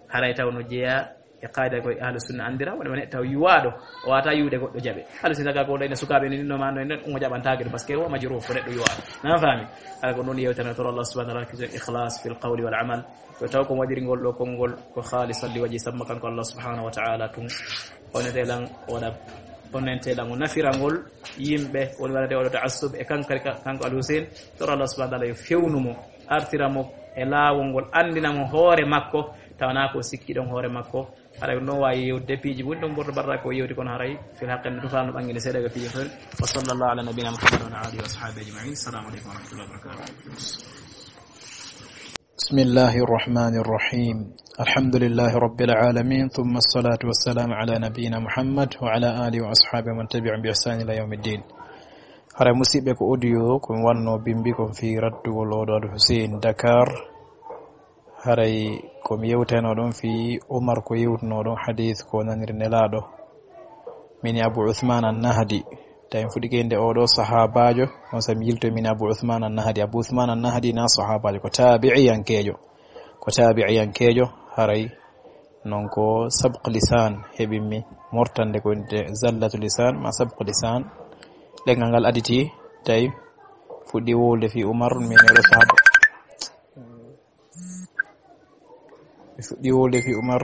Haray taw no jeyaa e qaayda ko ahlu sunna anndira, woni woni taw yuwaaɗo, o wata yuwde goɗɗo jaɓe. Ahlu sunna ka ko ɗo ina sukaaɓe ni no ma no en ɗon, umo jaɓantaake ɗum, parce que o majruh, ko neɗɗo yuwaaɗo. Nan faami? Haray ko ɗum yewtere, to Allah subhanahu wa ta'ala, kiso ikhlas fil qawli wal amal. Ko taw ko waɗiri ngol ɗo konngol ko khalisan li wajhi, samma kanko Allah subhanahu wa ta'ala tun. Onete lan o waɗa, onente lan o nafira ngol yimɓe, woni waɗate oɗo ta'assub e kankari ka-, kanko Al Hussein. Toro Allah subhanahu wa ta'ala yo fewnu mo, artira mo e laawol ngol, anndina mo hoore makko, tawana ko sikki ɗon hoore makko. Haray no waawi yewde piiji woni ɗon borɗo barra ko yewti kono haray fil haqqe no tufaano ɓanginde seeɗa ko piiji ton. Wa sallallahu ala nabina Muhammad wa ala alihi wa ashabihi ajma'in. Assalamu alaikum wa rahmatullahi wa barakatuh. بسم الله الرحمن الرحيم. الحمد لله رب العالمين، ثم الصلاة والسلام على نبينا محمد وعلى آله وأصحابه ومن تبعهم بإحسان إلى يوم الدين. Haray musiɓɓe ko audio ko mi wanno bimbi kon fii raddugol oɗo Al Hussein Dakar. Haray ko mi yewtayno ɗon fii Umar ko yewtuno ɗon hadith ko naniri Nelaaɗo. Min Abu Uthman an-Nahdi. Tawi mi fuɗɗike innde oɗo sahaabaajo, on sa mi yilto min Abu Uthman an-Nahdi. Abu Uthman an-Nahdi na sahaabaajo, ko taabi'iyankeejo. Ko taabi'iyankeejo, haray non ko sabq lisan heɓimmi mortande ko innde zallatu lisan, ma sabq lisan. Ɗemngal ngal aditi, tawi fuɗɗi wowlude fii Umar, min oɗo sahaaba. Mi fuɗɗi wowlude fii Umar,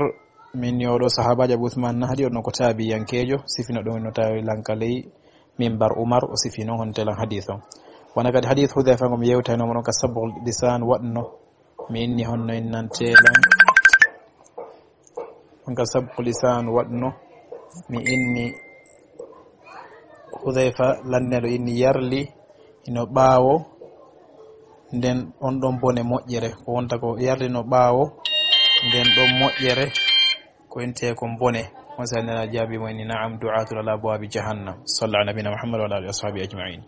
min yo ɗo sahaabaajo Abu Usman Nahdi, on ko taabiyankeejo, sifino ɗum no tawi lanka ley mimbar Umar, o sifino honte lan hadith on. Wona kadi hadith Hudhayfa ngo mi yewtayno mo ɗon ka sabqul lisan waɗno, mi inni honno innante lan. On ka sabqul lisan waɗno, mi inni Hudhayfa lanneɗo inni yarli hino ɓaawo nden on ɗon bone moƴƴere, ko wonta ko yarlino ɓaawo nden ɗon moƴƴere, ko intee kon bone. On sa nana jaabi mo inni, "Na'am, du'atun ala abwabi jahannam." Salla ala nabina Muhammad wa ala alihi wa sahbihi ajma'in.